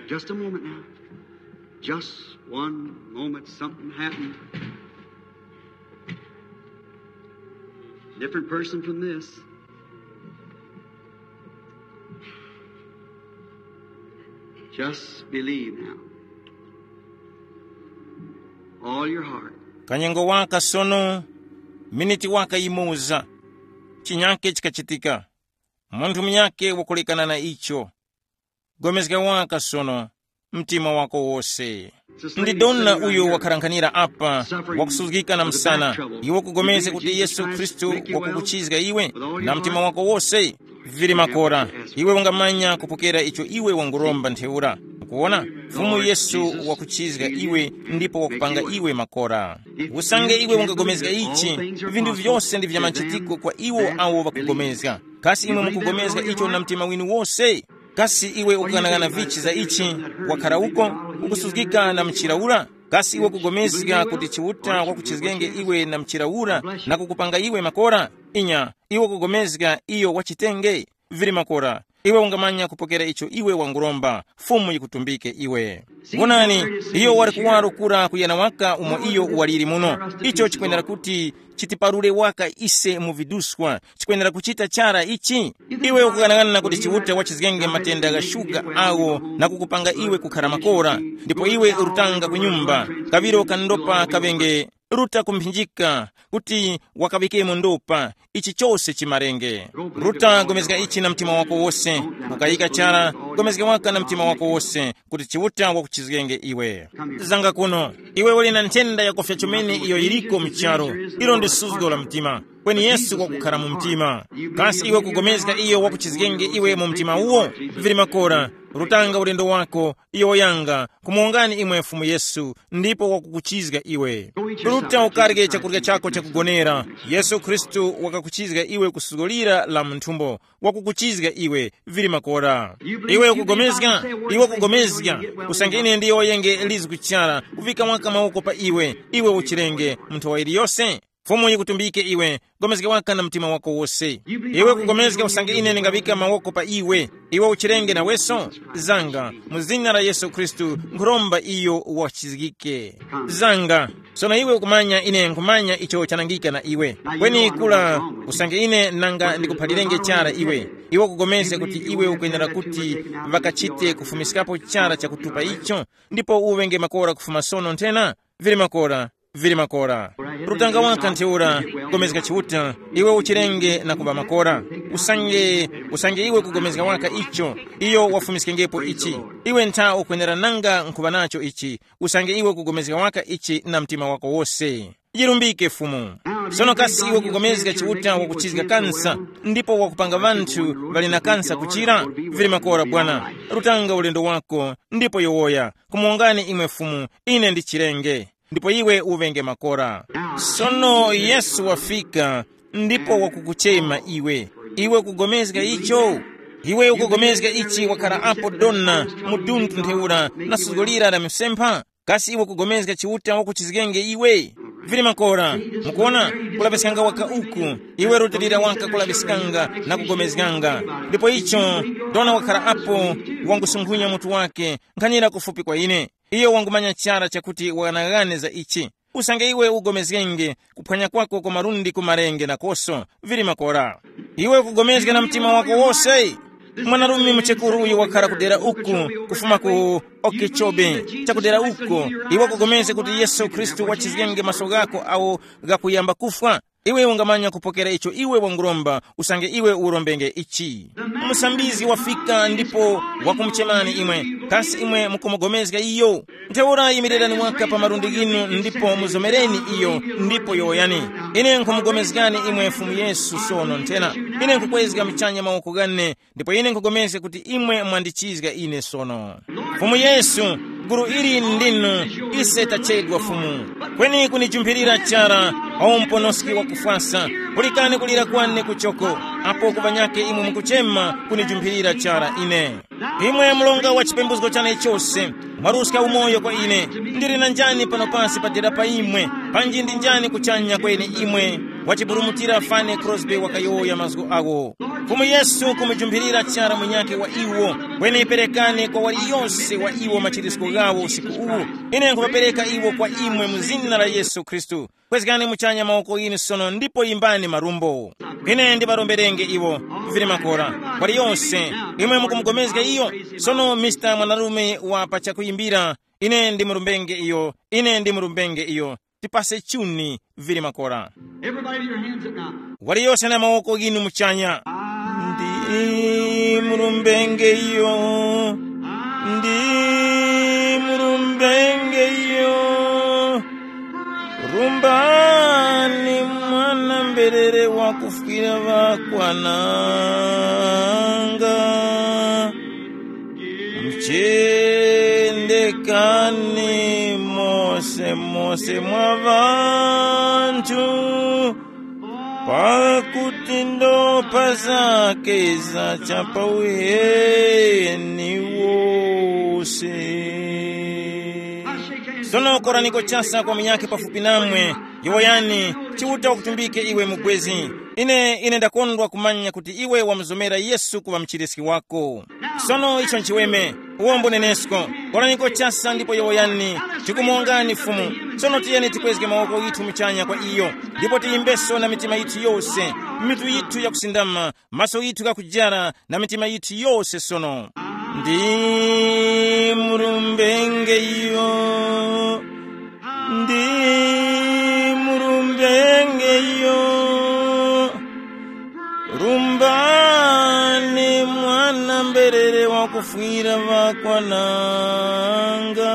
Just a moment now. Just one moment. Something happened. Different person from this. Just believe now. All your heart. Kanyengo waka sono, miniti waka yimoza, chinyake chikachitika. Munthu munyake wakulekana na icho. Gomezga waka sono, mtima wako wose. Ndi dona uyo wakharankhanira apa, wakusuzgika na msana. Iwe kugomezga kuti Yesu Khristu wakukuchizga iwe na mtima wako wose? Vili makora. Iwe ungamanya kupokera icho iwe wanguromba ntheura. Kuona, Fumu Yesu wakuchizga iwe, ndipo wakupanga iwe makora. Usange iwe ungagomezga ichi, vintu vyose ndi vya machitiko kwa iwo awo ŵakugomezga. Kasi imwe mukugomezga icho na mtima winu wose? Kasi iwe ukughanaghana vichi za ichi? Wakhara uko, ukusuzgika na mchira ura? Kasi iwe kugomezga kuti Chiuta wakuchizgenge iwe na mchira ura, na kukupanga iwe makora? Inya, iwe kugomezga iyo wachitenge. Vili makora, iwe ungamanya kupokera icho iwe wanguromba. Fumu yikutumbike iwe. Wonani, iyo wali kuwaro kura kuyana waka umo iyo waliri muno. Icho chikwenera kuti chitiparure waka ise mu viduswa. Chikwenera kuchita chara ichi. Iwe ukukanang'ana kuti Chiuta wachizgenge matenda gha shuga awo na kukupanga iwe kukhara makora, ndipo iwe urutanga ku nyumba, kaŵiro kandopa kaŵenge, ruta kumphinjika kuti wakaŵikemo ndopa. Ichi chose chimarenge. Ruta gomezga ichi na mtima wako wose. Ukayika chara, gomezga waka na mtima wako wose, kuti Chiuta wakuchizgenge iwe. Zanga kuno, iwe uli na nthenda yakufya chomene iyo yiliko mu charu. Ilo ndi suzgo la mtima. Kweni Yesu wakukhala mu mtima. Kasi iwe kugomezga iyo wakuchizgenge iwe mu mtima uwo? Vili makora, rutanga ulendo wako, iyo woyanga, kumuwongani imwe Fumu Yesu, ndipo wakukuchizga iwe. Ruta ukarye chakurya chako chakugonera. Yesu Khristu wakakuchizga iwe kusuzgo lira la mu nthumbo, wakukuchizga iwe. Vili makora. Iwe ukugomezga, iwe ukugomezga. Usange ine ndiyo yenge lizi kuchara, kuvika waka mawoko pa iwe, iwe uchirenge, munthu wa iliyose. Fumu yikutumbike iwe, gomezga waka na mtima wako wose. Iwe kugomezga usange ine ndingaŵika mawoko pa iwe, iwe uchirenge naweso? Zanga, mu zina la Yesu Khristu, nkhuromba iyo wachizgike. Zanga, sono iwe ukumanya ine nkhumanya icho chanangika na iwe. Kweni kula, usange ine nanga ndikuphalirenge chara iwe, iwe ukugomezga kuti iwe ukwenera kuti ŵakachite kufumiskapo chara chakutupa icho, ndipo uŵenge makora kufuma sono nthena? Vili makora, vili makora. Rutanga waka ntheura, gomezga Chiuta, iwe uchirenge na kuŵa makora. Usange, usange iwe kugomezga waka icho, iyo wafumiskengepo ichi. Iwe ntha ukwenera nanga nkhuŵa nacho ichi, usange iwe kugomezga waka ichi na mtima wako wose. Yirumbike Fumu. Sono kasi iwe kugomezga Chiuta wakuchizga kansa, ndipo wakupanga ŵanthu ŵali na kansa kuchira? Vili makora bwana. Rutanga ulendo wako, ndipo yowoya, kumuwongani imwe Fumu, ine ndichirenge. Ndipo iwe uŵenge makora. Sono Yesu wafika, ndipo wakukuchema iwe. Iwe ukugomezga icho? Iwe ukugomezga ichi wakhala apo dona, mudunthu ntheura, na suzgo lira la msempha? Kasi iwe ukugomezga Chiuta wakuchizgenge iwe? Vili makora, mukuona, kulaŵiskanga waka uku, iwe rutilira waka kulaŵiskanga na kugomezganga. Ndipo icho, dona wakhala apo, wangusunkhunya mutu wake, nkhanira kufupi kwa ine. Iyo wangumanya chara chakuti wanaghane za ichi. Usange iwe ugomezgenge, kuphwanya kwako kwa malundi ku malenje nakoso, vili makora. Iwe ukugomezga na mtima wako wose. Mwanarume muchekuru uyu wakhala kudera uku, kufuma ku Okechobe, chakudera uko. Iwe ukugomezga kuti Yesu Khristu wachizgenge maso ghako awo ghakuyamba kufwa. Iwe ungamanya kupokera icho iwe wanguromba, usange iwe urombenge ichi. Musambizgi wafika ndipo wakumuchemani imwe. Kasi imwe mukumugomezga iyo? Ntheura yimirirani waka pa malundi ghinu ndipo muzomereni iyo, ndipo yowoyani, ine nkhumugomezgani imwe Fumu Yesu sono nthena. Ine nkhukwezga muchanya mawoko ghane, ndipo ine nkhugomezga kuti imwe mwandichizga ine sono. Fumu Yesu, gulu ili ndinu, ise tachedwa Fumu. Kweni kunijumphirira chara, o muponoski wakufwasa, pulikani kulira kwane kuchoko, apo ku ŵanyakhe imwe mukuchema kunijumphirira chara ine. Imwe mlonga wa chipembuzgo chane chose, mwaruska umoyo kwa ine. Ndili na njani pano pasi padera pa imwe? Panji ndi njani kuchanya kweni imwe? Wachiburumutira Fane Crosby wakayowoya mazgu awo. Fumu Yesu kumujumphirira chara munyakhe wa iwo. Kweni perekani kwa waliyose wa iwo machirisko ghawo usiku uwu. Ine nkhupapereka iwo kwa imwe mu zina la Yesu Khristu. Kwezgani muchanya mawoko ghinu sono ndipo yimbani marumbo. Ine ndiŵaromberenge iwo, vili makora, waliyose. Imwe mukumugomezga iyo? Sono Mr Mwanarume wa pa chakuyimbira, ine ndimurumbenge iyo, ine ndimurumbenge iyo. Tipase chuni, vili makora. Everybody, your hands up now. Waliyose na mawoko ghinu muchanya. Ndi murumbenge iyo, ndi murumbenge iyo. Rumbani mwana mberere wakufwira ŵakwananga. Mchendekani mose mose mwa ŵanthu, pakuti ndopa zake za chapauheni wose. Sono koraniko chasa kwa munyakhe pafupi namwe, yowoyani, Chiuta wakutumbike iwe mubwezi. Ine, ine ndakondwa kumanya kuti iwe wamuzomera Yesu kuŵa mchiriski wako. Sono icho nchiweme, uwombo nenesko. Koraniko chasa ndipo yowoyani, tikumongani Fumu. Sono tiyeni tikwezge mawoko yithu muchanya kwa iyo, ndipo tiyimbeso na mitima yithu yose, mitu yithu yakusindama, maso yithu ghakujara na mitima yithu yose sono. Ndi murumbenge iyo, ndi murumbenge iyo. Rumbani mwana mberere wakufwira ŵakwananga.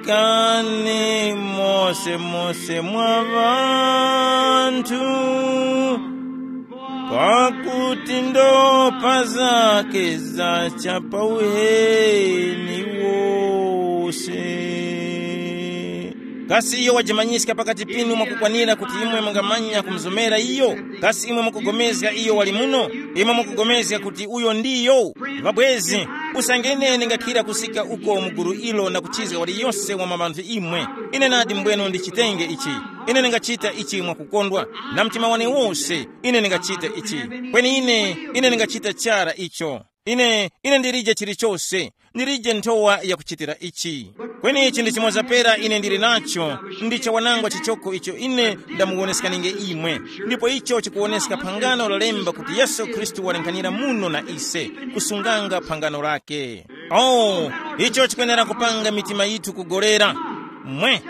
Muchindikani mose mose mwa ŵanthu, pakuti ndopa zake za chapauheni wose. Kasi iyo wajimanyiska pakati pinu mwakukwanira kuti imwe mungamanya kumuzomera iyo? Kasi imwe mukugomezga iyo wali muno? Imwe mukugomezga kuti uyo ndiyo? Ŵabwezi, usange ine ndingakhira kusika uko mu gulu ilo na kuchizga waliyose wa mabanthu imwe, ine nadi mbwenu ndichitenge ichi. Ine ndingachita ichi mwakukondwa, na mtima wane wose. Ine ndingachita ichi. Kweni ine, ine ndingachita chara icho. Ine, ine ndilije chilichose, ndilije nthowa yakuchitira ichi. Kweni ichi ndi chimoza pera ine ndili nacho, ndi chawanangwa chichoko icho ine ndamuwoneskanienge imwe. Ndipo icho chikuwoneska phangano lalemba kuti Yesu Khristu walenghanira muno na ise, kusunganga phangano lake. Oh, icho chikwenera kupanga mitima yithu kugolera. Mwe,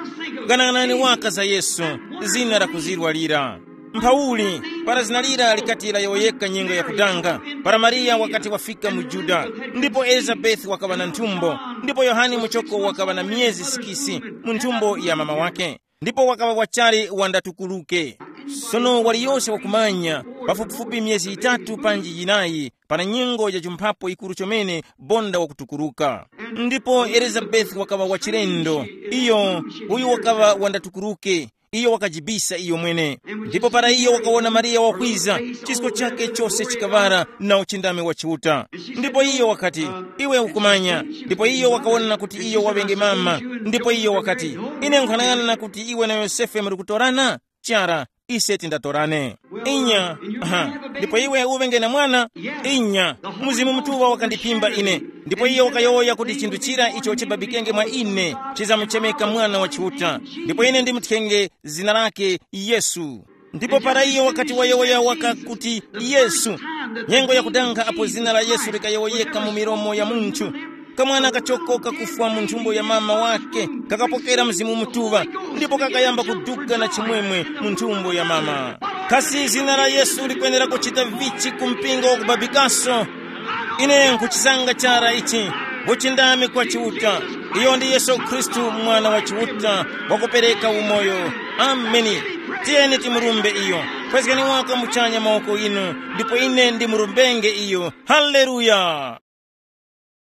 ganang'anani waka za Yesu, zina lakuzirwa lira. Mphauli, para zina lira likati layowoyeka nyengo yakudanga, para Mariya wakati wafika mu Juda, ndipo Elizabeti wakaŵa na nthumbo, ndipo Yohane muchoko wakaŵa na myezi sikisi mu nthumbo ya mama wake, ndipo wakaŵa wachali wandatukuluke. Sono waliyose wakumanya, pafupifupi myezi yitatu panji yinayi, pana nyengo ya chumphapo yikuru chomene bonda wakutukuluka. Ndipo Elizabeti wakaŵa wachilendo, iyo, uyu wakaŵa wandatukuluke, Iyo wakajibisa iyo mwene. Ndipo para iyo wakawona Mariya wakwiza, chisko chake chose chikaŵara na uchindami wa Chiuta. Ndipo iyo wakati, iwe ukumanya. Ndipo iyo wakawona kuti iyo waŵenge mama. Ndipo iyo wakati, ine nkhanang'ana kuti iwe na Yosefe muri kutorana. Chara, ise tindatorane. Inya. Aha. Ndipo iwe uŵenge na mwana. Inya. Mzimu Mutuŵa wakandiphimba ine. Ndipo iyo wakayowoya kuti chinthu chira icho chibabikenge mwa ine chizamuchemeka Mwana wa Chiuta. Ndipo ine ndimuthenge zina lake Yesu. Ndipo para iyo wakati wayowoya waka kuti Yesu, nyengo yakudanga apo zina la Yesu likayowoyeka mu milomo ya munthu, kamwana kachoko kakufwa mu nthumbo ya mama wake kakapokera Mzimu Mutuŵa, ndipo kakayamba kuduka na chimwemwe mu nthumbo ya mama. Kasi zina la Yesu likwenera kuchita vichi ku mpingo wakubabikaso? Ine nkuchisanga chara ichi, uchindami kwa Chiuta. Iyo ndi Yesu Khristu, Mwana wa Chiuta, wakupereka umoyo. Ameni. Tiyeni timurumbe iyo. Kwezgani waka muchanya mawoko inu, ndipo ine ndimurumbenge iyo. Haleluya.